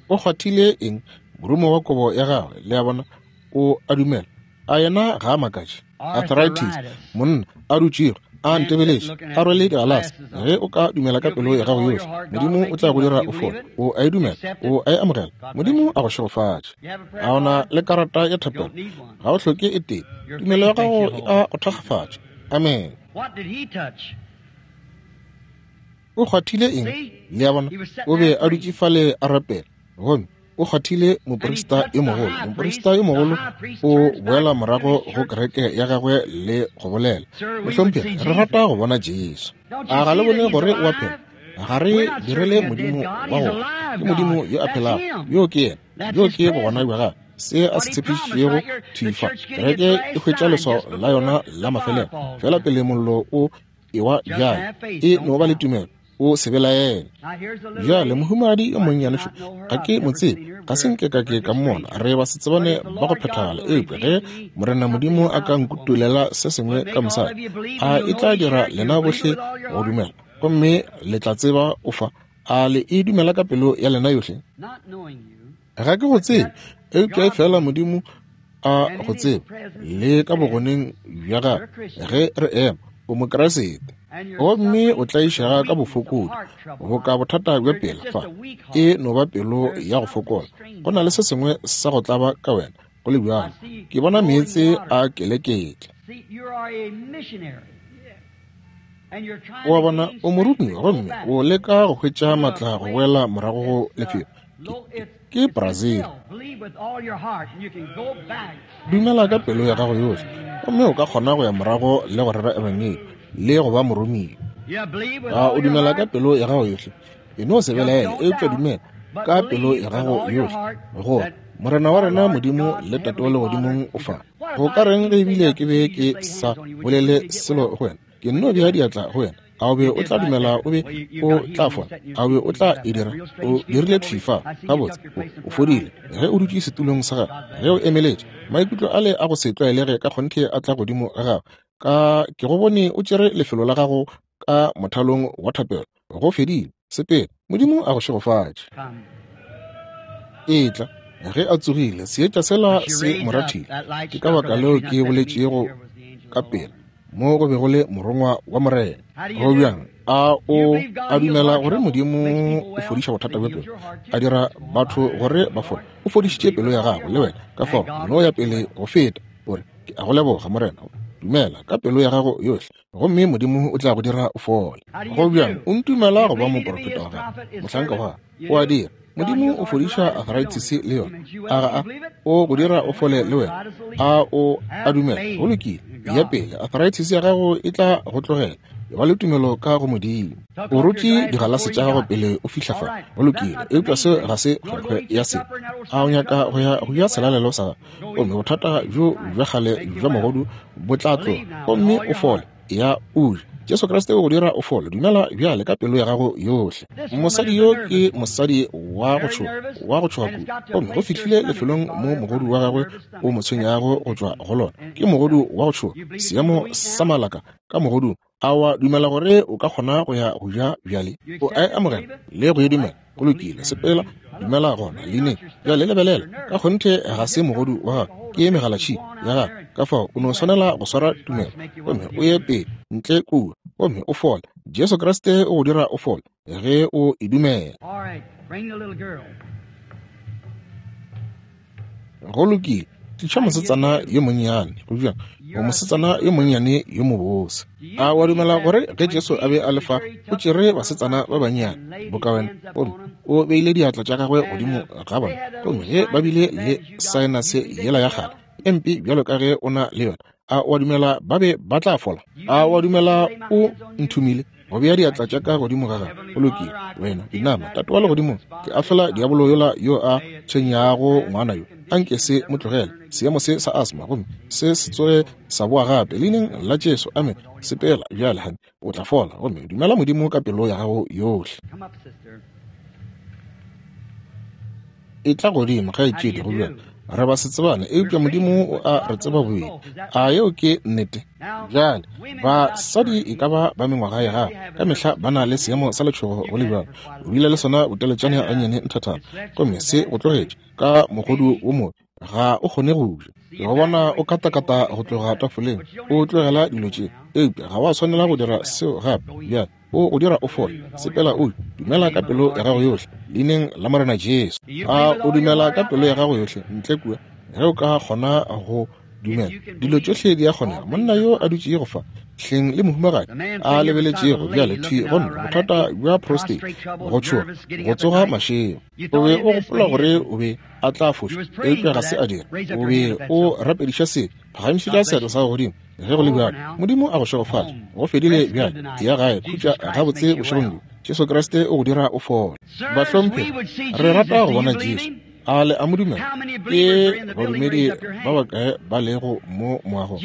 O kgwathile eng? Morumo wa kobo ya gagwe, le a bona, o a dumela. A yena ga a makatše. Arthritis, monna a dutšego a ntebeletše, a rwele digalase. Ge o ka dumela ka pelo ya gago yohle, Modimo o tla go dira o fole. O a e dumela, o a e amogela. Modimo a go šegofatše. A ona le karata ya thapelo? Ga o hloke e tee. Tumelo ya gago e a go thakgafatša. Amen. What did he touch? O kgwathile eng? Le a bona, o be a dutše fale a rapela, gomme o kgwathile moprista yo mogolo. Moprista yo mogolo o boela morago go kereke ya gagwe le go bolela, mohlomphegi, re rata go bona Jesu. A ga le bone gore o a phela? Ga re direle Modimo wa go, ke Modimo yo a phelago. Yo ke yena, yo ke bogona bja gagwe, se a se tshepišitšego thwi fa. Kereke e hwetša leswao la yona la mafelelo fela pele mollo o ewa bjale. E no ba le tumelo, o se belaele. Bjale mohumagadi yo monnyane šo, ga ke mo tsebe, ga se nke ka ke ka mmona, re ba se tsebane ba go phethagala. Eupša ge Morena Modimo a ka nkutulela se sengwe ka mosadi, a e tla dira lena bohle go dumela, gomme le tla tseba o fa. A le e dumela ka pelo ya lena yohle? Ga ke go tsebe, eupša fela Modimo a go tseba, le ka bogoneng bja gagwe ge re ema, o Mokriste. Gomme o tlaišega ka bofokodi, boka bothata bja pela fa, e no ba pelo ya go fokola. Go na le se sengwe sa go tlaba ka wena, go le bjalo. Ke bona meetse a keleketla. O a bona, o morumiwa, gomme o leka go hwetša matla go boela morago go lefelo. Ke Brazil. Dumela ka pelo ya gago yohle, gomme o ka kgona go ya morago le go rera ebangedi le go ba moromiwa. A o dumela ka pelo ya gago yohle? E no se belaele, eupša dumela ka pelo ya gago yohle gore Morena wa rena Modimo le Tate wa legodimong o fa. Go ka reng ge ebile ke be ke sa bolele selo go wena, ke nno bea diatla go wena, a o be o tla dumela o be o tla fola? A o be o tla e dira? O dirile thwi fa gabotse, o fodile. Ge o dutše setulong sa gago, ge o emeletše, maikutlo ale a go se tlwaelege ka kgonthe a tla godimo ga gago. Ka ke go bone o tšere lefelo la gago ka mothalong wa thapelo. Go fedile, sepela. Modimo a go šegofatše. Etla ge a tsogile, seetša sela se mo rathile. Ke ka baka leo ke boletšego ka pela mo go be go le morongwa wa Morena. Go bjang? A o a dumela gore Modimo o fodiša bothata bja pelo, a dira batho gore ba fole? O fodišitše pelo ya gago le wena, ka fao no ya pele go feta. O re, ke a go leboga Morena. Dumela ka pelo ya gago yohle, gomme Modimo o tla go dira o fole. Go bjang? O ntumela go ba moprofeta wa gagwe, mohlanka wa gagwe? O a dira. Modimo o fodiša arthritis le yona. A ga a o go dira o fole le wena? A o a dumela? Go lokile, ya pele. Arthritis ya gago e tla go tlogela. E ba le tumelo ka go Modimo. O rotše digalase tša gago pele o fihla fa. Go lokile, eupša se ga se kgwekgwe ya se. A o nyaka go ya go ja selalelo sa gago, gomme bothata bjo bja kgale bja mogodu bo tla tloga, gomme o fole. Ya o je. Jesu Kriste o go dira o fole. Dumela bjale ka pelo ya gago yohle. Mosadi yo ke mosadi wa go tšhoga, wa go tšhoga kudu, gomme go fihlile lefelong mo mogodu wa gagwe o mo tshwenyago go tšwa go lona. Ke mogodu wa go tšhoga, seemo sa malaka ka mogodung. A wa dumela gore o ka kgona go ya go ja bjale? O a e amogela le go e dumela. Go lokile, sepela, dumela gona leineng. Bjale lebelela, ka kgonthe ga se mogodu wa gago, ke megalatšhika ya gago. Ka fao o no swanela go swara tumelo gomme o ye pele ntle kua gomme o fole. Jesu Kriste o go dira o fole ge o e dumela. Go lokile, tliša mosetsana yo monnyane. Go bjang? O mosetsana yo monnyane yo mobose. A wa dumela gore ge Jesu a be a le fa, o tšere basetsana ba bannyane boka wena, gomme o beile diatla tša gagwe godimo ga bona, gomme ge ba bile le saenase yela ya kgale e mpe bjalo ka ge o na le yona, a wa dumela ba be ba tla fola? A wa dumela o nthomile go bea diatla tša ka godimo ga gagwe? Go lokile, wena inama. Tate wa legodimo, ke ahlola diabolo yola yo a tshwenyago ngwana yo. Anke se mo tlogele seemo se sa asma, gomme se se tsoge sa boa gape leineng la Jesu. Amen. Sepela bjale, honey, o tla fola, gomme dumela Modimo ka pelo ya gago yohle. E tla godimo, kgaetšedi. Go bjalo, re ba se tsebane, eupša Modimo o a re tseba bobedi. A yeo ke nnete? Bjale basadi e ka ba ba mengwaga ya gago ka mehla ba na le seemo sa letšhogo go le bjalo. O bile le sona boteletšane gannyane nthathana, gomme se go tlogetše ka mogodu wo mobe, ga o kgone go ja. Ke go bona o katakata go tloga tafoleng, o tlogela dilo tše, eupša ga wa swanela go dira seo gape. Bjale o go dira o fole. Sepela o dumela ka pelo ya gago yohle leineng la Morena Jesu. A o dumela ka pelo ya gago yohle ntle kua? Ge o ka kgona go dumela, dilo tšohle di a kgonega. Monna yo a dutšego fa hleng le mohumagadi a lebeletšego bjale thwi go nna, bothata bja prostate, go tšhoga, go tsoga mašego. O be o gopola gore o be a tla foša, eupša ga se a dira. O be o rapediša se. Phagamišetša seatla sa gago godimo ge go le bjalo. Modimo a go šegofatše. Go fedile bjale, ya gae, khutša gabotse bošegong bjo. Jesu Kriste o go dira o fole. Bahlomphegi, re rata go bona Jesu. A le a mo dumela? Ke badumedi ba bakae ba lego mo moagong?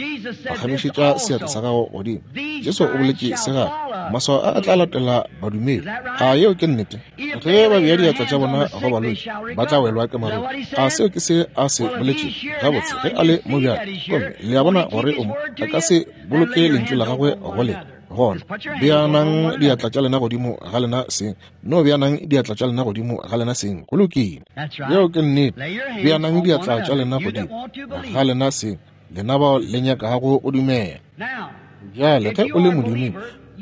Phagamišetša seatla sa gago godimo. Jesu o boletše se gape, maswao a a tla latela badumedi. A yeo ke nnete? Ge ba bea diatla tša bona go balwetši, ba tla welwa ke maruru. A seo ke se a se boletšego? Gabotse, ge a le mo bjale, gomme le a bona gore o mo, a ka se boloke lentšu la gagwe go lena. Gona beanang diatla tša lena godimo ga lena seng. No beanang diatla tša lena godimo ga lena seng. Go lokile, yeo ke nnete. Beanang diatla tša lena godimo ga lena seng, lena bao le nyakago go dumela. Bjale ge o le modumedi,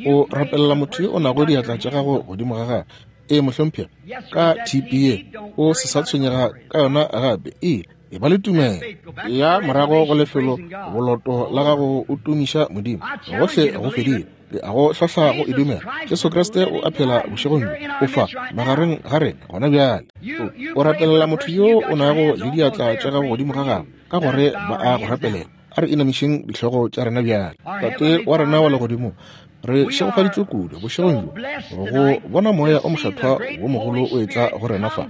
o rapelela motho yo o nago diatla tša gago godimo ga gagwe. E mohlomphegi, ka T P A o se sa tshwenyega ka yona gape. E e ba le tumelo ya morago go lefelo boloto la gago, o tumiša Modimo. Gohle go fedile, ke a go hlahla go e dumela. Jesu Kriste o a phela bošegong bjo, o fa magareng ga rena gona bjale. O rapelela motho yo o nago le diatla tša gago godimo ga gagwe, ka gore ba a go rapelela. A re inamišeng dihlogo tša rena bjale. Tate wa rena wa legodimo, re šegofaditšwe kudu bošegong bjo go bona moya o mokgethwa wo mogolo o etla go rena fa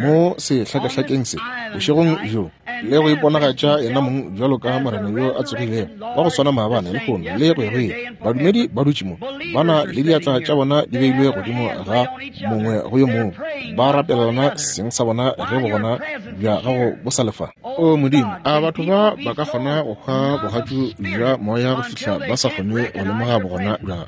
mo sehlakahlakeng se bošegong bjo, le go iponagatša yena mong bjalo ka Morena yo a tsogilego wa go swana maabane, lehono le go ya go ile. Badumedi ba dutše mo, ba na le diatla tša bona di beilwe godimo ga mongwe go yo mongwe, ba rapelelana seng sa bona ge bogona bja gago bo sa le fa. O Modimo, a batho ba ba ka kgona go hwa bogatšu bja moya go fihla ba sa kgone go lemoga bogona bja gago?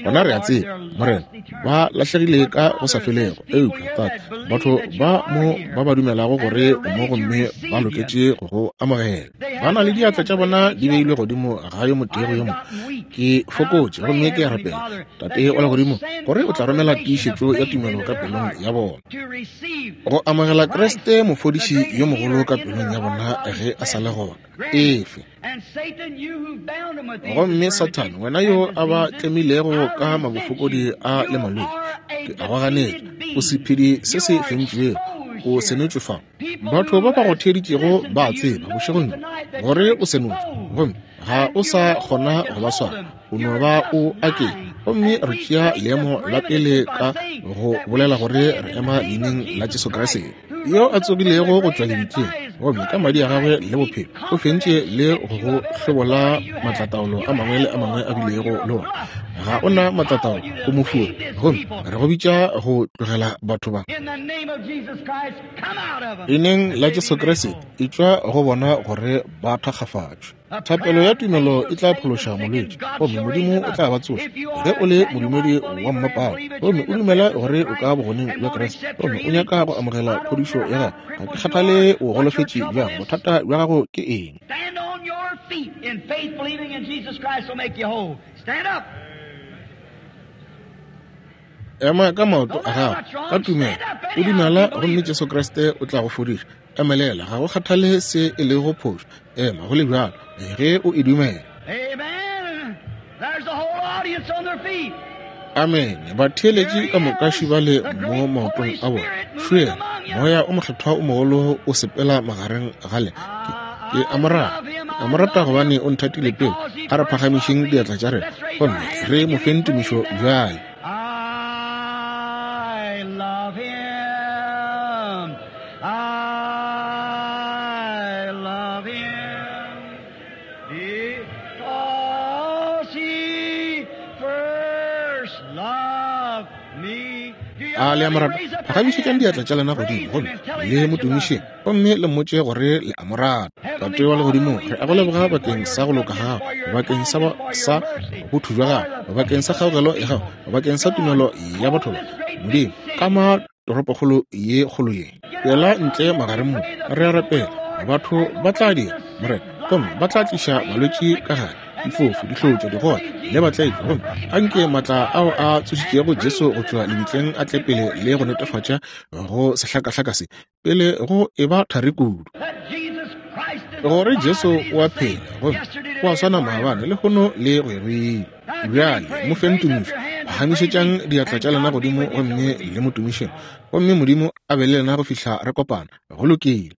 Gona re a tseba, Morena, ba lahlegile ka go sa felego. Eupša Tate, batho ba mo ba ba dumelago gore o mo gomme ba loketše go go amogela, ba na le diatla tša bona di beilwe godimo ga yo motee go yo mongwe. Ke fokotše gomme ke a rapela, Tate wa legodimo, gore o tla romela tiišetšo ya tumelo ka pelong ya bona, go amogela Kriste mofodiši yo mogolo ka pelong ya bona ge a sa le gona. Efe. Gomme Sathane, wena yo a ba tlemilego ka mabofokodi a le malwetši, ke a go ganetša. O sephedi se se fentšwego, o senotšwe fa. Batho ba ba go theeditšego ba a tseba bošegong bjo gore o senotšwe, gomme ga o sa kgona go ba swara, o no ba o akeng. Gomme re tšea leemo la pele ka go bolela gore re ema leineng la Jesu Kriste yo a tsogilego go tšwa lebitleng, gomme ka madi a gagwe le bophelo o fentše le go go hlobola maatlataolo a mangwe le a mangwe a bilego le ona. Ga o na matlatao, o mofuri, gomme re go bitša go tlogela batho ba. Leineng la Jesu Kriste, etšwa go bona gore ba thakgafatšwe. Thapelo ya tumelo e tla phološa molwetši, gomme Modimo o tla ba tsoša. Ge o le modumedi wa mmapale gomme o dumela gore o ka bogoneng bja Kriste, gomme o nyaka go amogela phodišo ya gago, ga ke kgathale o golofetše bjang, bothata bja gago ke eng? Ema ka maoto a gago ka tumelo, o dumela gomme Jesu Kriste o tla go fodiša. Emelela, ga go kgathale se e lego phošo, ema go le bjalo ge o e dumela. Amen. Batheeletši ka moka šibale mo maotong a bona. Šuela, moya o mokgethwa o mogolo o sepela magareng ga lena. Ke a mo rata, a mo rata gobane o nthatile pele. A re phagamišeng diatla tša rena gomme re mo feng tumišo bjale. I love him. I love him because he first loved me. A le a mo rata? Phagamišetšang diatla tša lena godimo gomme le mo tumišeng, gomme le mmotše gore le a mo rata. Tate wa legodimo, re a go leboga bakeng sa go loka ga gago, bakeng sa sa botho bja gago, bakeng sa kgaogelo ya gago, bakeng sa tumelo ya batho ba. Modimo, ka ma toropokgolo ye kgolo ye, tšwela ntle magareng mo, re a rapela. Batho ba tla dira, Morena, gomme ba tla tliša balwetši ka gare, difofu, dihlotša, digole le batlaetšwa, gomme anke maatla ao a tsošitšego Jesu go tšwa lebitleng a tle pele le go netefatša go sehlakahlaka se pele go eba thari kudu, gore Jesu o a phela gomme o a swana maabane, lehono le go ya go ile. Bjale mo feng tumišo, phagamišetšang diatla tša lena godimo gomme le mo tumišeng, gomme Modimo a be le lena go fihla re kopana. Go lokile.